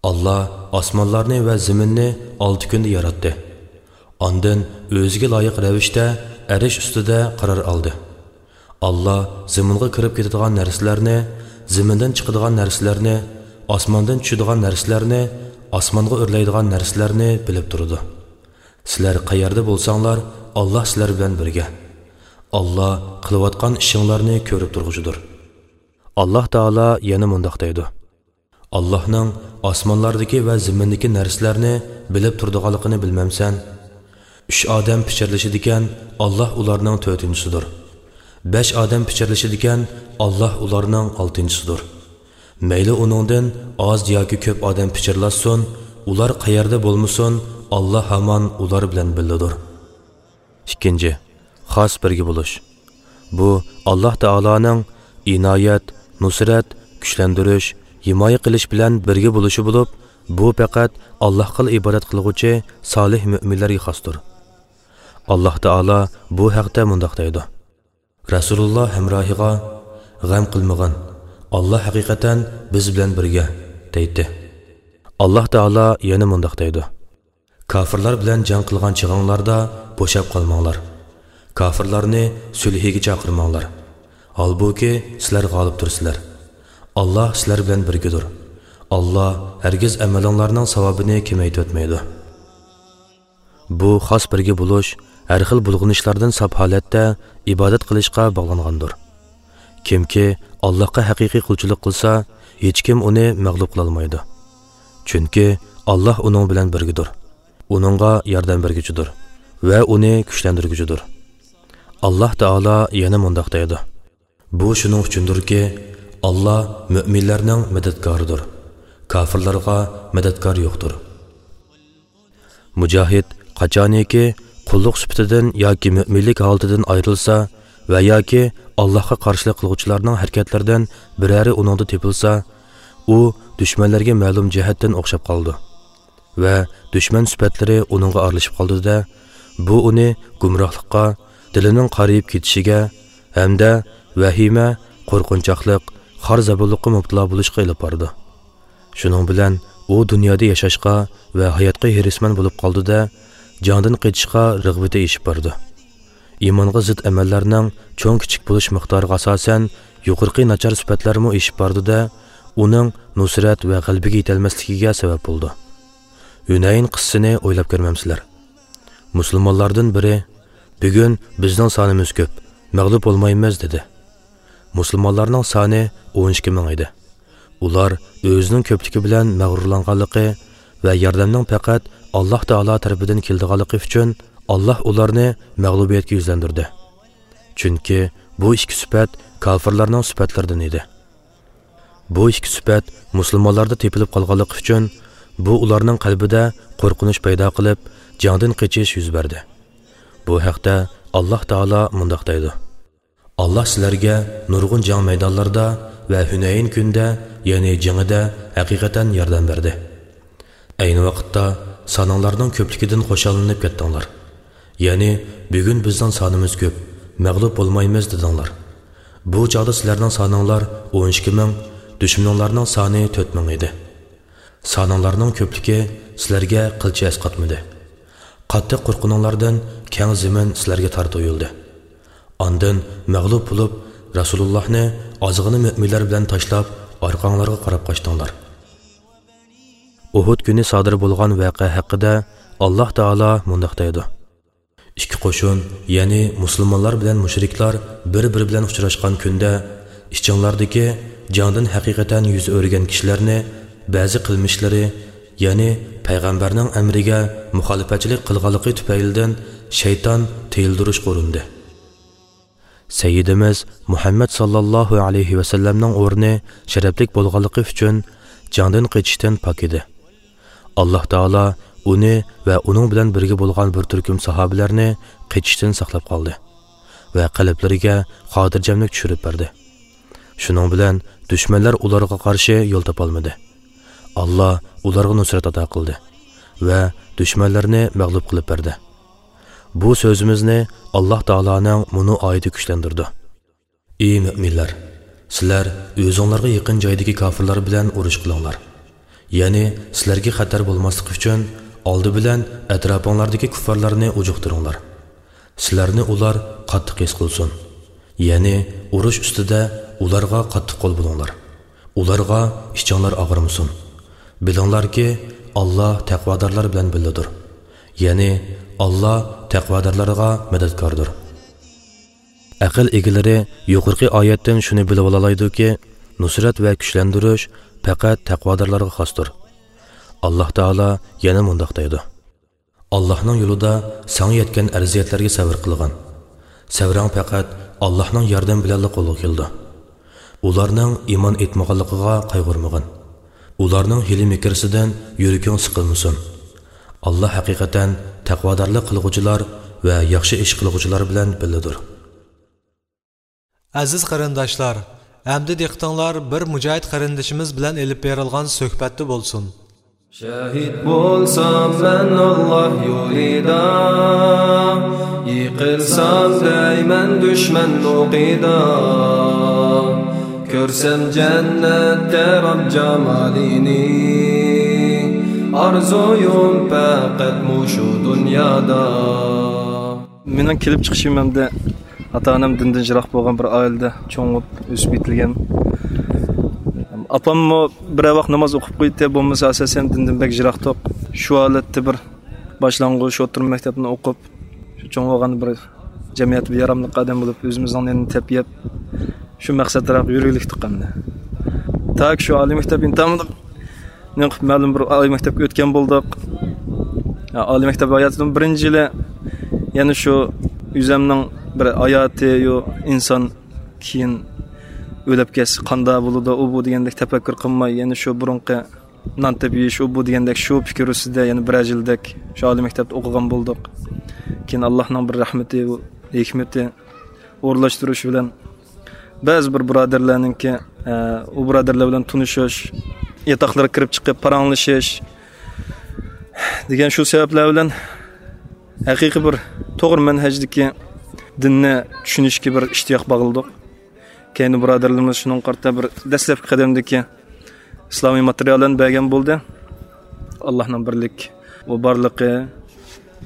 ئاللاھ ئاسمانلارنى ۋە زېمىننى ئالتە كۈندە ياراتتى. ئاندىن ئۆزىگە لايىق رەۋىشتە ئەرش ئۈستىدە قارار ئالدى. ئاللاھ زېمىنغا كىرىپ كېتىدىغان نەرسىلەرنى، زېمىندىن چىقىدىغان نەرسىلەرنى، ئاسماندىن چۈشىدىغان نەرسىلەرنى، ئاسمانغا ئۆرلەيدىغان نەرسىلەرنى بىلىپ تۇرىدۇ. سىلەر قەيەردە بولساڭلار، ئاللاھ سىلەر بىلەن بىرگە. ئاللاھ قىلىۋاتقان ئىشىڭلارنى كۆرۈپ تۇرغۇچىدۇر. ئاللاھ تائالا يەنە مۇنداق دەيدۇ: ئاللاھنىڭ ئاسمانلاردىكى ۋە زېمىندىكى نەرسىلەرنى بىلىپ تۇرىدىغانلىقىنى بىلمەمسەن؟ ئۈچ ئادەم پىچىرلىشىدىكەن، ئاللاھ ئۇلارنىڭ تۆتىنچىسىدۇر. بەش ئادەم پىچىرلىشىدىكەن، ئاللاھ ئۇلارنىڭ ئالتىنچىسىدۇر. مەيلى ئۇنىڭدىن ئاز ياكى كۆپ ئادەم پىچىرلاشسۇن، ئۇلار قەيەردە بولمىسۇن، ئاللاھ ھامان ئۇلار بىلەن بىللىدۇر. ئىككىنچى، خاس بىرگە بولۇش. بۇ ئاللاھ تائالانىڭ ئىنايەت، نۇسرەت، كۈچلەندۈرۈش، ھىمايە قىلىش بىلەن بىرگە بولۇشى بولۇپ، بۇ پەقەت ئاللاھقىلا ئىبادەت قىلغۇچى سالىھ مۆمىنلەرگە خاستۇر. ئاللاھ تائالا بۇ ھەقتە مۇنداق دەيدۇ: رەسۇلۇللاھ ھەمراھىغا، «غەم قىلمىغىن، ئاللاھ ھەقىقەتەن بىز بىلەن بىرگە» دەيتتى. ئاللاھ تائالا يەنە مۇنداق دەيدۇ: «كاپىرلار بىلەن جەڭ قىلغان چېغىڭلاردا بوشاپ قالماڭلار. كاپىرلارنى سۈلھىگە چاقىرماڭلار. ھالبۇكى، سىلەر غالىبتۇرسىلەر. ئاللاھ سىلەر بىلەن بىرگىدۇر. ئاللاھ ھەرگىز ئەمىلىڭلارنىڭ ساۋابىنى كېمەيتىۋەتمەيدۇ.» بۇ خاس بىرگە بولۇش ھەر خىل بۇلغىنىشلاردىن ساپ ھالەتتە ئىبادەت قىلىشقا باغلانغاندۇر. كىمكى ئاللاھقا ھەقىقىي قۇلچىلىق قىلسا، ھېچكىم ئۇنى مەغلۇپ قىلالمايدۇ. چۈنكى ئاللاھ ئۇنىڭ بىلەن بىرگىدۇر. ئۇنىڭغا ياردەم بەرگۈچىدۇر ۋە ئۇنى كۈچلەندۈرگۈچىدۇر. ئاللاھ تائالا يەنە مۇنداق دەيدۇ: «بۇ شۇنىڭ ئۈچۈندۇركى، ئاللاھ مۆمىنلەرنىڭ مەدەتكارىدۇر، كاپىرلارغا مەدەتكار يوقتۇر.» مۇجاھىد قاچانىكى قۇللۇق سۈپىتىدىن ياكى مۆمىنلىك ھالىتىدىن ئايرىلسا ۋە ياكى ئاللاھقا قارشىلىق قىلغۇچىلارنىڭ ھەرىكەتلىرىدىن بىرەرى ئۇنىڭدا تېپىلسا، ئۇ دۈشمەنلەرگە مەلۇم جەھەتتىن ئوخشاپ قالىدۇ. ۋە دۈشمەن سۈپەتلىرى ئۇنىڭغا ئارىلىشىپ قالىدۇ-دە، بۇ ئۇنى گۇمراھلىققا، دىلىنىڭ قارىيىپ كېتىشىگە ھەمدە ۋەھىمە، قورقۇنچاقلىق، خار-زابۇنلۇققا مۇپتىلا بولۇشقا ئېلىپ بارىدۇ. شۇنىڭ بىلەن ئۇ دۇنيادا ياشاشقا ۋە ھاياتقا ھېرىسمەن بولۇپ قالىدۇ-دە، جەڭدىن قېچىشقا رىغبىتى ئېشىپ بارىدۇ. ئىمانغا زىت ئەمەللەرنىڭ چوڭ-كىچىك بولۇش مىقدارىغا ئاساسەن، يۇقىرىقى ناچار سۈپەتلەرمۇ ئېشىپ بارىدۇ-دە، ئۇنىڭ نۇسرەت ۋە غەلىبىگە يېتەلمەسلىكىگە سەۋەب بولىدۇ. ھۈنەين قىسسىسىنى ئويلاپ كۆرمەمسىلەر؟ مۇسۇلمانلاردىن بىرى، «بۈگۈن بىزنىڭ سانىمىز كۆپ، مەغلۇپ بولمايمىز» دېدى. مۇسۇلمانلارنىڭ سانى ئون ئىككى مىڭ ئىدى. ئۇلار ئۆزىنىڭ كۆپلۈكى بىلەن مەغرۇرلانغانلىقى ۋە ياردەمنىڭ پەقەت ئاللاھ تائالا تەرىپىدىن كېلىدىغانلىقى ئۈچۈن، ئاللاھ ئۇلارنى مەغلۇبىيەتكە يۈزلەندۈردى. چۈنكى بۇ ئىككى سۈپەت كاپىرلارنىڭ سۈپەتلىرىدىن ئىدى. بۇ ئىككى سۈپەت مۇسۇلمانلاردا تېپىلىپ قالغانلىقى ئۈچۈن، بۇ ئۇلارنىڭ قەلبىدە قورقۇنچ پەيدا قىلىپ، جەڭدىن قېچىش يۈز بەردى. بۇ ھەقتە ئاللاھ تائالا مۇنداق دەيدۇ: «ئاللاھ سىلەرگە نۇرغۇن جەڭ مەيدانلىرىدا ۋە ھۈنەين كۈنىدە، يەنى جېڭىدە ھەقىقەتەن ياردەم بەردى. ئەينى ۋاقىتتا سانىڭلارنىڭ كۆپلۈكىدىن خۇشاللىنىپ كەتتىڭلار. يەنى، 'بۈگۈن بىزنىڭ سانىمىز كۆپ، مەغلۇپ بولمايمىز' دېدىڭلار. بۇ چاغدا سىلەرنىڭ سانىڭلار ئون ئىككى مىڭ، دۈشمىنىڭلارنىڭ سانى تۆت مىڭ ئىدى. سانىڭلارنىڭ كۆپلۈكى سىلەرگە قىلچە ئەسقاتمىدى. قاتتىق قورققىنىڭلاردىن كەڭ زېمىن سىلەرگە تار تۇيۇلدى. ئاندىن مەغلۇپ بولۇپ، رەسۇلۇللاھنى ئازغىنە مۆمىنلەر بىلەن تاشلاپ، ئارقاڭلارغا قاراپ قاچتىڭلار.» ئۇھۇد كۈنى سادىر بولغان ۋەقە ھەققىدە ئاللاھ تائالا مۇنداق دەيدۇ: «ئىككى قوشۇن، يەنى مۇسۇلمانلار بىلەن مۇشرىكلار بىر-بىرى بىلەن ئۇچراشقان كۈندە، ئىچىڭلاردىكى جەڭدىن ھەقىقەتەن يۈز ئۆرۈگەن كىشىلەرنى بەزى قىلمىشلىرى، يەنى پەيغەمبەرنىڭ ئەمرىگە مۇخالىپەتچىلىك قىلغانلىقى تۈپەيلىدىن شەيتان تىيىلدۈرۈشكە ئۇرۇندى. سەييىدىمىز مۇھەممەد ساللاللاھۇ ئەلەيھى ۋەسەللەمنىڭ ئورنى شەرەپلىك بولغانلىقى ئۈچۈن جەڭدىن قېچىشتىن پاك ئىدى. ئاللاھ تائالا ئۇنى ۋە ئۇنىڭ بىلەن بىرگە بولغان بىر تۈركۈم ساھابىلەرنى قېچىشتىن ساقلاپ قالدى ۋە قەلبلىرىگە خاتىرجەملىك چۈشۈرۈپ بەردى. شۇنىڭ بىلەن دۈشمەنلەر ئۇلارغا قارشى يول تاپالمىدى. ئاللاھ ئۇلارغا نۇسرەت ئاتا قىلدى ۋە دۈشمەنلەرنى مەغلۇپ قىلىپ بەردى. بۇ سۆزىمىزنى ئاللاھ تائالانىڭ مۇنۇ ئايىتى كۈچلەندۈرىدۇ: «ئى مۆمىنلەر! سىلەر ئۆزۈڭلارغا يېقىن جايدىكى كاپىرلار بىلەن ئۇرۇش قىلىڭلار. يەنى سىلەرگە خەتەر بولماسلىقى ئۈچۈن، ئالدى بىلەن ئەتراپىڭلاردىكى كۇففارلارنى ئۇجۇقتۇرۇڭلار. سىلەرنى ئۇلار قاتتىق ھېس قىلسۇن. يەنى ئۇرۇش ئۈستىدە ئۇلارغا قاتتىق قول بولۇڭلار. ئۇلارغا ئىچىڭلار ئاغرىمىسۇن. بىلىڭلاركى، ئاللاھ تەقۋادارلار بىلەن بىللىدۇر. يەنى ئاللاھ تەقۋادارلارغا مەدەتكاردۇر.» ئەقىل ئىگىلىرى يۇقىرىقى ئايەتتىن شۇنى بىلىۋالالايدۇكى، نۇسرەت ۋە كۈچلەندۈرۈش پەقەت تەقۋادارلارغا خاستۇر. ئاللاھ تائالا يەنە مۇنداق دەيدۇ: «ئاللاھنىڭ يولىدا ساڭا يەتكەن ئەزىيەتلەرگە سەۋر قىلغىن. سەۋرىڭ پەقەت ئاللاھنىڭ ياردىمى بىلەنلا قولغا كېلىدۇ. ئۇلارنىڭ ئىمان ئېيتمىغانلىقىغا قايغۇرمىغىن. ئۇلارنىڭ ھىيلە-مىكرىسىدىن يۈرىكىڭ سىقىلمىسۇن. ئاللاھ ھەقىقەتەن تەقۋادارلىق قىلغۇچىلار ۋە ياخشى ئىش قىلغۇچىلار بىلەن بىللىدۇر.» ئەزىز قېرىنداشلار، ئەمدى دىققىتىڭلار بىر مۇجاھىد قېرىندىشىمىز بىلەن ئېلىپ بېرىلغان سۆھبەتتە بولسۇن. شەھىد بولسام مەن ئاللاھ يولىدا، يىقىلسام دەيمەن دۈشمەن ئوقىدا. كۆرسەم جەننەتتە رەب جامالىنى، ئارزۇيۇم پەقەت مۇشۇ دۇنيادا. مېنىڭ كېلىپ چىقىشىم ھەمدە ئاتا-ئانام دىندىن يىراق بولغان بىر ئائىلىدە چوڭىيىپ ئۆسۈپ يېتىلگەن. ئاپاممۇ بىرەر ۋاق ناماز ئوقۇپ قوياتتى، بولمىسا ئاساسەن دىندىن بەك يىراقتۇق. شۇ ھالەتتە بىر باشلانغۇچ، ئوتتۇرا مەكتەپنى ئوقۇپ، شۇ چوڭ بولغان بىر جەمئىيەتكە بىر ياراملىق ئادەم بولۇپ، ئۆزىمىزنىڭ نېنىنى تېپىپ، شۇ مەقسەتتىراق يۈرگۈلۈكتۇق ئەمدى. تاكى شۇ ئالىي مەكتەپ ئىمتىھانىنى مەلۇم بىر ئالىي مەكتەپكە ئۆتكەن بولدۇق. ئالىي مەكتەپ ھاياتىدىن بىرىنچى يىلى يەنە شۇ ئۆزۈمنىڭ بىر ھاياتى، يو، ئىنسان كېيىن ئۆلۈپ كەتسە قانداق بولىدۇ، ئۇ بۇ دېگەندەك تەپەككۇر قىلماي، يەنە شۇ بۇرۇنقى نان تېپىپ يېيىش، ئۇ بۇ دېگەندەك شۇ پىكىر ئۈستىدە يەنە بىرەر يىلدەك شۇ ئالىي مەكتەپتە ئوقۇغان بولدۇق. كېيىن ئاللاھنىڭ بىر رەھمىتى، ھېكمىتى، ئورۇنلاشتۇرۇشى بىلەن بەزى بىر بۇرادەرلەرنىڭكى، ئە، ئۇ بۇرادەرلەر بىلەن تونۇشۇش، ياتاقلىرىغا كىرىپ چىقىپ پاراڭلىشىش دېگەن شۇ سەۋەبلەر بىلەن ھەقىقىي بىر توغرا مەنھەجدىكى دىننى چۈشىنىشكە بىر ئىشتىياق باغلىدۇق. كەينى بۇرادەرلىرىمىز شۇنىڭغا قارىتا بىر دەسلەپكى قەدەمدىكى ئىسلامىي ماتېرىياللارنى بەرگەن بولدى. ئاللاھنىڭ بىرلىك، ئۇ بارلىقى،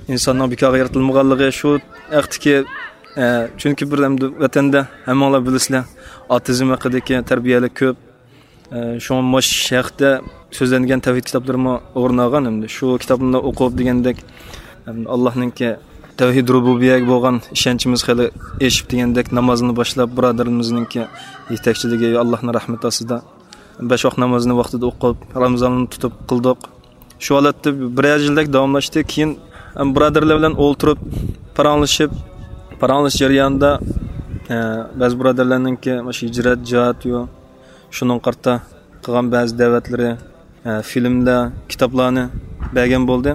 ئىنساننىڭ بىكارغا يارىتىلمىغانلىقى، شۇ ھەقتىكى، ئە، چۈنكى بىر ئەمدى ۋەتەندە ھەممىڭلار بىلىسىلەر، ئاتېئىزم ھەققىدىكى تەربىيەلەر كۆپ. ئە، شۇڭا مۇشۇ ھەقتە سۆزلەنگەن تەۋھىد كىتابلىرىمۇ ئورۇن ئالغان. ئەمدى شۇ كىتابلارنى ئوقۇپ دېگەندەك، ئەمدى ئاللاھنىڭكى تەۋھىد رۇبۇبىيەگە بولغان ئىشەنچىمىز خېلى ئېشىپ دېگەندەك، نامازنى باشلاپ، بۇرادەرلىرىمىزنىڭكى يېتەكچىلىكى، ئاللاھنىڭ رەھمىتى ئاستىدا بەش ۋاق نامازنى ۋاقتىدا ئوقۇپ، رامىزاننى تۇتۇپ قىلدۇق. شۇ ھالەتتە بىرەر يىلدەك داۋاملاشتى. كېيىن، ئەم، بۇرادەرلەر بىلەن ئولتۇرۇپ، پاراڭلىشىپ، پاراڭلىشىش جەريانىدا، ئە، بەزى بۇرادەرلەرنىڭكى مۇشۇ ھىجرەت، جىھاد، يو، شۇنىڭغا قارىتا قىلغان بەزى دەۋەتلىرى، ئە، فىلىملەر، كىتابلارنى بەرگەن بولدى.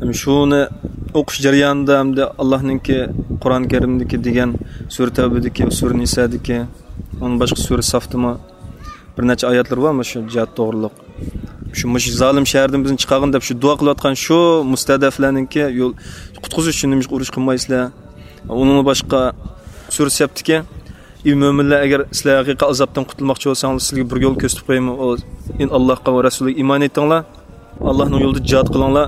ھەم شۇنى ئوقۇش جەريانىدا ھەمدە ئاللاھنىڭكى قۇرئان كەرىمدىكى دېگەن سۈرە تەۋبىدىكى، سۈرە نىسادىكى، ئۇنىڭ باشقا سۈرە سافتىمۇ بىر نەچچە ئايەتلىرى بار مۇشۇ جىھاد توغرۇلۇق. شۇ، مۇشۇ زالىم شەھەردىن بىزنى چىقارغىن دەپ شۇ دۇئا قىلىۋاتقان شۇ مۇستەدەپلەرنىڭكى يول، قۇتقۇزۇش ئۈچۈن نېمىشقا ئۇرۇش قىلمايسىلەر؟ ئۇنىڭدىن باشقا سۈرە سەفتىكى، ئى مۆمىنلەر، ئەگەر سىلەر ھەقىقىي ئازابتىن قۇتۇلماقچى بولساڭلار، سىلەرگە بىر يول كۆرسىتىپ قويايمۇ؟ ئۇ، ئىن ئاللاھقا ۋە رەسۇلىگە ئىمان ئېيتىڭلار، ئاللاھنىڭ يولىدا جىھاد قىلىڭلار،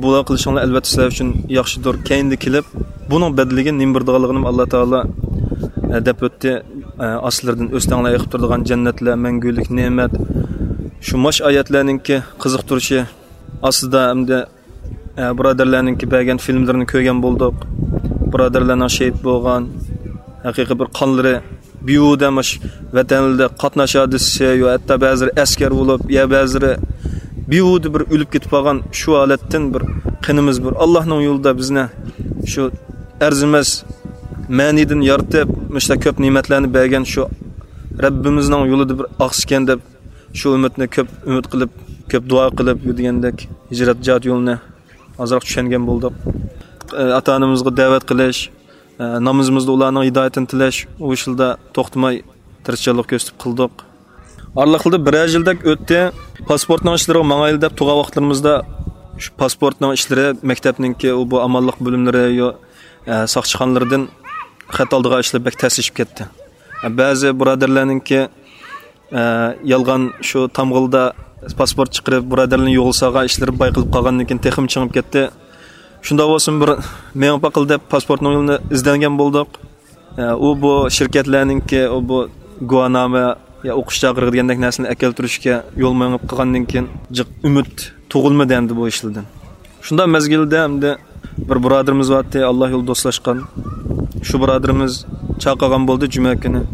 بۇلار قىلىشىڭلار ئەلۋەتتە سىلەر ئۈچۈن ياخشىدۇر. كەينىدە كېلىپ، بۇنىڭ بەدىلىگە نېمە بېرىدىغانلىقىنى ئاللا تائالا، ئە، دەپ ئۆتتى. ئە، ئاستىلىرىدىن ئۆستەڭلار ئېقىپ تۇرىدىغان جەننەتلەر، مەڭگۈلۈك نېمەت. شۇ ماش ئايەتلەرنىڭكى قىزىقتۇرۇشى ئاستىدا ئەمدى، ئە، بۇرادەرلەرنىڭكى بەرگەن فىلىملىرىنى كۆرگەن بولدۇق. بۇرادەرلەرنىڭ شېھىت بولغان، ھەقىقىي بىر قانلىرى بىھۇدە مۇش ۋەتەنلىرىدە قاتناش ھادىسىسى، يا ھەتتا بەزىلىرى ئەسكەر بولۇپ، يا بەزىلىرى بىھۇدە بىر ئۆلۈپ كېتىپ قالغان شۇ ھالەتتىن بىر قېنىمىز بىر ئاللاھنىڭ يولىدا بىزنى شۇ ئەرزىمەس مەنىدىن يارىتىپ، مۇشۇنداق كۆپ نېمەتلەرنى بەرگەن شۇ رەببىمىزنىڭ يولىدا بىر ئاقسىكەن دەپ، شۇ ئۈمىدنى كۆپ ئۈمىد قىلىپ، كۆپ دۇئا قىلىپ يۈرگەندەك ھىجرەت جىھاد يولىنى ئازراق چۈشەنگەن بولدۇق. ئاتا-ئانىمىزغا دەۋەت قىلىش، نامىزىمىزدا ئۇلارنىڭ ھىدايىتىنى تىلەش، ئۇ ئىشلاردا توختىماي تىرىشچانلىق كۆرسىتىپ قىلدۇق. ئارىلىقتا بىرەر يىلدەك ئۆتتى. پاسپورتنىڭ ئىشلىرىغا ماڭايلى دەپ تۇرغان ۋاقىتلىرىمىزدا، شۇ پاسپورتنىڭ ئىشلىرى، مەكتەپنىڭكى ئۇ بۇ ئامانلىق بۆلۈملىرى، يو-، ئە، ساقچىخانىلىرىدىن خەت ئالىدىغان ئىشلار بەك تەسلىشىپ كەتتى. ئە، بەزى بۇرادەرلەرنىڭكى، ئە، يالغان شۇ تامغىلىدا پاسپورت چىقىرىپ، بۇرادەرلەرنى يولغا سالغان ئىشلىرى بايقىلىپ قالغاندىن كېيىن تېخىمۇ چىڭىپ كەتتى. شۇنداق بولسىمۇ بىر مېڭىپ باقىلى دەپ پاسپورتنىڭ يولىنى ئىزدەنگەن بولدۇق. ئە، ئۇ بۇ شىركەتلەرنىڭكى ئۇ بۇ گۇۋاھنامە يا ئوقۇش چاغرىقى دېگەندەك نەرسىنى ئەكەلتۈرۈشكە يول مېڭىپ قالغاندىن كېيىن جىق ئۈمىد تۇغۇلمىدى ئەمدى بۇ ئىشلاردىن. شۇنداق مەزگىلدە ئەمدى بىر بۇرادىرىمىز بارتتى، ئاللا يولىدا دوستلاشقان. شۇ بۇرادىرىمىز چاقىرغان بولدى جۈمە كۈنى.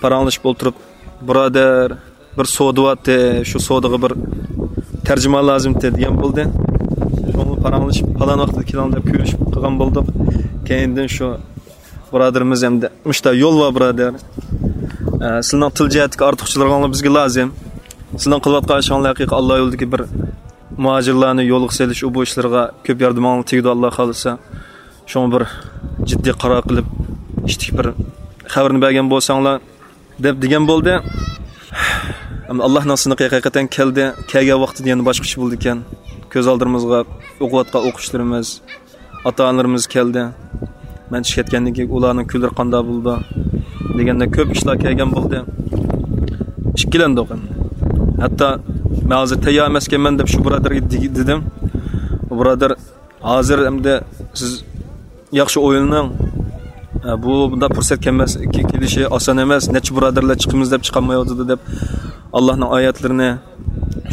پاراڭلىشىپ ئولتۇرۇپ، بۇرادەر، بىر سودا بارتتى، شۇ سودىغا بىر تەرجىمان لازىمتى دېگەن بولدى. شۇڭا پاراڭلىشىپ، پالان ۋاقىتتا كېلىڭ دەپ كۆرۈشۈپ قالغان بولدۇق. كەينىدىن شۇ بۇرادىرىمىز ئەمدى، مۇشتا يول بار بۇرادەر. ئە، سىلىنىڭ تىل جەھەتتىكى ئارتۇقچىلىقىڭلار بىزگە لازىم. سىلىنىڭ قىلىۋاتقان ئىشىڭلار ھەقىقىي ئاللا يولىدىكى بىر مۇھاجىرلارنى يولغا سېلىش، ئۇ بۇ ئىشلىرىغا كۆپ ياردىمىڭلار تېگىدۇ، ئاللا خالىسا. شۇڭا بىر جىددىي قارار قىلىپ، ئىشتىكى بىر خەۋىرىنى بەرگەن بولساڭلار، دەپ دېگەن بولدى. ئەمما ئاللاھنىڭ سىنىقى ھەقىقەتەن كەلدى. كەلگەن ۋاقتىدا يەنە باشقىچە بولىدىكەن. كۆز ئالدىمىزغا ئوقۇۋاتقان ئوقۇشلىرىمىز، ئاتا-ئانىلىرىمىز كەلدى. مەن چىقىپ كەتكەندىن كېيىن ئۇلارنىڭ كۈنلىرى قانداق بولىدۇ دېگەندە كۆپ ئىشلار كەلگەن بولدى. ئىككىلەندۇق ئەمدى. ھەتتا مەن ھازىر تەييار ئەمەسكەنمەن دەپ شۇ بۇرادەرگە دېگى-، دېدىم. ئۇ بۇرادەر ھازىر ئەمدى سىز ياخشى ئويلىنىڭ. ئە، بۇ بۇنداق پۇرسەت كەلمەس، كېلىشى ئاسان ئەمەس. نەچچە بۇرادەرلەر چىقىمىز دەپ چىقالمايۋاتىدۇ دەپ، ئاللاھنىڭ ئايەتلىرىنى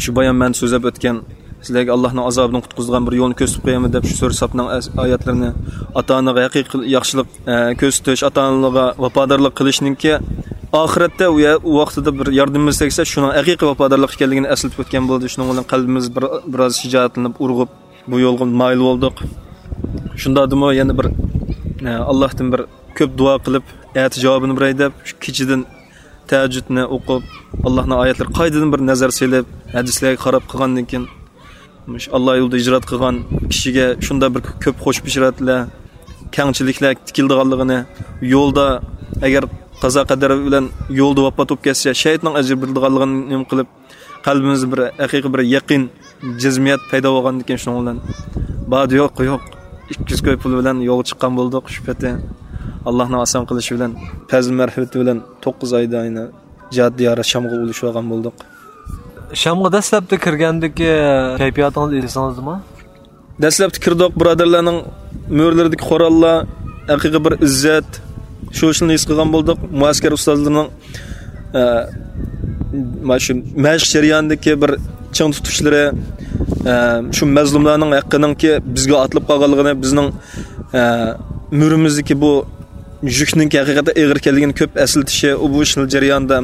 شۇ بايان مەن سۆزلەپ ئۆتكەن، سىلەرگە ئاللاھنىڭ ئازابىدىن قۇتقۇزىدىغان بىر يولنى كۆرسىتىپ قويايمەن دەپ، شۇ سۈرە سافنىڭ ئەس-، ئايەتلىرىنى، ئاتا-ئانىغا ھەقىقىي قىل-، ياخشىلىق، ئە، كۆرسىتىش، ئاتا-ئانىلارغا ۋاپادارلىق قىلىشنىڭكى ئاخىرەتتە ئۇ يە-، ئۇ ۋاقتىدا بىر ياردىمىمىز تەگسە، شۇنىڭ ھەقىقىي ۋاپادارلىق ئىكەنلىكىنى ئەسلىتىپ ئۆتكەن بولدى. شۇنىڭ بىلەن قەلبىمىز بىر، بىراز شىجائەتلىنىپ، ئۇرغۇپ، بۇ يولغا مايىل بولدۇق. شۇنداقتىمۇ يەنە بىر، ئە، ئاللاھتىن بىر كۆپ دۇئا قىلىپ، ئەتە جاۋابىنى بېرەي دەپ، شۇ كېچىدىن تەھەججۇدنى ئوقۇپ، ئاللاھنىڭ ئايەتلىرىگە قايتىدىن بىر نەزەر سېلىپ، ھەدىسلەرگە قاراپ قىلغاندىن كېيىن، مۇشۇ ئاللا يولىدا ھىجرەت قىلغان كىشىگە شۇنداق بىر كۆپ خۇش بېشارەتلەر، كەڭچىلىكلەر كېلىدىغانلىقىنى، يولدا ئەگەر قازا قەدەر بىلەن يولدا ۋاپات بولۇپ كەتسە، شەھىدنىڭ ئەجرى بېرىلىدىغانلىقىنى نېمە قىلىپ، قەلبىمىزدە بىر ھەقىقىي بىر يەقىن، جەزمىيەت پەيدا بولغاندىكىن، شۇنىڭ بىلەن بار-يوق، يوق، ئىككى يۈز كوي پۇل بىلەن يولغا چىققان بولدۇق. شۇ پېتى ئاللاھنىڭ ئاسان قىلىشى بىلەن، پەزلى مەرھىمىتى بىلەن توققۇز ئايدا يەنە جىھاد دىيارى شامغا ئۇلىشىۋالغان بولدۇق. شامغا دەسلەپتە كىرگەندىكى كەيپىياتىڭىزنى ئېسىڭىزدىمۇ؟ دەسلەپتە كىردۇق، بۇرادەرلەرنىڭ مۈرىلىرىدىكى قوراللار، ھەقىقىي بىر ئىززەت، شۇ ئىشنى ھېس قىلغان بولدۇق. مۇئەسكەر ئۇستازلىرىنىڭ، ئە، مانا شۇ مەشىق جەريانىدىكى بىر چىڭ تۇتۇشلىرى، ئە، شۇ مەزلۇملارنىڭ ھەققىنىڭكى بىزگە ئاتىلىپ قالغانلىقىنى، بىزنىڭ، ئە، مۈرىمىزدىكى بۇ يۈكنىڭكى ھەقىقەتەن ئېغىر ئىكەنلىكىنى كۆپ ئەسلىتىشى، ئۇ بۇ ئىشنىڭ جەريانىدا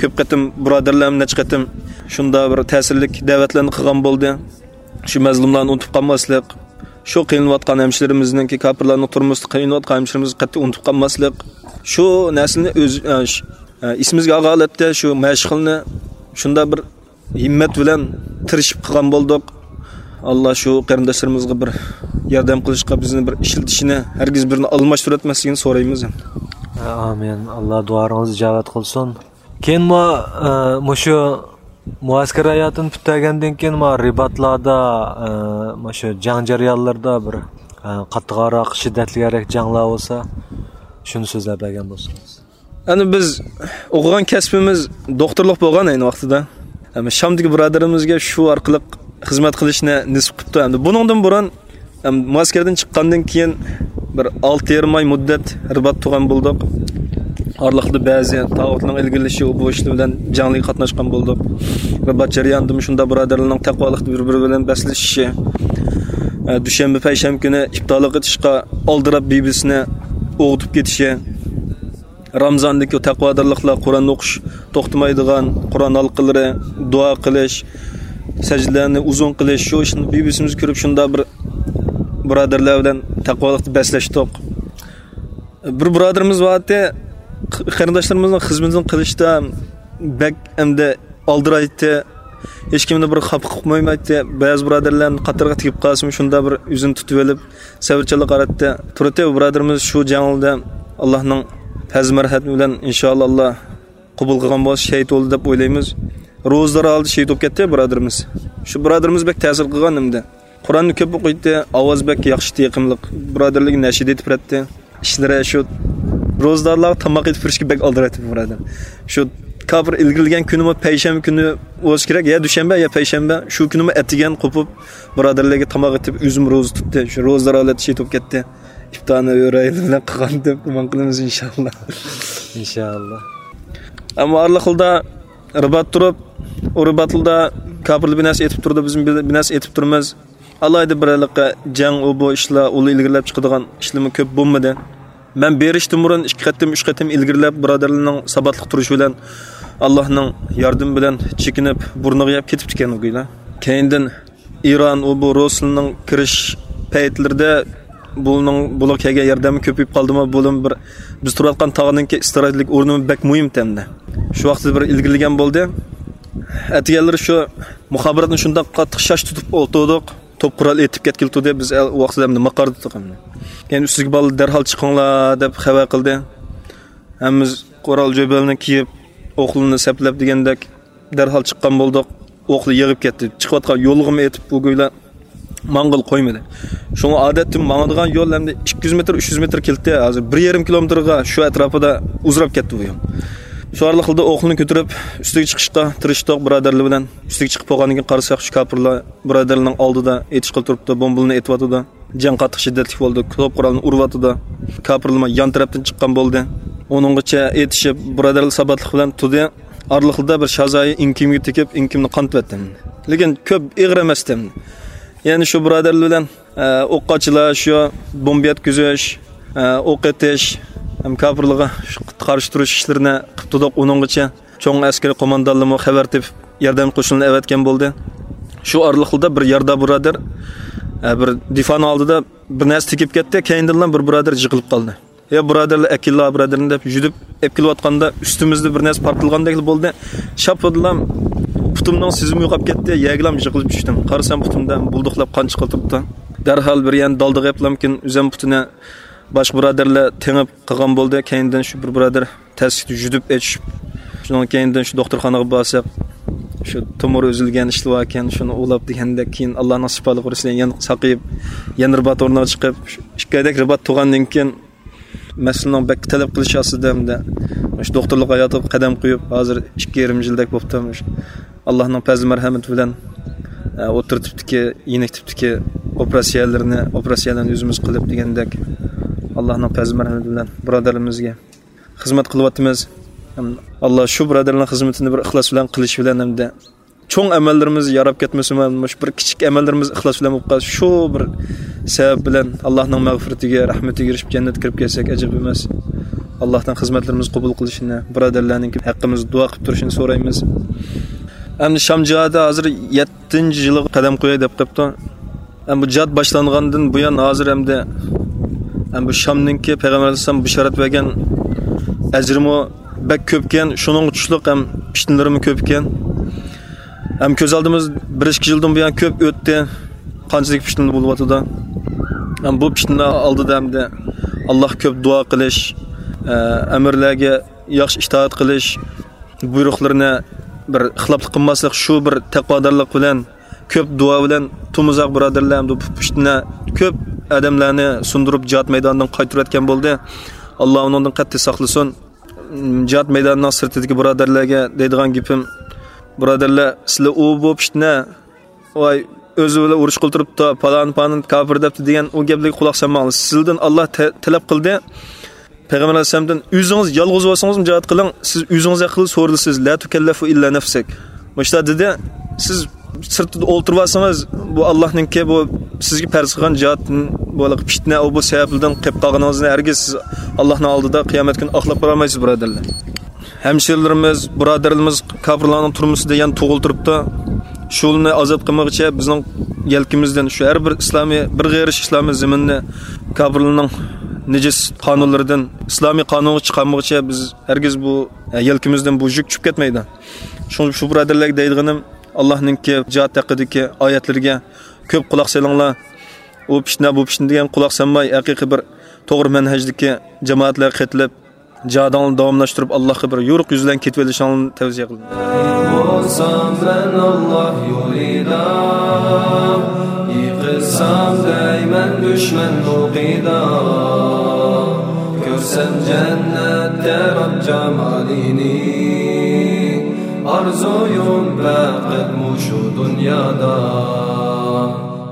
كۆپ قېتىم بۇرادەرلەرمۇ نەچچە قېتىم شۇنداق بىر تەسىرلىك دەۋەتلەرنى قىلغان بولدى. شۇ مەزلۇملارنى ئۇنتۇپ قالماسلىق، شۇ قىينىلىۋاتقان ھەمشىرىمىزنىڭكى، كاپىرلارنىڭ تۈرمىسىدە قىينىلىۋاتقان ھەمشىرىمىزنى قەتئىي ئۇنتۇپ قالماسلىق، شۇ نەرسىنى ئۆز، ئە، ش-، ئە، ئېسىمىزگە ئالغان ھالەتتە شۇ مەشىقنى شۇنداق بىر ھىممەت بىلەن تىرىشىپ قىلغان بولدۇق. ئاللا شۇ قېرىنداشلىرىمىزغا بىر ياردەم قىلىشقا، بىزنى بىر ئىشلىتىشىنى، ھەرگىز بىرىنى ئالماشتۇرۇۋەتمەسلىكىنى سورايمىز. ئامىن. ئاللا دۇئاڭىزنى ئىجابەت قىلسۇن. كېيىنمۇ، ئە، مۇشۇ مۇئەسكەر ھاياتىنى پۈتتۈرگەندىن كېيىن، ما، رىباتلاردا، ئە، مۇشۇ جەڭ جەريانلىرىدا بىر، ئە، قاتتىقراق، شىددەتلىكرەك جەڭلەر بولسا، شۇنى سۆزلەپ بەرگەن بولسىڭىز. ئەنە بىز ئوقۇغان كەسپىمىز دوختۇرلۇق بولغان ئەينى ۋاقتىدا. ئەمما شامدىكى بۇرادىرىمىزگە شۇ ئارقىلىق خىزمەت قىلىشنى نېسىپ قىپتۇ. ئەمدى بۇنىڭدىن بۇرۇن، ئەم، مۇئەسكەردىن چىققاندىن كېيىن بىر ئالتە يېرىم ئاي مۇددەت رىبات تۇرغان بولدۇق. ئارىلىقتا بەزى تاغۇتنىڭ ئىلگىرىلىشى، ئۇ بۇ ئىشلار بىلەن جەڭلىككە قاتناشقان بولدۇق. رىبات جەريانىدىمۇ شۇنداق بۇرادەرلەرنىڭ تەقۋالىقتا بىر-بىرى بىلەن بەسلىشىشى، ئە، دۈشەنبە، پەيشەنبە كۈنى ئىپتارلىق ئېتىشقا ئالدىراپ بىبىسىنى ئويغىتىپ كېتىشى. رامزاندىكى تەقۋادارلىقلار، قۇرئان ئوقۇش توختىمايدىغان، قۇرئان ھالقىلىرى، دۇئا قىلىش، سەجدىلەرنى ئۇزۇن قىلىش، شۇ ئىشنى بىبىسىمىز كۆرۈپ، شۇنداق بىر بۇرادەرلەر بىلەن تەقۋالىقتا بەسلەشتۇق. بىر بۇرادىرىمىز بارتى، قېرىنداشلىرىمىزنىڭ خىزمىتىنى قىلىشتا بەك ئەمدى ئالدىرايتتى. ھېچكىمنى بىر خاپا قىلىپ قويمايتتى. بەزى بۇرادەرلەرنىڭ قاتارىغا تېگىپ قالسىمۇ، شۇنداق بىر ئۆزىنى تۇتۇۋېلىپ، سەۋرچانلىق قاراتتى. تۇرۇتى بۇرادىرىمىز شۇ جەڭدە ئاللانىڭ پەزلى مەرھەمىتى بىلەن، ئىنشائاللا، ئاللا قوبۇل قىلغان بولسا، شېھىت بولدى دەپ ئويلايمىز. روزىدار ھالدا شېھىت بولۇپ كەتتى بۇرادىرىمىز. شۇ بۇرادىرىمىز بەك تەسىر قىلغان ئەمدى. قۇرئاننى كۆپ ئوقۇيتتى، ئاۋازى بەك ياخشى ئىدى، يېقىملىق. بۇرادەرلىرىگە نەشىدە ئېيتىپ بېرەتتى. ئىشلىرى شۇ روزىدارلارغا تاماق ئېتىپ بېرىشكە بەك ئالدىرايتتى بۇرادەر. شۇ كاپىر ئىلگىرىلىگەن كۈنىمۇ پەيشەنبە كۈنى بولسا كېرەك، يا دۈشەنبە، يا پەيشەنبە، شۇ كۈنىمۇ ئەتىگەن قوپۇپ، بۇرادەرلەرگە تاماق ئېتىپ، ئۆزىمۇ روزا تۇتتى. شۇ روزىدار ھالەتتە شېھىت بولۇپ كەتتى. ئىپتارنى ئۆرەيلى بىلەن قىلغان دەپ گۇمان قىلىمىز، ئىنشاللا. ئىنشاللا. ئەمما ئارىلىقلىدا رىبات تۇرۇپ، ئۇ رىباتلىدا كاپىرلار بىر نەرسە ئېتىپ تۇرىدۇ، بىز بىر نەرسە ئېتىپ تۇرىمىز. ئالاھىدە بىر ھېلىقى جەڭ، ئۇ بۇ ئىشلار، ئۇلار ئىلگىرىلەپ چىقىدىغان ئىشلىرىمۇ كۆپ بولمىدى. مەن بېرىشتىن بۇرۇن ئىككى قېتىم، ئۈچ قېتىم ئىلگىرىلەپ، بۇرادەرلەرنىڭ ساباتلىق تۇرۇشى بىلەن، ئاللاھنىڭ ياردىمى بىلەن چېكىنىپ، بۇرنىغا يەپ كېتىپتىكەن ئۇ گويلا. كەينىدىن ئىران، ئۇ بۇ روسلىنىڭ كىرىش پەيتلىرىدە بۇنىڭ، بۇلار كەلگەن ياردەممۇ كۆپىيىپ قالدىمۇ، بۇلىمۇ بىر، بىز تۇرۇۋاتقان تاغنىڭكى ئىستراتېگىك ئورنىمۇ بەك مۇھىم تەمدە. شۇ ۋاقىتتا بىر ئىلگىرىلىگەن بولدى. ئەتىگەنلىرى شۇ مۇخابىراتنى شۇنداق قاتتىق شاش تۇتۇپ ئولتۇردۇق. توپ قورال ئېتىپ كەتكىلى تۇردى، بىز ئەل-، ۋاقتىدا ئەمدى ماقاردا تۇردۇق ئەمدى. كەينى ئۈستىدىكى بالىلار دەرھال چىقىڭلار دەپ خەۋەر قىلدى. ھەممىمىز قورال جۆبەلنى كىيىپ، ئوقلىرىنى سەپلەپ دېگەندەك، دەرھال چىققان بولدۇق. ئوقلار يېغىپ كەتتى. چىقىۋاتقان يولغىمۇ ئېتىپ، بۇ گويلا ماڭغىلى قويمىدى. شۇڭا ئادەتتە ماڭىدىغان يول ئەمدى ئىككى يۈز مېتىر، ئۈچ يۈز مېتىر كېلىتتى. ھازىر بىر يېرىم كىلومېتىرغا شۇ ئەتراپىدا ئۇزىراپ كەتتى بۇ يول. شۇ ئارىلىقتا ئوقلىنى كۆتۈرۈپ، ئۈستىگە چىقىشقا تىرىشتۇق بۇرادەرلەر بىلەن. ئۈستىگە چىقىپ بولغاندىن كېيىن قارىساق، شۇ كاپىرلار بۇرادەرلەرنىڭ ئالدىدا ئېتىشقىلى تۇرۇپتۇ، بومبىلىرىنى ئېتىۋاتىدۇ. جەڭ قاتتىق شىددەتلىك بولدى. توپ قورالنى ئۇرۇۋاتىدۇ. كاپىرلار يان تەرەپتىن چىققان بولدى. ئۇنىڭغىچە ئېتىشىپ، بۇرادەرلەر ساباتلىق بىلەن تۇردى. ئارىلىقتا بىر شازايى ئىڭكىمگە تېگىپ، ئىڭكىمنى قانىتىۋەتتىم. لېكىن كۆپ ئېغىر ئەمەستىم. يەنى شۇ بۇرادەرلەر بىلەن، ئە، ئوققاچىلار شۇ بومبا يەتكۈزۈش، ئە، ئوق ئېتىش ھەم كاپىرلارغا قارشى تۇرۇش ئىشلىرىنى قىلىپ تۇردۇق ئۇنىڭغىچە. چوڭ ئەسكىرىي قوماندانلىرىمۇ خەۋەر تېپىپ، ياردەم قوشۇنىنى ئەۋەتكەن بولدى. شۇ ئارىلىقتا بىر ياردا بۇرادەر، ئە، بىر دىفانىڭ ئالدىدا بىر نەرسە تېگىپ كەتتى، كەينىدىنلا بىر بۇرادەر يىقىلىپ قالدى. يا بۇرادەرلەر، ئەكېلىلا بۇرادەرنى دەپ يۈدۈپ ئېلىپ كېلىۋاتقاندا، ئۈستىمىزدە بىر نەرسە پارتلىغاندەكلا بولدى. شاپپىدىلا پۇتۇمنىڭ سېزىمى يوقاپ كەتتى، يەرگىلا يىقىلىپ چۈشتۈم. قارىسام، پۇتۇمدا بۇلدۇقلاپ قان چىقىپ تۇرۇپتۇ. دەرھال بىر يەنە دالدىغا ئېپىلامكىن، ئۆزەم پۇتىنى باشقا بۇرادەرلەر تېڭىپ قىلغان بولدى. كەينىدىن شۇ بىر بۇرادەر تەسلىكتە يۈدۈپ ئېچىشىپ، شۇنىڭ كەينىدىن شۇ دوختۇرخانىغا بارساق، شۇ تومۇر ئۈزۈلگەن ئىشلىۋاركەن، شۇنى ئۇۋىلاپ دېگەندەك، كېيىن ئاللانىڭ شىپالىقى بىلەن يەنە ساقىيىپ، يەنە رىبات ئورنىغا چىقىپ، شۇ ئىككى ئايدەك رىبات تۇرغاندىن كېيىن، مەسىلىنىڭ بەك تەلەپ قىلىشى ئاستىدا ھەمدە مۇشۇ دوختۇرلۇق ھاياتىغا قەدەم قويۇپ، ھازىر ئىككى يېرىم يىلدەك بوپتۇ. مۇشۇ ئاللانىڭ پەزلى مەرھەمىتى بىلەن، ئە، ئوتتۇرا تىپتىكى، يېنىك تىپتىكى ئوپېراتسىيەلىرىنى، ئوپېراتسىيەلەرنى ئۆزىمىز قىلىپ دېگەندەك، ئاللانىڭ پەزلى مەرھەمىتى بىلەن بۇرادەرلىرىمىزگە خىزمەت قىلىۋاتىمىز. ئاللا شۇ بۇرادەرلەرنىڭ خىزمىتىنى بىر ئىخلاس بىلەن قىلىش بىلەن ھەمدە چوڭ ئەمەللىرىمىز ياراپ كەتمىسىمۇ، مۇشۇ بىر كىچىك ئەمەللىرىمىز ئىخلاس بىلەن بولۇپ قالسا، شۇ بىر سەۋەب بىلەن ئاللاھنىڭ مەغپىرىتىگە، رەھمىتىگە ئېرىشىپ، جەننەتكە كىرىپ كەلسەك ئەجەب ئەمەس. ئاللاھتىن خىزمەتلىرىمىزنى قوبۇل قىلىشىنى، بۇرادەرلەرنىڭ ھەققىمىزدە دۇئا قىلىپ تۇرۇشىنى سورايمىز. ئەمدى شام جىھادى ھازىر يەتتىنچى يىلىغا قەدەم قوياي دەپ قېپتۇ. ئەمما بۇ جىھاد باشلانغاندىن بۇيان ھازىر ئەمدى، ئەم بۇ شامنىڭكى پەيغەمبەر ئەلەيھىسسالام بېشارەت بەرگەن ئەجرىمۇ بەك كۆپكەن، شۇنىڭغا تۇشلۇق ھەم پىتنىلىرىمۇ كۆپكەن. ھەم كۆز ئالدىمىز بىر ئىككى يىلدىن بۇيان كۆپ ئۆتتى. قانچىلىك پىتنە بولۇۋاتىدۇ. ھەم بۇ پىتنە ئالدىدا ئەمدى ئاللاھقا كۆپ دۇئا قىلىش، ئە، ئەمىرلەرگە ياخشى ئىتائەت قىلىش، بۇيرۇقلىرىنى بىر خىلاپلىق قىلماسلىق، شۇ بىر تەقۋادارلىق بىلەن، كۆپ دۇئا بىلەن تۇمۇزاق بۇرادەرلەر ھەمدە بۇ پىتنە كۆپ ئادەملەرنى سۇندۇرۇپ، جىھاد مەيدانىدىن قايتۇرۇۋەتكەن بولدى. ئاللا ئۇنىڭدىن قەتئىي ساقلىسۇن. جىھاد مەيدانىنىڭ سىرتىدىكى بۇرادەرلەرگە دەيدىغان گېپىم، بۇرادەرلەر، سىلەر ئۇ بۇ پىتنە، ۋاي، ئۆزى بىلەن ئۇرۇش قىلىپ تۇرۇپتۇ، پالان پالان كاپىر دەپتۇ دېگەن ئۇ گەپلەرگە قۇلاق سالماڭلار. سىزدىن ئاللا تە-، تەلەپ قىلدى. پەيغەمبەر ئەلەيھىسسالامدىن ئۆزىڭىز يالغۇز بولسىڭىزمۇ جىھاد قىلىڭ، سىز ئۆزىڭىز ھەققىدە سورىلىسىز، لا تۇكەللەفۇ ئىللا نەفسەك. مۇشۇنداق دېدى، سىز سىرتىدا ئولتۇرۇۋالسىڭىز، بۇ ئاللاھنىڭكى بۇ سىزگە پەرز قىلغان جىھادتىن، بۇ پىتنە، ئۇ بۇ سەۋەبلىدىن قېلىپ قالغىنىڭىزنى ھەرگىز سىز ئاللاھنىڭ ئالدىدا قىيامەت كۈنى ئاقلاپ بولالمايسىز، بۇرادەرلەر. ھەمشىرىلىرىمىز، بۇرادەرلىرىمىز كاپىرلارنىڭ تۈرمىسىدە يەنە تۇغۇلۇپ تۇرۇپتۇ. شۇلارنى ئازاد قىلمىغۇچە بىزنىڭ يەلكىمىزدىن شۇ ھەر بىر ئىسلامىي، بىر غېرىش ئىسلامىي زېمىننى كاپىرلارنىڭ نىجىس قانۇنلىرىدىن ئىسلامىي قانۇنغا چىقارمىغۇچە بىز ھەرگىز بۇ، ئە، يەلكىمىزدىن بۇ يۈك چۈشۈپ كەتمەيدۇ. شۇڭا شۇ بۇرادەرلەرگە دەيدىغىنىم، ئاللاھنىڭكى جىھاد ھەققىدىكى ئايەتلىرىگە كۆپ قۇلاق سېلىڭلار. ئۇ پىتنە، بۇ پىتنە دېگەن قۇلاق سالماي، ھەقىقىي بىر توغرا مەنھەجدىكى جامائەتلەرگە قېتىلىپ، جىھادىڭلارنى داۋاملاشتۇرۇپ، ئاللاھقا بىر يورۇق يۈز بىلەن كېتىۋېلىشىڭلارنى تەۋسىيە قىلىمەن. بولسام مەن ئاللاھ يولىدا، يىقىلسام دەيمەن دۈشمەن ئوقىدا. كۆرسەم جەننەتتە رەب جامالىنى، ئارزۇيۇم پەقەت مۇشۇ دۇنيادا.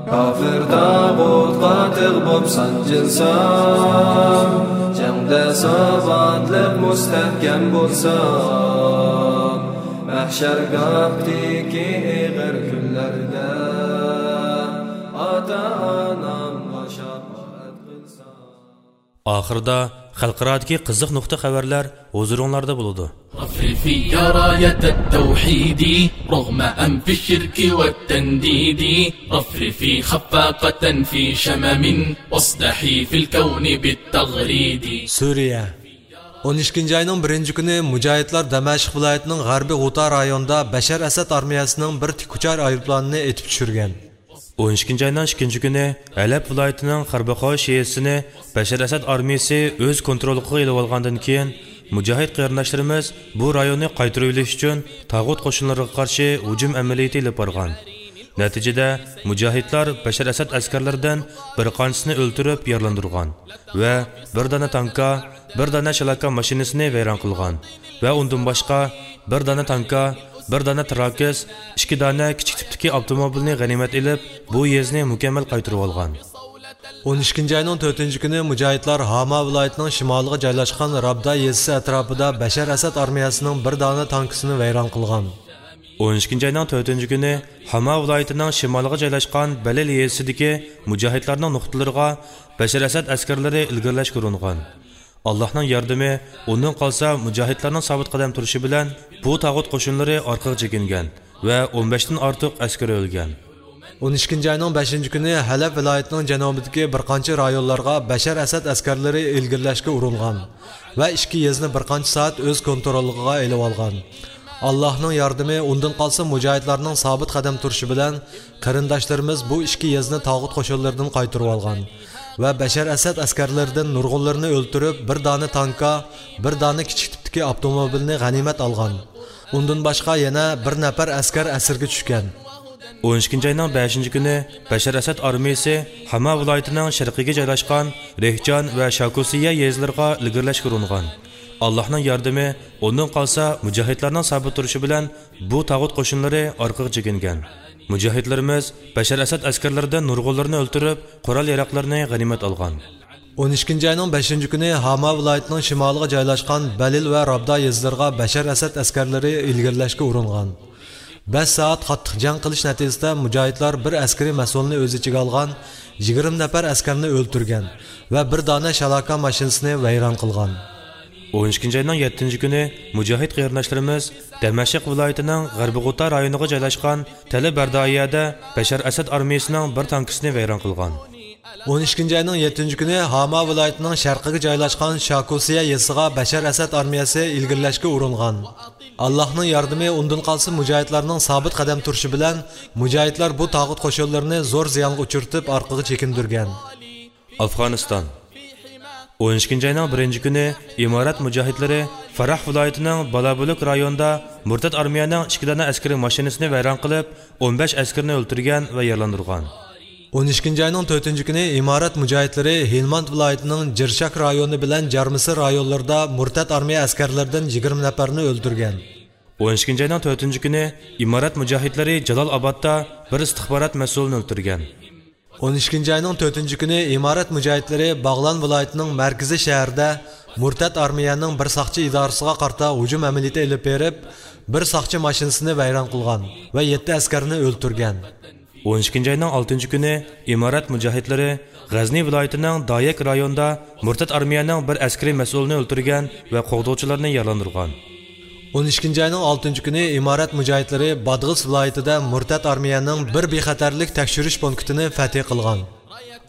كاپىر تاغۇتقا تىغ بوپ سانجىلسام، جەڭدە ساباتلىق مۇستەھكەم بولسام، مەھشەرگاھتىكى ئېغىر كۈنلەردە ئاتا-ئانامغا شاپائەت قىلسام. ئاخىرىدا خەلقئارادىكى قىزىق نۇقتا خەۋەرلەر ھۇزۇرۇڭلاردا بولىدۇ. رفرفي يا راية التوحيد، رغم أنف الشرك والتنديد. رفرفي خفاقة في شمم، واصدحي في الكون بالتغريد. سۈرىيە. ئون ئىككىنچى ئاينىڭ بىرىنچى كۈنى مۇجاھىدلار دەمەشق ۋىلايىتىنىڭ غەربىي غۇتا رايونىدا بەشەر ئەسەد ئارمىيەسىنىڭ بىر تىكۇچار ئايروپىلانىنى ئېتىپ چۈشۈرگەن. ئون ئىككىنچى ئاينىڭ ئىككىنچى كۈنى ھەلەب ۋىلايىتىنىڭ خەربىخاي شىئىسىنى بەشەر ئەسەد ئارمىيىسى ئۆز كونتروللۇقىغا ئېلىۋالغاندىن كېيىن، مۇجاھىد قېرىنداشلىرىمىز بۇ رايوننى قايتۇرۇۋېلىش ئۈچۈن تاغۇت قوشۇنلىرىغا قارشى ھۇجۇم ئەمەلىيىتى ئېلىپ بارغان. نەتىجىدە، مۇجاھىدلار بەشەر ئەسەد ئەسكەرلىرىدىن بىر قانچىسىنى ئۆلتۈرۈپ يارىلاندۇرغان ۋە بىر دانە تانكا، بىر دانە شالاكا ماشىنىسىنى ۋەيران قىلغان ۋە ئۇندىن باشقا بىر دانە تانكا، بىر دانە تىراكس، ئىككى دانە كىچىك تىپتىكى ئاپتوموبىلنى غەنىيمەت ئېلىپ، بۇ يېزىنى مۇكەممەل قايتۇرۇۋالغان. ئون ئىككىنچى ئاينىڭ تۆتىنچى كۈنى مۇجاھىدلار ھاما ۋىلايىتىنىڭ شىمالىغا جايلاشقان رابدا يېزىسى ئەتراپىدا بەشەر ئەسەد ئارمىيەسىنىڭ بىر دانە تانكىسىنى ۋەيران قىلغان. ئون ئىككىنچى ئاينىڭ تۆتىنچى كۈنى ھاما ۋىلايىتىنىڭ شىمالىغا جايلاشقان بەلىل يېزىسىدىكى مۇجاھىدلارنىڭ نۇقتىلىرىغا بەشەر ئەسەد ئەسكەرلىرى ئىلگىرىلەشكە ئۇرۇنغان. ئاللاھنىڭ ياردىمى، ئۇندىن قالسا مۇجاھىدلارنىڭ سابىت قەدەم تۇرۇشى بىلەن بۇ تاغۇت قوشۇنلىرى ئارقىغا چېكىنگەن ۋە ئون بەشتىن ئارتۇق ئەسكىرى ئۆلگەن. ئون ئىككىنچى ئاينىڭ بەشىنچى كۈنى ھەلەب ۋىلايىتىنىڭ جەنۇبىدىكى بىر قانچە رايونلارغا بەشەر ئەسەد ئەسكەرلىرى ئىلگىرىلەشكە ئۇرۇنغان ۋە ئىككى يېزىنى بىر قانچە سائەت ئۆز كونتروللۇقىغا ئېلىۋالغان. ئاللاھنىڭ ياردىمى، ئۇندىن قالسا مۇجاھىدلارنىڭ سابىت قەدەم تۇرۇشى بىلەن قېرىنداشلىرىمىز بۇ ئىككى يېزىنى تاغۇت قوشۇنلىرىدىن قايتۇرۇۋالغان ۋە بەشەر ئەسەد ئەسكەرلىرىدىن نۇرغۇنلىرىنى ئۆلتۈرۈپ، بىر دانە تانكا، بىر دانە كىچىك تىپتىكى ئاپتوموبىلنى غەنىيمەت ئالغان. ئۇندىن باشقا يەنە بىر نەپەر ئەسكەر ئەسىرگە چۈشكەن. ئون ئىككىنچى ئاينىڭ بەشىنچى كۈنى بەشەر ئەسەد ئارمىيىسى ھاما ۋىلايىتىنىڭ شەرقىگە جايلاشقان رېھجان ۋە شاكۇسىيە يېزىلىرىغا ئىلگىرىلەشكە ئۇرۇنغان. ئاللاھنىڭ ياردىمى، ئۇندىن قالسا مۇجاھىدلارنىڭ سابىت تۇرۇشى بىلەن بۇ تاغۇت قوشۇنلىرى ئارقىغا چېكىنگەن. مۇجاھىدلىرىمىز بەشەر ئەسەد ئەسكەرلىرىدىن نۇرغۇنلىرىنى ئۆلتۈرۈپ، قورال-ياراغلىرىنى غەنىيمەت ئالغان. ئون ئىككىنچى ئاينىڭ بەشىنچى كۈنى ھاما ۋىلايىتىنىڭ شىمالىغا جايلاشقان بەلىل ۋە رابدا يېزىلىرىغا بەشەر ئەسەد ئەسكەرلىرى ئىلگىرىلەشكە ئۇرۇنغان. بەش سائەت قاتتىق جەڭ قىلىش نەتىجىسىدە مۇجاھىدلار بىر ئەسكىرىي مەسئۇلنى ئۆز ئىچىگە ئالغان يىگىرمە نەپەر ئەسكەرنى ئۆلتۈرگەن ۋە بىر دانە شالاكا ماشىنىسىنى ۋەيران قىلغان. ئون ئىككىنچى ئاينىڭ يەتتىنچى كۈنى مۇجاھىد قېرىنداشلىرىمىز دەمەشق ۋىلايىتىنىڭ غەربىي غۇتا رايونىغا جايلاشقان تەل بەردائىيەدە بەشەر ئەسەد ئارمىيىسىنىڭ بىر تانكىسىنى ۋەيران قىلغان. ئون ئىككىنچى ئاينىڭ يەتتىنچى كۈنى ھاما ۋىلايىتىنىڭ شەرقىگە جايلاشقان شاكۇسىيە يېزىسىغا بەشەر ئەسەد ئارمىيەسى ئىلگىرىلەشكە ئۇرۇنغان. ئاللاھنىڭ ياردىمى، ئۇندىن قالسا مۇجاھىدلارنىڭ سابىت قەدەم تۇرۇشى بىلەن مۇجاھىدلار بۇ تاغۇت قوشۇنلىرىنى زور زىيانغا ئۇچرىتىپ ئارقىغا چېكىندۈرگەن. ئافغانىستان. ئون ئىككىنچى ئاينىڭ بىرىنچى كۈنى ئىمارەت مۇجاھىدلىرى فاراھ ۋىلايىتىنىڭ بالابۇلۇك رايونىدا مۇرتەت ئارمىيەنىڭ ئىككى دانە ئەسكىرىي ماشىنىسىنى ۋەيران قىلىپ، ئون بەش ئەسكىرىنى ئۆلتۈرگەن ۋە يارىلاندۇرغان. ئون ئىككىنچى ئاينىڭ تۆتىنچى كۈنى ئىمارەت مۇجاھىدلىرى ھىلماند ۋىلايىتىنىڭ جىرشاك رايونى بىلەن جارمىسىر رايونلىرىدا مۇرتەت ئارمىيە ئەسكەرلىرىدىن يىگىرمە نەپەرنى ئۆلتۈرگەن. ئون ئىككىنچى ئاينىڭ تۆتىنچى كۈنى ئىمارەت مۇجاھىدلىرى جالال ئابادتا بىر ئىستىخبارات مەسئۇلىنى ئۆلتۈرگەن. ئون ئىككىنچى ئاينىڭ تۆتىنچى كۈنى ئىمارەت مۇجاھىدلىرى باغلان ۋىلايىتىنىڭ مەركىزىي شەھىرىدە مۇرتەت ئارمىيەنىڭ بىر ساقچى ئىدارىسىغا قارىتا ھۇجۇم ئەمەلىيىتى ئېلىپ بېرىپ، بىر ساقچى ماشىنىسىنى ۋەيران قىلغان ۋە يەتتە ئەسكەرنى ئۆلتۈرگەن. ئون ئىككىنچى ئاينىڭ ئالتىنچى كۈنى ئىمارەت مۇجاھىدلىرى غەزنى ۋىلايىتىنىڭ دايەك رايونىدا مۇرتەت ئارمىيەنىڭ بىر ئەسكىرىي مەسئۇلىنى ئۆلتۈرگەن ۋە قوغدىغۇچىلارنى يارىلاندۇرغان. ئون ئىككىنچى ئاينىڭ ئالتىنچى كۈنى ئىمارەت مۇجاھىدلىرى بادغىس ۋىلايىتىدە مۇرتەت ئارمىيەنىڭ بىر بىخەتەرلىك تەكشۈرۈش پونكىتىنى فەتھى قىلغان.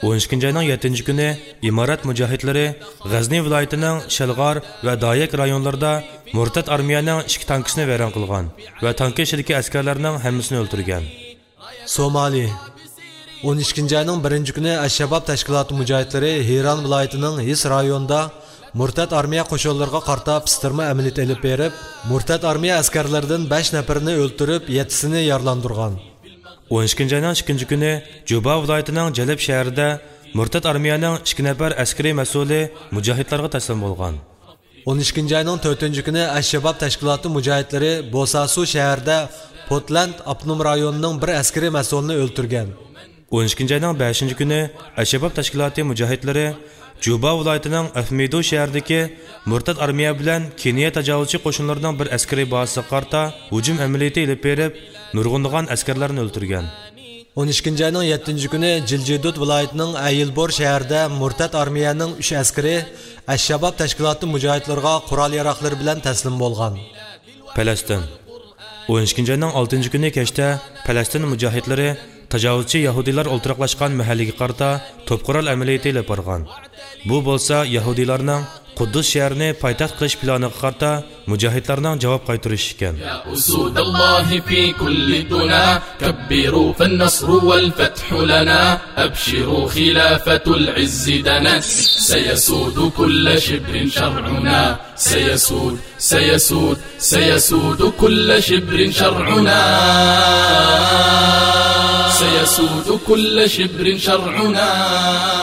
ئون ئىككىنچى ئاينىڭ يەتتىنچى كۈنى ئىمارەت مۇجاھىدلىرى غەزنى ۋىلايىتىنىڭ شەلغار ۋە دايەك رايونلىرىدا مۇرتەت ئارمىيەنىڭ ئىككى تانكىسىنى ۋەيران قىلغان ۋە تانكا ئىچىدىكى ئەسكەرلەرنىڭ ھەممىسىنى ئۆلتۈرگەن. سومالى. ئون ئىككىنچى ئاينىڭ بىرىنچى كۈنى ئەلشەباب تەشكىلاتى مۇجاھىدلىرى ھىران ۋىلايىتىنىڭ ھىس رايونىدا مۇرتەت ئارمىيە قوشۇنلىرىغا قارىتا پىستىرما ئەمەلىيىتى ئېلىپ بېرىپ، مۇرتەت ئارمىيە ئەسكەرلىرىدىن بەش نەپىرىنى ئۆلتۈرۈپ، يەتتىسىنى يارىلاندۇرغان. ئون ئىككىنچى ئاينىڭ ئىككىنچى كۈنى جۇبا ۋىلايىتىنىڭ جەلىپ شەھىرىدە مۇرتەت ئارمىيەنىڭ ئىككى نەپەر ئەسكىرىي مەسئۇلى مۇجاھىدلارغا تەسلىم بولغان. ئون ئىككىنچى ئاينىڭ تۆتىنچى كۈنى ئەلشەباب تەشكىلاتى مۇجاھىدلىرى بوساسۇ شەھىرىدە پوتلاند ئاپتونوم رايونىنىڭ بىر ئەسكىرىي مەسئۇلىنى ئۆلتۈرگەن. ئون ئىككىنچى ئاينىڭ بەشىنچى كۈنى ئەلشەباب تەشكىلاتى مۇجاھىدلىرى جۇبا ۋىلايىتىنىڭ ئەفمىدۇ شەھىرىدىكى مۇرتەت ئارمىيە بىلەن كېنىيە تاجاۋۇزچى قوشۇنلىرىنىڭ بىر ئەسكىرىي بازىسىغا قارىتا ھۇجۇم ئەمەلىيىتى ئېلىپ بېرىپ، نۇرغۇنلىغان ئەسكەرلەرنى ئۆلتۈرگەن. ئون ئىككىنچى ئاينىڭ يەتتىنچى كۈنى جىلجىدۇت ۋىلايىتىنىڭ ئەيىلبور شەھىرىدە مۇرتەت ئارمىيەنىڭ ئۈچ ئەسكىرى ئەلشەباب تەشكىلاتى مۇجاھىدلىرىغا قورال ياراغلىرى بىلەن تەسلىم بولغان. پەلەستىن. ئون ئىككىنچى ئاينىڭ ئالتىنچى كۈنى كەچتە پەلەستىن مۇجاھىدلىرى تاجاۋۇزچى يەھۇدىيلار ئولتۇراقلاشقان مەھەللىگە قارىتا توپ قورال ئەمەلىيىتى ئېلىپ بارغان. بۇ بولسا يەھۇدىيلارنىڭ قۇددۇس شەھىرىنى پايتەخت قىلىش پىلانىغا قارىتا مۇجاھىدلارنىڭ جاۋاب قايتۇرۇشى ئىكەن. يا أسود الله في كل دنا، كبروا فالنصر والفتح لنا، أبشروا خلافة العز دنت، سيسود كل شبر شرعنا، سيسود، سيسود، سيسود كل شبر شرعنا، سيسود كل شبر شرعنا.